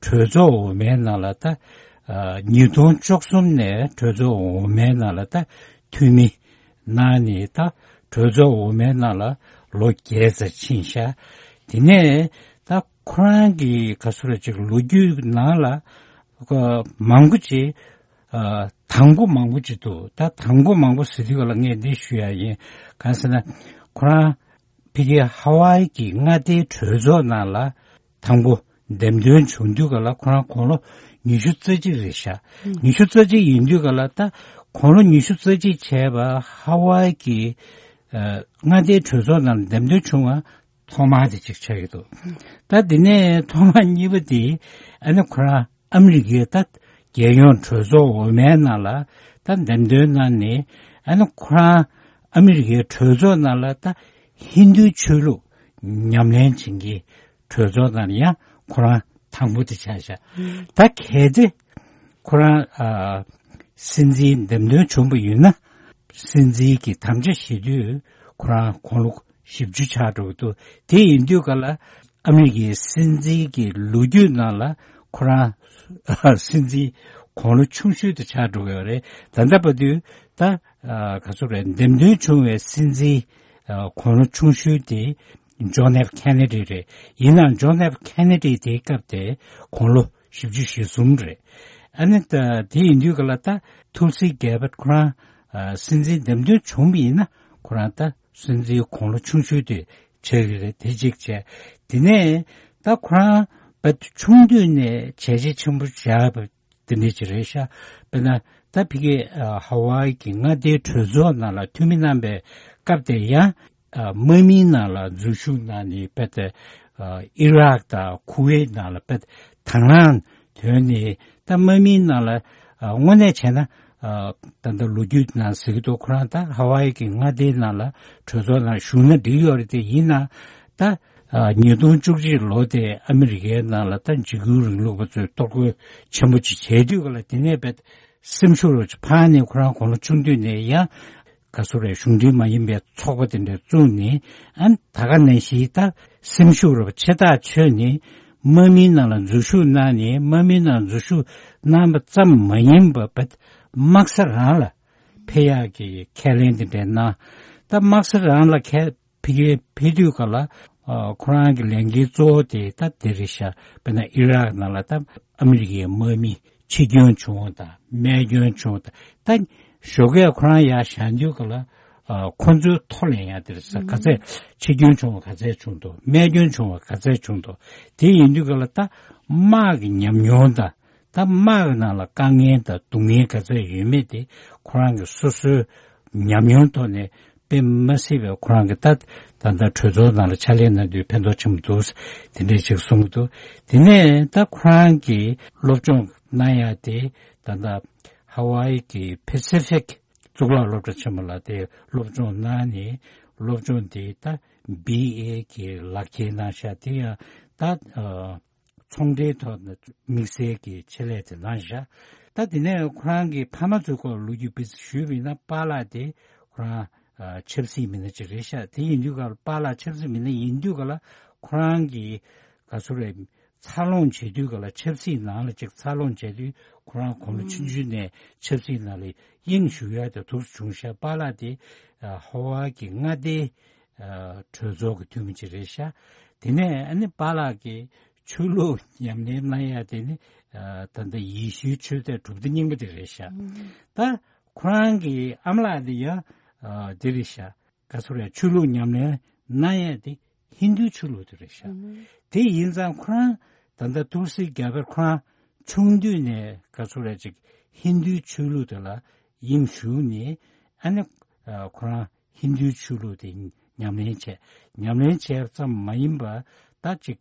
གྲོས་ཚོགས་འོག་མའི་ནང་ལ་ད་ཨ་ཉིས་སྟོང་བཅུ་གསུམ་ནས་གྲོས་ཚོགས་འོག་མའི་ནང་ལ་ད་འཐུས་མི་གནང་ནས་ད་གྲོས་ཚོགས་འོག་མའི་ནང་ལ་ལོ་བརྒྱད་ཙམ་ཕྱིན་ཤག་དེ་ནས་ད་ཁོ་རང་གི་ག་ཚོད་རེད་ཅིག་ལོ་རྒྱུས་ནང་ལ་མང་པོ་ཅིག་ཨ་དང་པོ་མང་པོ་ཅིག་འདུག་ད་དང་པོ་མང་པོ་ཟེར་དུས་ག་ལ་ངས་འདི་ཞུ་ཡ་ཡིན། གང་ཟེར་ན་ཁོ་རང་ཕ་གི་ཧ་ཝཱ་ཡི་གི་མངའ་སྡེའི་གྲོས་ཚོགས་ནང་ལ་དང་པོ་འདེམས་ཐོན་བྱུང་དུས་ག་ལ་ཁོ་རང་དགུང་ལོ་ཉི་ཤུ་རྩ་གཅིག་རེད་ཤག་ཉི་ཤུ་རྩ་གཅིག་ཡིན་དུས་ག་ལ་ད་དགུང་ལོ་ཉི་ཤུ་རྩ་གཅིག་བྱས་པ་ཧ་ཝཱ་ཡི་གི་ཨ་མངའ་སྡེའི་གྲོས་ཚོགས་ནང་ལ་འདེམས་ཐོན་བྱུང་བ་ཐོག་མ་དེ་གཅིག་ཆགས་ཀྱི་འདུག་ད་དེ་ནས་ཐོག་མ་གཉིས་པ་དེ་ཨ་ནི་ཁོ་རང་ཨ་མི་རི་ཀའི་ད་རྒྱལ་ཡོངས་གྲོས་ཚོགས་འོག་མའི་ནང་ལ་ད་འདེམས་ཐོན་གནང་ནས་ཨ་ནི་ཁོ་རང་ཨ་མི་རི་ཀའི་གྲོས་ཚོགས་ནང་ལ་ད་ཧིན་རྡུའི་ཆོས་ལུགས་ཉམས་ལེན་བྱེད་མཁན་གྲོས་ཚོགས་ནང་ལ་ཡང་ཁོ་རང་དང་པོ་དེ་ཆགས་ཤག་ད་གལ་ཏེ་ཁོ་རང་ཨ་སྲིད་འཛིན་འདེམས་ཐོན་བྱུང་བ་ཡིན་ན་སྲིད་འཛིན་གྱི་དམ་བཅའ་བཞེས་དུས་ཁོ་རང་དགུང་ལོ་བཞི་བཅུ་ཆགས་འགྲོ་གི་འདུག་དེ་ཡིན་དུས་ག་ལ་ཨ་མི་རི་ཀའི་སྲིད་འཛིན་གྱི་ལོ་རྒྱུས་ནང་ལ་ཁོ་རང་སྲིད་འཛིན་དགུང་ལོ་ཆུང་ཤོས་དེ་ཆགས་འགྲོ་གི་ཡོད་རེད། ད་ལྟ་བར་དུ་ད་ག་ཚོད་རེད། འདེམས་ཐོན་བྱུང་བའི་སྲིད་འཛིན་དགུང་ལོ་ཆུང་ཤོས་དེ་ཇོན་ཨེཕ་ཁེ་ནེ་ཌི་རེད། ཡིན་ནའང་ཇོན་ཨེཕ་ཁེ་ནེ་ཌི་དེའི་སྐབས་དེ་དགུང་ལོ་བཞི་བཅུ་ཞེ་གསུམ་རེད། ཨ་ནི་ད་དེ་ཡིན་དུས་ག་ལ་ད་ཐུལ་སི་གྷེ་བྷད་ཁོ་རང་ཨ་སྲིད་འཛིན་འདེམས་ཐོན་བྱུང་བ་ཡིན་ན་ཁོ་རང་ད་སྲིད་འཛིན་དགུང་ལོ་ཆུང་ཤོས་དེ་ཆགས་ཀྱི་རེད། དེ་གཅིག་བྱས། དེ་ནས་ད་ཁོ་རང་བད་ཆུང་དུས་ནས་བྱས་རྗེས་ཆེན་པོ་བཞག་པ་དེ་འདྲ་ཅིག་རེད་ཤག་དཔེར་ན་ད་ཕ་གི་ཨ་ཧ་ཝཱ་ཡི་གི་མངའ་སྡེའི་གྲོས་ཚོགས་ནང་ལ་འཐུས་མི་གནང་པའི་སྐབས་དེ་ཡང་ཨ་དམག་མིའི་ནང་ལ་འཛུལ་ཞུགས་གནང་ནས་དཔེ་དེ་ཨ་ཨི་རག་དང་ཁུ་ཝེད་ནང་ལ་དཔེ་དང་བླངས་ཐོན་ནས་ད་དམག་མིའི་ནང་ལ་ཨ་དངོས་གནས་བྱས་ན་ཨ་ད་ལྟ་ལོ་རྒྱུས་ནང་ཟེར་གྱི་འདུག་ཁོ་རང་ད་ཧ་ཝཱ་ཡི་གི་མངའ་སྡེའི་ནང་ལ་གྲོས་ཚོགས་ནང་ཞུགས་ན་འགྲིག་ཡོད་རེད། དེ་ཡིན་ན་ད་ཨ་ཉིས་སྟོང་བཅུ་གཅིག་ལོ་དེ་ཨ་མི་རི་ཀའི་ནང་ལ་ད་འཇིགས་སྐུལ་རིང་ལུགས་པ་ཚོས་གཏོར་རྒོལ་ཆེན་པོ་ཅིག་བྱས་དུས་ག་ལ་དེ་ནས་དཔེ་སེམས་ཤུགས་རུ་ཕར་ནས་ཁོ་རང་དགུང་ལོ་ཆུང་དུས་ནས་ཡང་ག་ཚོད་རེད། གཞུང་འབྲེལ་མ་ཡིན་པའི་ཚོགས་པ་དེ་འདྲ་བཙུགས་ནས་ཨ་ད་ག་ནང་བཞིན་ད་སེམས་ཤུགས་རུ་ཆེ་ཐག་ཆོད་ནས་དམག་མིའི་ནང་ལ་འཛུལ་ཞུགས་གནང་ནས་དམག་མིའི་ནང་འཛུལ་ཞུགས་གནང་བ་ཙམ་མ་ཡིན་པ་དཔེ་དམག་ས་རང་ལ་ཕེབས་ཡག་གི་ཁས་ལེན་དེ་འདྲ་གནང་། ད་དམག་ས་རང་ལ་ཁས་ཕ་གིར་ཕེབས་དུས་ག་ལ་ཨ་ཁོ་རང་གི་ལས་འགན་གཙོ་བོ་དེ་ད་དེ་རེད་ཤག་དཔེར་ན་ཨི་རག་ནང་ལ་ད་ཨ་མི་རི་ཀའི་དམག་མི་འཆི་སྐྱོན་བྱུང་བ་དང་རྨས་སྐྱོན་བྱུང་བ་དང་ད་ཞོགས་ཀས་ཁོ་རང་ཡར་བཞེངས་དུས་ག་ལ་ ཨ་ཁོང་ཚོའི་ཐོག་ལ་ཡང་དེར་ས་ག་ཚད་འཆི་སྐྱོན་བྱུང་བ་ག་ཚད་བྱུང་འདུག་རྨས་སྐྱོན་བྱུང་བ་ག་ཚད་བྱུང་འདུག་དེ་ཡིན་དུས་ག་ལ་ད་དམག་གི་ཉམས་མྱོང་དང་། ད་དམག་གི་ནང་ལ་དཀའ་ངལ་དང་སྡུག་བསྔལ་ག་ཚད་ཡོད་མེད་དེ་ཁོ་རང་གི་སོ་སོའི་ཉམས་མྱོང་ཐོག་ནས་དཔེ་མ་སྲིད་པའི་ཁོ་རང་གི་ད་ད་ལྟ་གྲོས་ཚོགས་ནང་ལ་ཕྱག་ལས་གནང་དུས་ཕན་ཐོགས་ཆེན་པོ་འདུག་དེ་འདྲས་ཅིག་གསུངས་འདུག་དེ་ནས་ད་ཁོ་རང་གི་སློབ་སྦྱོང་གནང་ཡ་དེ་ད་ལྟ་ཧ་ཝའི་གི་Pacific གཙུག་ལག་སློབ་གྲྭ་ཆེན་མོ་ལ་དེ་སློབ་སྦྱོང་གནང་ནས་སློབ་སྦྱོང་དེ་ད་བི་ཨེ་གི་ལག་ཁྱེར་གནང་ཤག་དེ་ཡང་ད་ཚོང་འབྲེལ་ཐོག་ནས་དམིགས་བསལ་གྱི་ཆེད་ལས་དེ་གནང་ཤག་ད་དེ་ནས་ཁོ་རང་གི་ཕ་མ་ཚོའི་སྐོར་ལོ་རྒྱུས་དཔེ་ཞུས་པ་ཡིན་ན་པཱ་ལགས་དེ་ཁོ་རང་ཆབ་སྲིད་མི་སྣ་ཅིག་རེད་ཤག་དེ་ཡིན་དུས་ག་ལ་པཱ་ལགས་ཆབ་སྲིད་མི་སྣ་ཡིན་དུས་ག་ལ་ཁོ་རང་གི་ག་ཚོད་རེད། འཚར་ལོངས་བྱེད་དུས་ག་ལ་ཆབ་སྲིད་ནང་ལ་ཅིག་འཚར་ལོངས་བྱེད་དུས་ཁོ་རང་གོང་ལོ་ཆུང་ཆུང་ནས་ཆབ་སྲིད་ནང་ལ་དབྱིངས་ཞུགས་ཡ་དེ་ཐུགས་སུ་བྱུང་ཤག་པཱ་ལགས་དེ་ཧ་ཝའི་གི་མངའ་སྡེའི་གྲོས་ཚོགས་ཀྱི་འཐུས་མི་ཅིག་རེད་ཤག་དེ་ནས་ཨ་ནི་པཱ་ལགས་ཀྱིས་ཆོས་ལུགས་ཉམས་ལེན་གནང་ཡ་དེ་ནི་ད་ལྟ་ཡེ་ཤུའི་ཆོས་དད་གྲུབ་མཐའ་རྙིང་པ་དེ་རེད་ཤག་ད་ཁོ་རང་གི་ཨ་མ་ལགས་དེ་ཡང་དེ་རེད་ཤག་ག་ཚོད་རེད། ཆོས་ལུགས་ཉམས་ལེན་གནང་ཡ་དེ་ཧིན་རྡུའི་ཆོས་ལུགས་དེ་རེད་ཤག་དེ་ཡིན་ཙང་ཁོ་རང་ད་ལྟ་ཐུལ་སི་གྷེ་བྷར་ཁོ་རང་ཆུང་དུས་ནས་ག་ཚོད་རེད་ཅིག་ཧིན་རྡུའི་ཆོས་ལུགས་དེ་ལ་དབྱིངས་ཞུགས་ནས་ཨ་ནི་ཁོ་རང་ཧིན་རྡུའི་ཆོས་ལུགས་དེ་ཉམས་ལེན་བྱས། ཉམས་ལེན་བྱས་ཙམ་མ་ཡིན་པར་ད་ཅིག་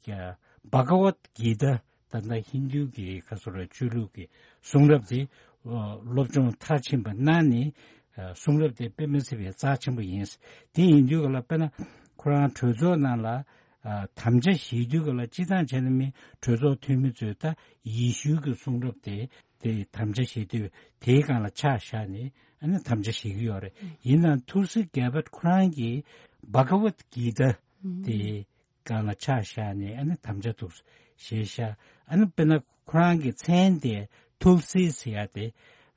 བྷ་ག་ཝད་གི་ཏཱ་ད་ལྟ་ཧིན་རྡུ་གི་ག་ཚོད་རེད། ཆོས་ལུགས་ཀྱི་གསུང་རབ་དེ་སློབ་སྦྱོང་མཐར་ཕྱིན་པ་གནང་ནས་གསུང་རབ་དེ་དཔེ་མི་སྲིད་པའི་རྩ་ཆེན་པོ་ཡིན། དེ་ཡིན་དུས་ག་ལ་དཔེར་ན་ཁོ་རང་གྲོས་ཚོགས་ནང་ལ་དམ་བཅའ་བཞེས་དུས་ག་ལ་སྤྱི་བཏང་བྱས་ན་མི་གྲོས་ཚོགས་འཐུས་མི་ཚོས་ད་ཡེ་ཤུའི་གི་གསུང་རབ་དེ་དེ་དམ་བཅའ་བཞེས་དུས་དེའི་སྒང་ལ་ཆ་བཞག་ནས་ཨ་ནི་དམ་བཅའ་བཞེས་ཀྱི་ཡོད་རེད། ཡིན་ནའང་ཐུལ་སི་གྷེ་བྷར་ཁོ་རང་གིས་བྷ་ག་ཝད་གི་ཏཱ་དེ་སྒང་ལ་ཆ་བཞག་ནས་ཨ་ནི་དམ་བཅའ་ཐུགས་བཞེས་ཤག་ཨ་ནི་དཔེར་ན་ཁོ་རང་གི་མཚན་དེ་ཐུལ་སི་ཟེར་ཡ་དེ་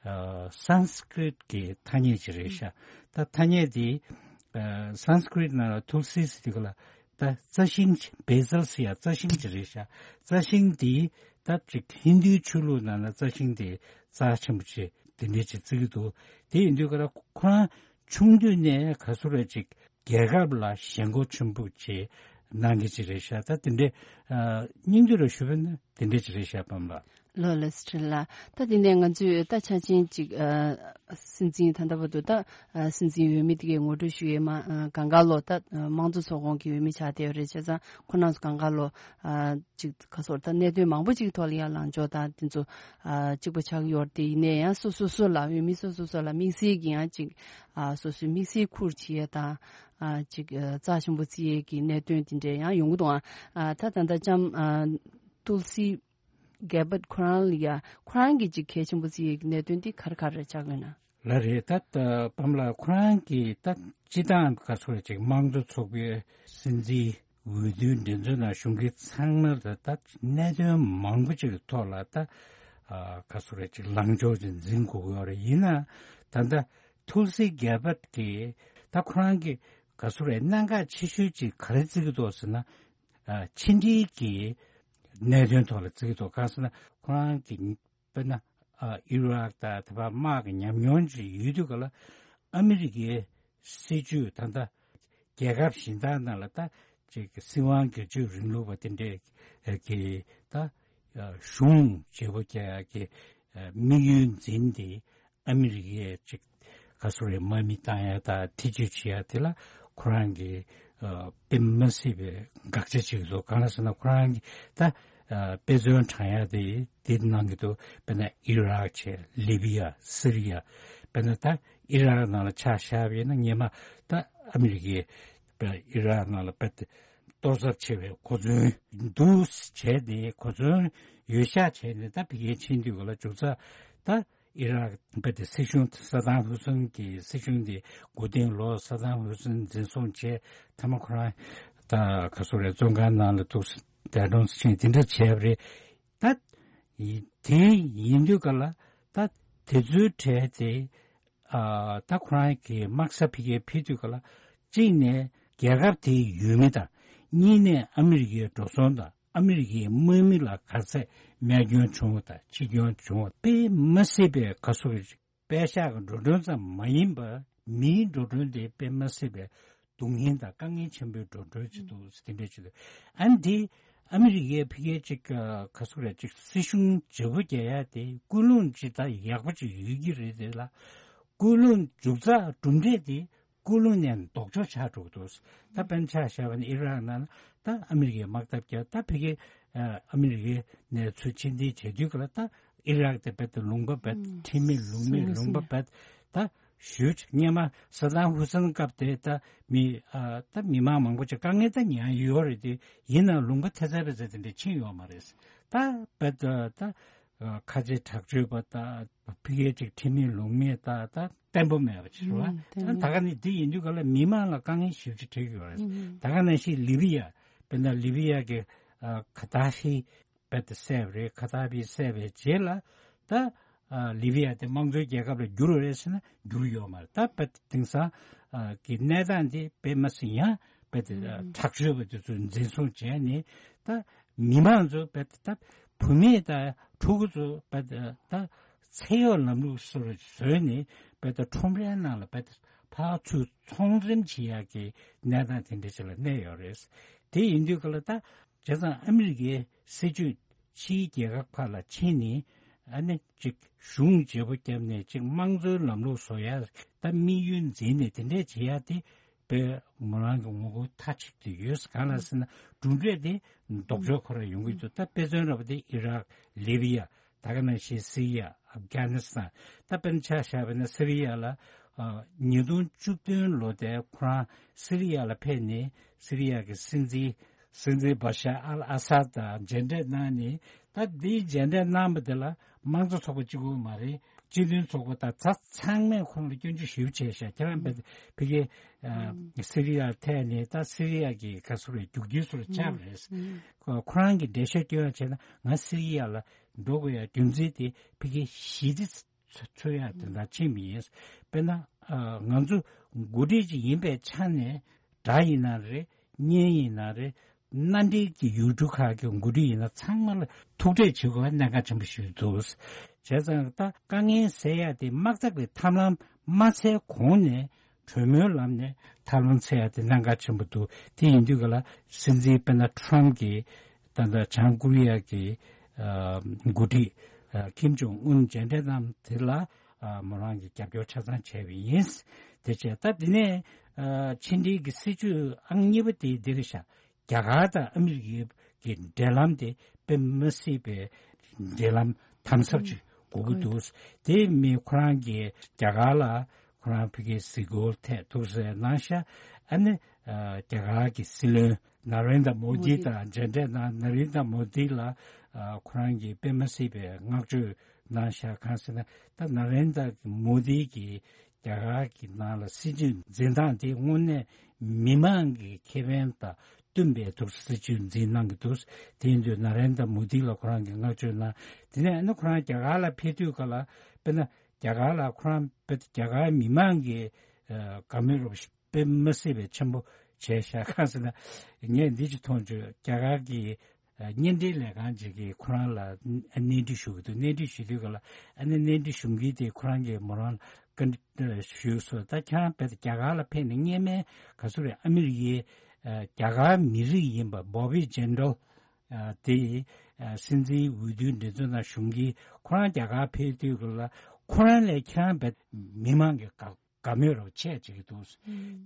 སན་སི་ཀྲིཏ་གི་ཐ་སྙད་ཅིག་རེད་ཤག་ད་ཐ་སྙད་དེ་སན་སི་ཀྲིཏ་ནང་ལ་ཐུལ་སི་ཟེར་དུས་ག་ལ་ད་རྩྭ་ཤིང་བེ་སལ་ཟེར་ཡ་རྩྭ་ཤིང་ཅིག་རེད་ཤག་རྩྭ་ཤིང་དེ་ད་ཅིག་ཧིན་རྡུའི་ཆོས་ལུགས་ནང་ལ་རྩྭ་ཤིང་དེ་རྩ་ཆེན་པོ་ཅིག་དེ་འདྲས་ཅིག་བརྩི་གི་འདུག་དེ་ཡིན་དུས་ག་ལ་ཁོ་རང་ཆུང་དུས་ནས་ག་ཚོད་རེད་ཅིག་རྒྱལ་ཁབ་ལ་ཞེན་ཁོག་ཆེན་པོ་བྱེད་གནང་གི་ཅིག་རེད་ཤག་ད་དེ་འདྲའི་སྙིང་བསྡུས་ར་ཞུ་བ་ན་དེ་འདྲའི་ཅིག་རེད་ཤག་པཱ་ལགས། ལོ་ལེ་སི་ཁྲི་ལ་ད་དེ་ནས་ང་ཚོས་ད་ཆ་ཆེན་ཅིག་སྲིད་འཛིན་ད་ལྟ་བར་དུ་ད་སྲིད་འཛིན་འོས་མི་དེ་གའི་ངོ་སྤྲོད་ཞུ་ཡས་མ་གང་ག་ལོ་ད་དམངས་གཙོ་ཚོགས་ཁོངས་ཀྱི་འོས་མི་ཆགས་བསྡད་ཡོད་རེད། བྱས་ཙང་ཁོ་རང་ཚོ་གང་ག་ལོ་ཅིག་ཁ་སོར་ད་གནད་དོན་མང་པོ་ཅིག་ཐོག་ལ་ཡང་ལངས་ཕྱོགས་དང་དེ་ཚོ་གཅིག་པ་ཆགས་ཡོད་དེ་ཡིན་ནའི་ཡང་སོ་སོ་སོ་ལ་འོས་མི་སོ་སོ་སོ་ལ་དམིགས་བསལ་གྱི་ཡང་ཅིག་སོ་སོའི་དམིགས་བསལ་ཁུར་བྱེད་ཡས་དང་ཅིག་རྩ་ཆེན་པོ་བརྩི་ཡས་ཀྱི་གནད་དོན་དེ་འདྲས་ཡང་ཡོང་གི་འདུག་ཨ་ད་ད་ལྟ་ལྕམ་ཏུལ་སི་གྷེ་བྷར་ཁོ་རང་ལ་ཡ་ཁོ་རང་གིས་ཅིག་གལ་ཆེན་པོ་བརྩི་ཡས་ཀྱི་གནད་དོན་དེ་ག་རེ་ག་རེ་ཆགས་ཡོད་ན། ལ་རེད། ད་ལྟ་པམ་ལགས་ཁོ་རང་གིས་ད་སྤྱི་བཏང་ག་ཚོད་ཅིག་དམངས་གཙོ་ཚོགས་པའི་སྲིད་འཛིན་འོས་བསྡུའི་འགྲན་རྩོད་ནང་ཞུགས་མཁན་ཚང་མ་ལ་ད་གནད་དོན་མང་པོ་ཅིག་གི་ཐོག་ལ་ད་ག་ཚོད་ཅིག་ལངས་ཕྱོགས་ཅིག་འཛིན་དགོས་ཀྱི་ཡོད་རེད། ཡིན་ན་ད་ལྟ་ཐུལ་སི་གྷེ་བྷར་གིས་ད་ཁོ་རང་གི་ག་ཚོད་རེད། གནད་འགག་ཆེ་ཤོས་ཅིག་ག་རེ་བརྩི་གི་འདུག་ཟེར་ན། ཕྱི་འབྲེལ་གྱི་གནད་དོན་ཐོག་ལ་བརྩི་གི་འདུག་གང་ཟེར་ན་ཁོ་རང་གི་དཔེར་ན་ཨི་རག་དང་དེ་བར་དམག་གི་ཉམས་མྱོང་ཅིག་ཡོད་དུས་ག་ལ་ཨ་མི་རི་ཀའི་སྲིད་ཇུས་ད་ལྟ་རྒྱལ་ཁབ་གཞན་དག་ནང་ལ་ད་ཅིག་སྲིད་དབང་སྒེར་གཅོད་རིང་ལུགས་པ་དེ་འདྲས་ཀྱི་ད་གཞུང་བརྗེ་པོ་རྒྱག་ཡག་གི་དམིགས་ཡུལ་འཛིན་ཏེ་ཨ་མི་རི་ཀས་ཅིག་ག་ཚོད་རེད། དམག་མི་བཏང་ཡ་དང་ཐེ་ཇུས་བྱེད་ཡ་དེ་ལ་ཁོ་རང་གི་དཔེ་མ་སྲིད་པའི་དགག་བྱ་ཅིག་འདུག་གང་ལ་ཟེར་ན་ཁོ་རང་གི་ད་དཔེ་མཚོན་དྲངས་ཡ་དེ་དེ་གནང་གི་འདུག་དཔེར་ན་ཨི་རག་བྱས། ལི་བི་ཡ། སི་རི་ཡ། དཔེར་ན་ད་ཨི་རག་ནང་ལ་ཆ་བཞག་པ་ཡིན་ན་སྔོན་མ་ད་ཨ་མི་རི་ཀས་ཨི་རག་ནང་ལ་དཔེ་གཏོར་ཚབས་ཆེ་བའི་གོ་མཚོན་འདུག་བྱས་ཏེ་གོ་མཚོན་ཡོད་ཤག་བྱས་ནས་ད་ཕ་གིར་ཕྱིན་དུས་ག་ལ་མཇུག་ཚགས་ད། ཨི་རག་པ་དེ་སྲིད་གཞུང་ས་དམ་ཧུ་སེན་གྱི་སྲིད་གཞུང་དེ་མགོ་རྟིང་ལོག་ས་དམ་ཧུ་སེན་འཛིན་བཟུང་བྱས། མཐའ་མ་ཁོ་རང་ད་ག་ཚོད་རེད། བཙོན་ཁང་ནང་ལ་ཐུག་འདས་གྲོངས་སུ་ཕྱིན། དེ་འདྲ་བྱས་པ་རེད། ད་དེ་ཡིན་དུས་ག་ལ་ད་དེ་ཚོའི་གྲས་དེ་ཨ་ད་ཁོ་རང་གི་དམག་ས་ཕ་གིར་ཕེབས་དུས་ག་ལ་གཅིག་ནས་རྒྱལ་ཁབ་དེའི་ཡུལ་མི་དང་། གཉིས་ནས་ཨ་མི་རི་ཀའི་འགྲོ་སོང་དང་། ཨ་མི་རི་ཀའི་དམག་མི་ལ་ག་ཚད་རྨས་སྐྱོན་བྱུང་བ་དང་འཆི་སྐྱོན་བྱུང་བ་དཔེ་མ་སྲིད་པའི་ག་ཚོད་ཀྱི་པད་ཤག་གི་འགྲོ་གྲོན་ཙམ་མ་ཡིན་པར་ མིའི་འགྲོ་གྲོན་དེ་དཔེ་མ་སྲིད་པའི་སྡུག་བསྔལ་དང་དཀའ་ངལ་ཆེན་པོའི་འགྲོ་གྲོན་ཅིག་འདུག་དེ་འདྲ་ཅིག་འདུག་ཨ་ནི་དེ་ཨ་མི་རི་ཀའི་ཕ་གིའི་ཅིག་ག་ཟེར་རེད། ཅིག་སྲིད་གཞུང་བརྗེ་པོ་རྒྱག་ཡ་དེ་ཀུན་སློང་ཅིག་ད་ཡག་པོ་ཅིག་ཡོད་ཀྱི་རེད། དེ་ལ་ཀུན་སློང་འཇུག་ཚགས་གྲུབ་འབྲས་དེ་ཀུན་སློང་ནས་ལྡོག་ཕྱོགས་ཆགས་འགྲོ་གི་འདུག་ད་དཔེར་ན་ཆ་བཞག་པ་ན་ཨི་རག་ནང་ལ་ད་ཨ་མི་རི་ཀའི་དམག་འཐབ་རྒྱག་ད་ཕ་གིའི་ཨ་མི་རི་ཀའི་ནས་ཚུར་ཕྱིར་འཐེན་བྱེད་དུས་ག་ལ་ད་ཨི་རག་དེ་རྦད་དེ་ལུང་པ་རྦད་ཁྲིམས་མེད་ལུགས་མེད་ལུང་པ་རྦད་ད་ཞུས་སྔོན་མ་ས་དཱམ་ཧུ་སེན་སྐབས་དེ་ད་མི་ཨ་ད་མི་མང་མང་པོ་ཅིག་དཀའ་ངལ་ད་མྱངས་ཡོད་རེད། དེ་ཡིན་ནའང་ལུང་པ་ཐེབས་ཚར་བའི་ཚེ་དེ་འདྲ་ཕྱིན་ཡོད་མ་རེད། ད་རྦད་དེ་ད་ཁ་ཆེ་དྲག་སྤྱོད་པ་དང་ཕ་གིའི་ཅིག་ཁྲིམས་མེད་ལུགས་མེད་དང་ད་བརྟན་པོ་མེད་པ་ཅིག་རེད་བ། ད་ག་ནི་འདི་ཡིན་དུས་ག་ལ་མི་མང་ལ་དཀའ་ངལ་ཞེ་པོ་ཅིག་འཕྲད་ཀྱི་ཡོད་རེད། ད་ག་ནང་བཞིན་ལི་བི་ཡ། དཔེར་ན་ལི་བི་ཡ་གི་ཁ་ཏ་ཧི་རྦད་དེ་བསད་པ་རེད། ཁ་ཏ་ཧི་བསད་པའི་རྗེས་ལ་ད་ལི་བི་ཡ་དེ་དམངས་གཙོའི་རྒྱལ་ཁབ་ལ་འགྱུར་བ་རེད་ཟེར་ན་འགྱུར་ཡོད་མ་རེད། ད་རྦད་དེ་དེང་སང་གི་གནས་སྟངས་དེ་དཔེ་མ་སྲིད་ཡང་རྦད་དེ་དྲག་སྤྱོད་པ་དེ་ཚོ་འཛིན་བཟུང་བྱས་ནས་ད་མི་མང་ཚོ་རྦད་དེ་ད་བུད་མེད་དང་ཕྲུ་གུ་ཚོ་རྦད་དེ་ད་ཚེ་གཡོག་ལམ་ལུགས་སོགས་བཟོས་ནས་རྦད་དེ་ཁྲོམ་རའི་ནང་ལ་རྦད་དེ་ཕར་ཚུར་ཚོང་འགྲེམས་བྱེད་ཡག་གི་གནས་སྟངས་དེ་འདྲ་ཅིག་ལ་གནས་ཡོད་རེད། དེ་ཡིན་དུས་ག་ལ་ད་བྱས་ཙང་ཨ་མི་རི་ཀའི་སྲིད་ཇུས་ཕྱིའི་རྒྱལ་ཁབ་ཁག་ལ་ཕྱིན་ནས་ཨ་ནི་ཅིག་གཞུང་བརྗེ་པོ་བརྒྱབ་ནས་ཅིག་དམངས་གཙོའི་ལམ་ལུགས་བཟོ་ཡ་ད་དམིགས་ཡུལ་འཛིན་ནས་དེ་འདྲས་བྱེད་ཡ་དེ་དཔེ་མོ་རང་གི་ངོ་རྒོལ་མཐའ་གཅིག་ཏུ་ཡོད། གང་ལ་ཟེར་ན་གྲུབ་འབྲས་དེ་ལྡོག་ཕྱོགས་ཁོ་རང་ཡོང་གི་འདུག་ད་དཔེ་མཚོན་ར་བ་དེ་ཨི་རག་ལི་བི་ཡ། ད་ག་ནང་བཞིན་སི་རི་ཡ། ཨབ་གྷ་ནི་སི་ཐན། ད་དཔེར་ན་ཆ་བཞག་པ་ན་སི་རི་ཡ་ལ་ཉིས་སྟོང་བཅུ་བདུན་ལོ་དེ་ཁོ་རང་སི་རི་ཡ་ལ་ཕེབས་ནས་སི་རི་ཡ་གི་སྲིད་འཛིན་སྲིད་འཛིན་བ་ཤར་ཨལ་ཨ་སཱད་དང་མཇལ་འཕྲད་གནང་ནས། ད་འདིའི་མཇལ་འཕྲད་གནང་བ་དེ་ལ་དམངས་གཙོ་ཚོགས་པ་གཅིག་པུ་མ་རེད། སྤྱི་མཐུན་ཚོགས་པ་དང་ད་ཚང་མས་ཁོང་ལ་སྐྱོན་བརྗོད་ཞེ་པོ་བྱས་ཤག་ཁྱེད་རང་བས་ཕ་གི་སི་རི་ཡར་ཐད་ནས་ད་སི་རི་ཡ་གི་ག་ཚོད་རེད། རྒྱུག་རྒྱུ་ཚོ་ལ་བཅར་བ་རེད། ཁོ་རང་གི་འགྲེལ་བཤད་སྐྱོན་བྱས་ན་ང་སི་རི་ཡ་ལ་འགྲོ་དགོས་ཡ་རྒྱུ་མཚན་དེ་ཕ་གི་ཞི་བདེ་འཚོལ་ཡ་དེ་འདྲ་ཕྱིན་མི་ཡིན། དཔེར་ན་ང་ཚོ་འགོ་ཁྲིད་ཅིག་ཡིན་པའི་ཆ་ནས་དགྲ་ཡིན་ན་རེད། གཉེན་ཡིན་ན་རེད། མནའ་འབྲེལ་གྱི་ཡུལ་གྲུ་ཁག་གི་འགོ་ཁྲིད་ཡིན་ན་ཚང་མ་ལ་ཐུག་འཕྲད་བྱེད་དགོས་པ་གནད་འགག་ཆེན་པོ་ཞིག་འདུག་བྱས་ཙང་ད་དཀའ་ངལ་སེལ་ཡ་དེ་དམག་འཐབ་ཀྱི་ཐབས་ལམ་མ་འཚོལ་གོང་ནས་གྲོས་མོལ་ལམ་ནས་ཐབས་ལམ་འཚོལ་ཡ་དེ་གནད་འགག་ཆེན་པོ་འདུག་དེ་ཡིན་དུས་ག་ལ་སྲིད་འཛིན་དཔེར་ན་ཁྲམ་གྱིས་ད་ལྟ་བྱང་ཀོ་རི་ཡ་གི་འགོ་ཁྲིད་ཀིམ་ཇོང་ཨུན་མཇལ་འཕྲད་གནང་དེ་ལ་མོ་རང་གིས་རྒྱབ་སྐྱོར་ཆ་ཚང་བྱས་པ་ཡིན། དེ་བྱས་ད་དེ་ནས་ཕྱི་འབྲེལ་གྱི་སྲིད་ཇུས་ཨང་གཉིས་པ་དེ་འདི་རེད་ཤག་རྒྱ་གར་དང་ཨ་མི་རི་ཀའི་འབྲེལ་ལམ་དེ་དཔེ་མི་སྲིད་པའི་འབྲེལ་ལམ་དམ་ཟབ་ཅིག་དགོས་ཀྱི་འདུག་དེ་མིན་ཁོ་རང་གིས་རྒྱ་གར་ལ་ཁོ་རང་ཕ་གིའི་གཟིགས་སྐོར་ཐད་འདུག་ཟེར་གནང་ཤག་ཨ་ནི་རྒྱ་གར་གྱི་སྲིད་བློན་ན་རེན་དྲ་མོ་དི་དང་མཇལ་འཕྲད་གནང་། ན་རེན་དྲ་མོ་དི་ལ་ཁོ་རང་གིས་དཔེ་མི་སྲིད་པའི་བསྔགས་བརྗོད་གནང་ཤག་གང་ཟེར་ན་ད་ན་རེན་དྲ་མོ་དི་གིས་རྒྱ་གར་གྱི་ནང་ལ་སྲིད་ཇུས་འཛིན་སྟངས་དེ་དངོས་གནས་མི་མང་གི་ཁེ་ཕན་དང་བསྟུན་པའི་འདུག་སྲིད་ཇུས་འཛིན་གནང་གི་འདུག་དེ་ཡིན་དུས་ན་རེན་དྲ་མོ་དི་ལ་ཁོ་རང་གིས་བསྔགས་བརྗོད་གནང་། དེ་ནས་ཨ་ནི་ཁོ་རང་རྒྱ་གར་ལ་ཕེབས་དུས་ག་ལ་དཔེར་ན་རྒྱ་གར་ལ་ཁོ་རང་དཔེ་རྒྱ་གར་མི་མང་གིས་དགའ་མོས་རོགས་དཔེ་མི་སྲིད་པའི་ཆེན་པོ་བྱས་ཤག་གང་ཟེར་ན་ངས་འདི་ཅིག་མཐོང་བྱུང་། རྒྱ་གར་གྱི་བརྙན་འཕྲིན་ལས་ཁང་ཅིག་གིས་ཁོ་རང་ལ་གནས་འདྲི་ཞུ་གི་འདུག་གནས་འདྲི་ཞུ་དུས་ག་ལ་ཨ་ནི་གནས་འདྲི་ཞུ་མཁན་དེ་ཁོ་རང་གིས་མོ་རང་ལ་བཀའ་འདྲི་ཞུས་སོ། ད་ཁྱེད་རང་དཔེ་རྒྱ་གར་ལ་ཕེབས་ནས་སྔས་མའི་ག་ཚོད་རེད། ཨ་མི་རི་ཀའི་རྒྱ་གར་མི་རིགས་ཡིན་པ་བོ་བི་ཇན་ཌལ་དེ་སྲིད་འཛིན་འོས་བསྡུའི་འགྲན་རྩོད་ནང་ཞུགས་མཁན་ཁོ་རང་རྒྱ་གར་ཕེབས་དུས་ག་ལ་ཁོ་རང་ལས་ཁྱེད་རང་དཔེ་མི་མང་གི་དགའ་དགའ་མོས་རོགས་བྱས་བྱེད་ཀྱི་འདུག་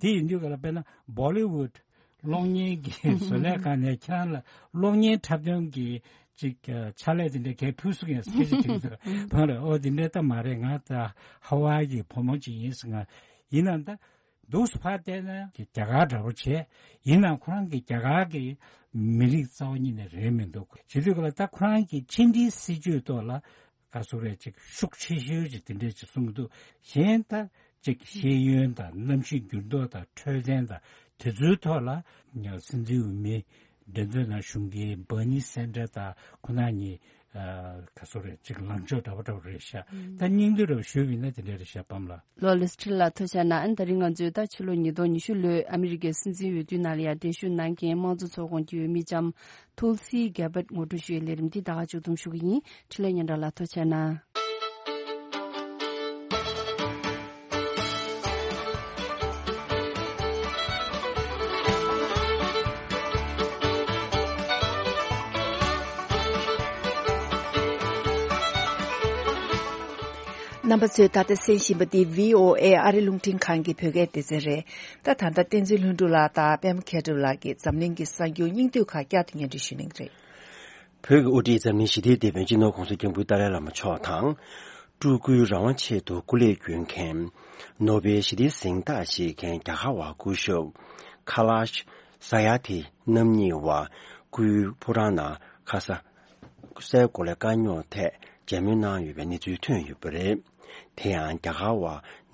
དེ་ཡིན་དུས་ག་ལ་དཔེར་ན་བོ་ལི་ཝུད་གློག་བརྙན་གྱི་བཟོ་ལས་ཁང་ནས་ཁྱེད་རང་ལ་གློག་བརྙན་འཁྲབ་སྟོན་གྱི་ཅིག་ཕྱག་ལས་དེ་འདྲ་གས་ཕུལ་སུ་ངས་སྐད་ཆ་དྲིས་འདུག་ཕངས་རེད། ཨོ་དེ་འདྲ་ད་མ་རེད། ང་ད་ཧ་ཝའི་གི་བུ་མོ་ཅིག་ཡིན་ཟེར། ང་ཡིན་ནའང་ད་འདུག་སེ་ཕར་བལྟས་ན་རྒྱ་གར་འདྲ་པོ་བྱས། ཡིན་ནའང་ཁོ་རང་གི་རྒྱ་གར་གི་མི་རིགས་རྩ་བ་ཉིད་ནས་རེད་མི་འདུག་བྱེད་དུས་ག་ལ་ད་ཁོ་རང་གི་ཕྱི་འབྲེལ་སྲིད་ཇུས་ཐོག་ལ་ག་ཟེར་རེད། ཅིག་ཤུགས་ཆེ་ཤོས་ཅིག་དེ་འདྲས་ཅིག་གསུང་གི་འདུག་གཞན་ད་ཅིག་ཤེས་ཡོན་དང་གནམ་གཤིས་འགྱུར་ལྡོག་དང་འཕྲོད་བསྟེན་དང་དེ་ཚོའི་ཐོག་ལ་སྲིད་འཛིན་འོས་མི་འགྲན་རྩོད་ནང་ཞུགས་མཁན་བྷར་ནི་སན་ཌར་དང་ཁོ་ན་གཉིས་ག་ཟེར་རེད། ཅིག་ལངས་ཕྱོགས་འདྲ་པོ་འདྲ་པོ་རེད་ཤག་ད་སྙིང་བསྡུས་འདྲ་པོ་ཞུས་པ་ཡིན་ན་དེ་འདྲས་རེད་ཤག་པམ་ལགས། ལོ་ལི་སི་ཁྲི་ལ་ཐུགས་རྗེ་གནང་། ཨ་ནི་ད་རིང་ང་ཚོས་ད་ཕྱི་ལོ་ཉིས་སྟོང་ཉི་ཤུ་ལོའི་ཨ་མི་རི་ཀའི་སྲིད་འཛིན་འོས་བསྡུ་ནང་ལ་ཡང་འགྲན་ཞུགས་གནང་མཁན་དམངས་གཙོ་ཚོགས་ཁོངས་ཀྱི་འོས་མི་ལྕམ་ཐུལ་སི་གྷེ་བྷར་ཊི་ངོ་སྤྲོད་ཞུ་བའི་ལས་རིམ་འདི་ད་ག་མཇུག་བསྡོམས་ཞུ་གི་ཡིན། འཕྲིན་ལས་སྙན་གྲགས་ལགས་ཐུགས་རྗེ་གནང་། རྣམ་པ་ཚོས་ད་ལྟ་གསན་བཞིན་པ་འདི་བྷི་ཨོ་ཨེ་ཨ་རི་རླུང་འཕྲིན་ཁང་གི་བོད་སྐད་སྡེ་ཚན་རེད། ད་ད་ལྟ་བསྟན་འཛིན་ལྷུན་གྲུབ་ལགས་དང་པད་མ་མཁས་གྲུབ་ལགས་ཀྱིས་འཛམ་གླིང་གི་གསར་འགྱུར་སྙིང་བསྡུས་ཁག་བསྐྱར་དུ་སྙན་སྒྲོན་ཞུ་གནང་གི་རེད། བོད་ཀྱི་དབུ་ཁྲིད་འཛམ་གླིང་ཞི་བདེའི་དེད་དཔོན་སྤྱི་ནོར་༧གོང་ས་༧སྐྱབས་མགོན་ཏཱ་ལའི་བླ་མ་མཆོག་དང་། སྤྲུལ་སྐུའི་རང་དབང་ཆེད་དུ་སྐུ་ལས་བསྐྱོན་མཁན། ནོ་བེལ་ཞི་བདེའི་གཟེངས་རྟགས་བཞེས་མཁན་རྒྱ་གར་བ་སྐུ་ཞབས་ཁ་ལཱཤ་ས་ཡ་ཐི་རྣམ་གཉིས་བ་སྐུའི་ཕོ་བྲང་ནང་ཁ་ས་སའི་གོ་ལའི་དཀའ་རྙོག་ཐད་མཇལ་མོལ་གནང་ཡོད་པའི་གནས་ཚུལ་ཐོན་ཡོད་པ་རེད། དེ་ཡང་རྒྱ་གར་བ་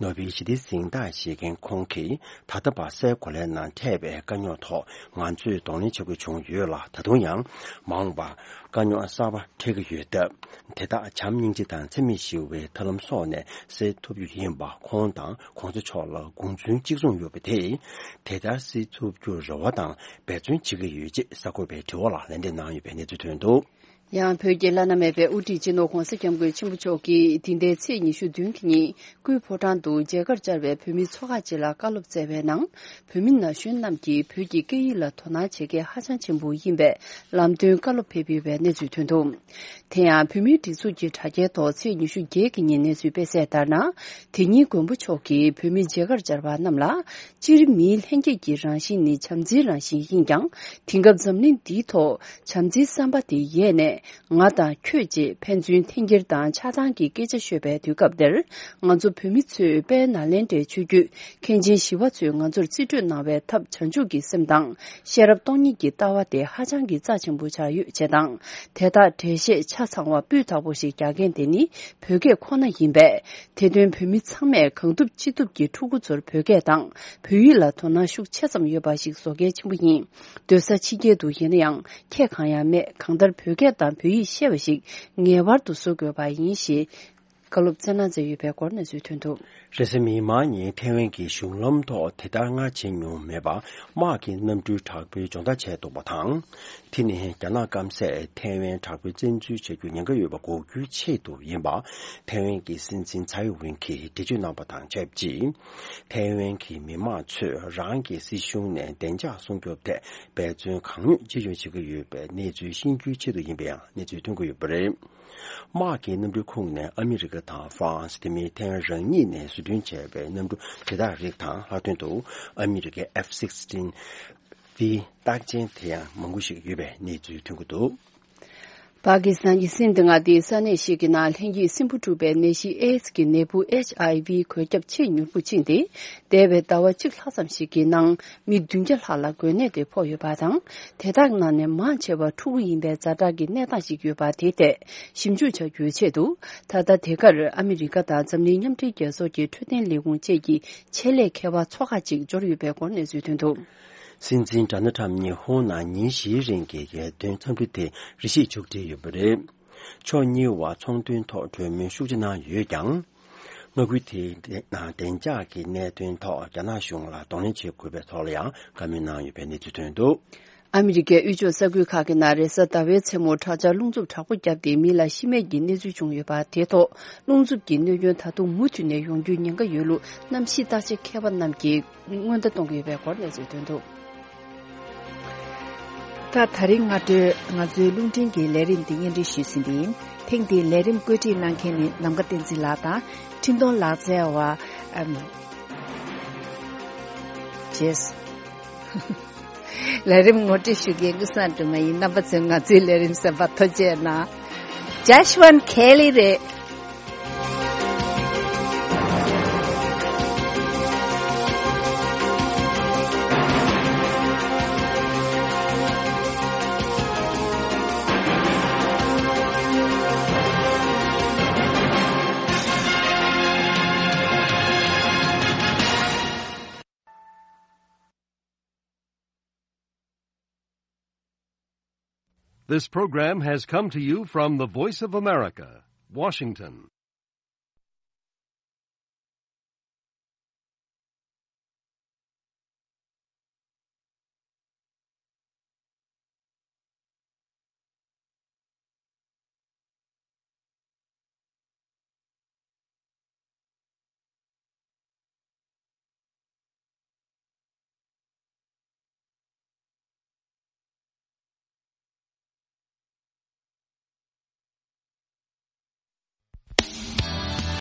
ནོ་བེལ་ཞི་བདེའི་གཟེངས་རྟགས་བཞེས་མཁན་ཁོང་གིས་ད་ལྟ་བར་སའི་གོ་ལའི་ནང་འཕྲད་པའི་དཀའ་རྙོག་ཐོག་ང་ཚོས་གདོང་ལེན་བྱེད་དགོས་བྱུང་ཡོད་ལ། ད་དུང་ཡང་མ་འོངས་པར་དཀའ་རྙོག་གསར་པ་འཕྲད་ཀྱི་ཡོད་སྟབས། དེ་དག་བྱམས་སྙིང་རྗེ་དང་འཚེ་མེད་ཞི་བའི་ཐབས་ལམ་སོགས་ནས་སེལ་ཐུབ་རྒྱུ་ཡིན་པ་ཁོང་དང་གོང་ས་མཆོག་ལ་དགོངས་ཚུལ་གཅིག་མཚུངས་ཡོད་པ་དེས། དེ་ལྟར་སེལ་ཐུབ་རྒྱུར་རེ་བ་དང་འབད་བརྩོན་བྱེད་ཀྱི་ཡོད་ཅེས་གསར་འགོད་པའི་དྲི་བ་ལ་ལན་འདེབས་གནང་ཡོད་པའི་གནས་ཚུལ་ཐོན་འདུག། ཡང་བོད་ཀྱི་བླ་ན་མེད་པའི་དབུ་ཁྲིད་སྤྱི་ནོར་༧གོང་ས་༧སྐྱབས་མགོན་ཆེན་པོ་མཆོག་གིས་འདི་ཟླའི་ཚེས་ཉི་ཤུ་བདུན་གྱི་ཉིན་སྐུའི་ཕོ་བྲང་དུ་མཇལ་ཁར་བཅར་བའི་བོད་མི་ཚོགས་ཁག་ཅིག་ལ་བཀའ་སློབ་སྩལ་བའི་ནང་། བོད་མི་ན་གཞོན་རྣམས་ཀྱིས་བོད་ཀྱི་སྐད་ཡིག་ལ་དོ་སྣང་བྱེད་མཁན་ཧ་ཅང་ཆེན་པོ་ཡིན་པས་ལམ་སྟོན་བཀའ་སློབ་ཕེབས་ཡོད་པའི་གནས་ཚུལ་ཐོན་འདུག། དེ་ཡང་བོད་མིའི་སྒྲིག་འཛུགས་ཀྱི་དྲ་རྒྱའི་ཐོག་ཚེས་ཉི་ཤུ་བརྒྱད་ཀྱི་ཉིན་གནས་ཚུལ་སྤེལ་གསལ་ལྟར་ན། དེ་ཉིན་མགོན་པོ་མཆོག་གིས་བོད་མི་མཇལ་ཁར་བཅར་བ་རྣམས་ལ། སྤྱིར་མིའི་ལྷན་སྐྱེས་ཀྱི་རང་བཞིན་ནི་བྱམས་བརྩེའི་རང་བཞིན་ཡིན་ཀྱང་། དེང་སྐབས་འཛམ་གླིང་འདིའི་ཐོག་བྱམས་བརྩེའི་བསམ་པ་དེ་ཡལ་ནས། ང་དང་ཁྱོད་ཅེས་ཕན་ཚུན་འཐེན་འཁྱེར་དང་ཆགས་སྡང་གི་སྐད་ཆ་ཤོད་པའི་དུས་སྐབས་འདིར། ང་ཚོ་བོད་མི་ཚོས་དཔལ་ནཱ་ལེནྡྲའི་ཆོས་བརྒྱུད་མཁན་ཆེན་ཞི་བ་འཚོས་ང་ཚོར་རྩིས་སྤྲོད་གནང་བའི་ཐབས་བྱང་ཆུབ་ཀྱི་སེམས་དང་ཤེས་རབ་སྟོང་ཉིད་ཀྱི་ལྟ་བ་དེ་ཧ་ཅང་གི་རྩ་ཆེན་པོ་ཆགས་ཡོད་ཅེས་དང་། དེ་དག་འགྲེལ་བཤད་ཆ་ཚང་བ་སྤུས་དག་པོ་ཞིག་རྒྱག་མཁན་དེ་ནི་བོད་སྐད་ཁོ་ན་ཡིན་པས། དེ་དོན་བོད་མི་ཚང་མས་གང་ཐུབ་ཅི་ཐུབ་ཀྱིས་ཕྲུ་གུ་ཚོར་བོད་སྐད་དང་བོད་ཡིག་ལ་དོ་སྣང་ཤུགས་ཆེ་ཙམ་ཡོད་པ་ཞིག་བཟོ་གལ་ཆེན་པོ་ཡིན། སྡོད་ས་ཕྱི་རྒྱལ་དུ་ཡིན་ན་ཡང་ཁྱད་གང་ཡང་མེད། གང་ལྟར་བོད་སྐད་དང་བོད་ཡིག་ཤེས་པ་ཞིག་ངེས་པར་དུ་བཟོ་དགོས་པ་ཡིན་ཞེས་བཀའ་སློབ་སྩལ་གནང་མཛད་ཡོད་པའི་སྐོར་གནས་ཚུལ་ཐོན་འདུག། རེས་གཟའ་མིག་དམར་ཉིན་ཐའེ་ཝན་གྱི་གཞུང་ལམ་ཐོག་དེ་ལྟར་སྔར་བྱུང་མྱོང་མེད་པར་དམག་གི་གནམ་གྲུའི་དྲག་པོའི་སྦྱོང་བརྡར་བྱས་འདུག་པ་དང་། དེ་ནི་རྒྱ་ནག་སྐམ་སས་ཐའེ་ཝན་དྲག་པོའི་བཙན་འཛུལ་བྱ་རྒྱུ་ཉེན་ཁ་ཡོད་པ་འགོག་རྒྱུའི་ཆེད་དུ་ཡིན་པ། ཐའེ་ཝན་གྱི་སྲིད་འཛིན་ཚའེ་ཝེན་གྱིས་འགྲེལ་བརྗོད་གནང་པ་དང་ཆབས་ཅིག། ཐའེ་ཝན་གྱི་མི་མང་ཚོས་རང་གི་སྲིད་གཞུང་ནས་བདེ་འཇགས་སྲུང་སྐྱོབ་ཐད་འབད་བརྩོན་གང་ཡོད་ཅི་ཡོད་བྱེད་ཀྱི་ཡོད་པའི་གནས་ཚུལ་ཤེས་རྒྱུའི་ཆེད་དུ་ཡིན་པའི་ཡང་གནས་ཚུལ་ཐོན་གྱི་ཡོད་པ་རེད། དམག་གི་གནམ་གྲུའི་ཁོངས་ནས་ཨ་མི་རི་ཀ་དང་ཧྥ་རན་སི། དེ་མིན་ཐའེ་ཝན་རང་ཉིད་ནས་བཟོ་སྐྲུན་བྱས་པའི་གནམ་གྲུ་དེ་དག་རིགས་དང་། ལྷག་དོན་དུ་ཨ་མི་རི་ཀའི་ཨེཕ་སིགས་ཊིན་བྷི་རྟགས་ཅན་དེ་ཡང་མང་པོ་ཞིག་ཡོད་པའི་གནས་ཚུལ་ཐོན་གྱི་འདུག། པ་ཀི་སི་ཐན་གྱི་སིན་དྷ་མངའ་སྡེའི་ས་གནས་ཤིག་གི་ནང་ལྷན་སྐྱེས་སྲིན་འབུ་འཁྲུགས་པའི་ནད་གཞི་ཨེ་ཛི་གི་ནད་འབུ་ཨེཆ་ཨའི་ཝི་འགོས་ཁྱབ་ཆེས་མྱུར་པོ་ཕྱིན་ཏེ། འདས་པའི་ཟླ་བ་གཅིག་ལྷག་ཙམ་ཞིག་གི་ནང་མི་བདུན་བརྒྱ་ལྷག་ལ་འགོས་ནད་དེ་ཕོག་ཡོད་པ་དང་། དེ་དག་ནང་ནས་མང་ཆེ་བ་ཕྲུ་གུ་ཡིན་པའི་ཛ་དྲག་གི་གནས་སྟངས་ཤིག་ཡོད་པ་དེའི་ཐད་ཞིབ་འཇུག་བྱ་རྒྱུའི་ཆེད་དུ། ད་ལྟ་དེ་གར་ཨ་མི་རི་ཀ་དང་འཛམ་གླིང་མཉམ་འབྲེལ་རྒྱལ་ཚོགས་ཀྱི་འཕྲོད་བསྟེན་ལས་ཁུངས་བཅས་ཀྱི་ཆེད་ལས་མཁས་པ་ཚོ་ཁག་ཅིག་འབྱོར་ཡོད་པའི་སྐོར་གནས་ཚུལ་ཐོན་འདུག། སྲིད་འཛིན་ཌོ་ནལ་ཊམ་ཉི་ཧོང་ནང་ཉིན་བཞིའི་རིང་གི་རྒྱལ་དོན་འཚམས་འདྲི་དེ་རེ་ཞིག་མཇུག་སྒྲིལ་ཡོད་པ་རེད། ཕྱོགས་གཉིས་བར་ཚོང་དོན་ཐོག་གྲོས་མོལ་ཤུགས་ཆེ་གནང་ཡོད་ཀྱང་། མངའ་ཁུལ་དེའི་ནང་བདེ་འཇགས་ཀྱི་གནད་དོན་ཐོག་རྒྱ་ནག་གཞུང་ལ་གདོང་ལེན་བྱེད་དགོས་པའི་ཐོག་ལ་ཡང་བཀའ་མོལ་གནང་ཡོད་པའི་གནས་ཚུལ་ཐོན་འདུག། ཨ་མི་རི་ཀའི་དབུས་ཕྱོགས་ས་ཁུལ་ཁག་གི་ནང་རེས་གཟའ་ཟླ་བའི་མཚན་མོར་དྲག་ཆར་རླུང་འཚུབ་དྲག་པོ་བརྒྱབ་སྟེ་མི་ལ་ཤི་རྨས་ཀྱི་གནས་ཚུལ་བྱུང་ཡོད་པ་དེའི་ཐོག་རླུང་འཚུབ་ཀྱི་གནོད་སྐྱོན་ད་དུང་མུ་མཐུད་ནས་ཡོང་རྒྱུའི་ཉེན་ཁ་ཡོད་ལུགས་གནམ་གཤིས་བརྟག་དཔྱད་མཁས་པ་རྣམས་ཀྱིས་སྔོན་བརྡ་གཏོང་གི་ཡོད་པའི་སྐོར་གནས་ཚུལ་ཐོན་འདུག། ད་ད་རིང་སྔ་དྲོའི་ང་ཚོའི་རླུང་འཕྲིན་གྱི་ལས་རིམ་འདི་སྙན་སྒྲོན་ཞུས་ཟིན་པ་ཡིན། ཐེངས་འདིའི་ལས་རིམ་བཀོད་སྒྲིག་གནང་མཁན་ནི་ནམ་མཁའ་བསྟན་འཛིན་ལགས་དང་། འཕྲིན་གཏོང་ལག་རྩལ་བ། ཨམ། ཇེས། ལས་རིམ་ངོ་སྤྲོད་ཞུ་མཁན་ཀུན་བཟང་སྒྲོལ་མ་ཡིན། རྣམ་པ་ཚོས་ང་ཚོའི་ལས་རིམ་གསན་པར་ཐུགས་རྗེ་གནང་། ཇཱཤ་ཝན་ཁེ་ལི་རེད། This program has come to you from the Voice of America, Washington.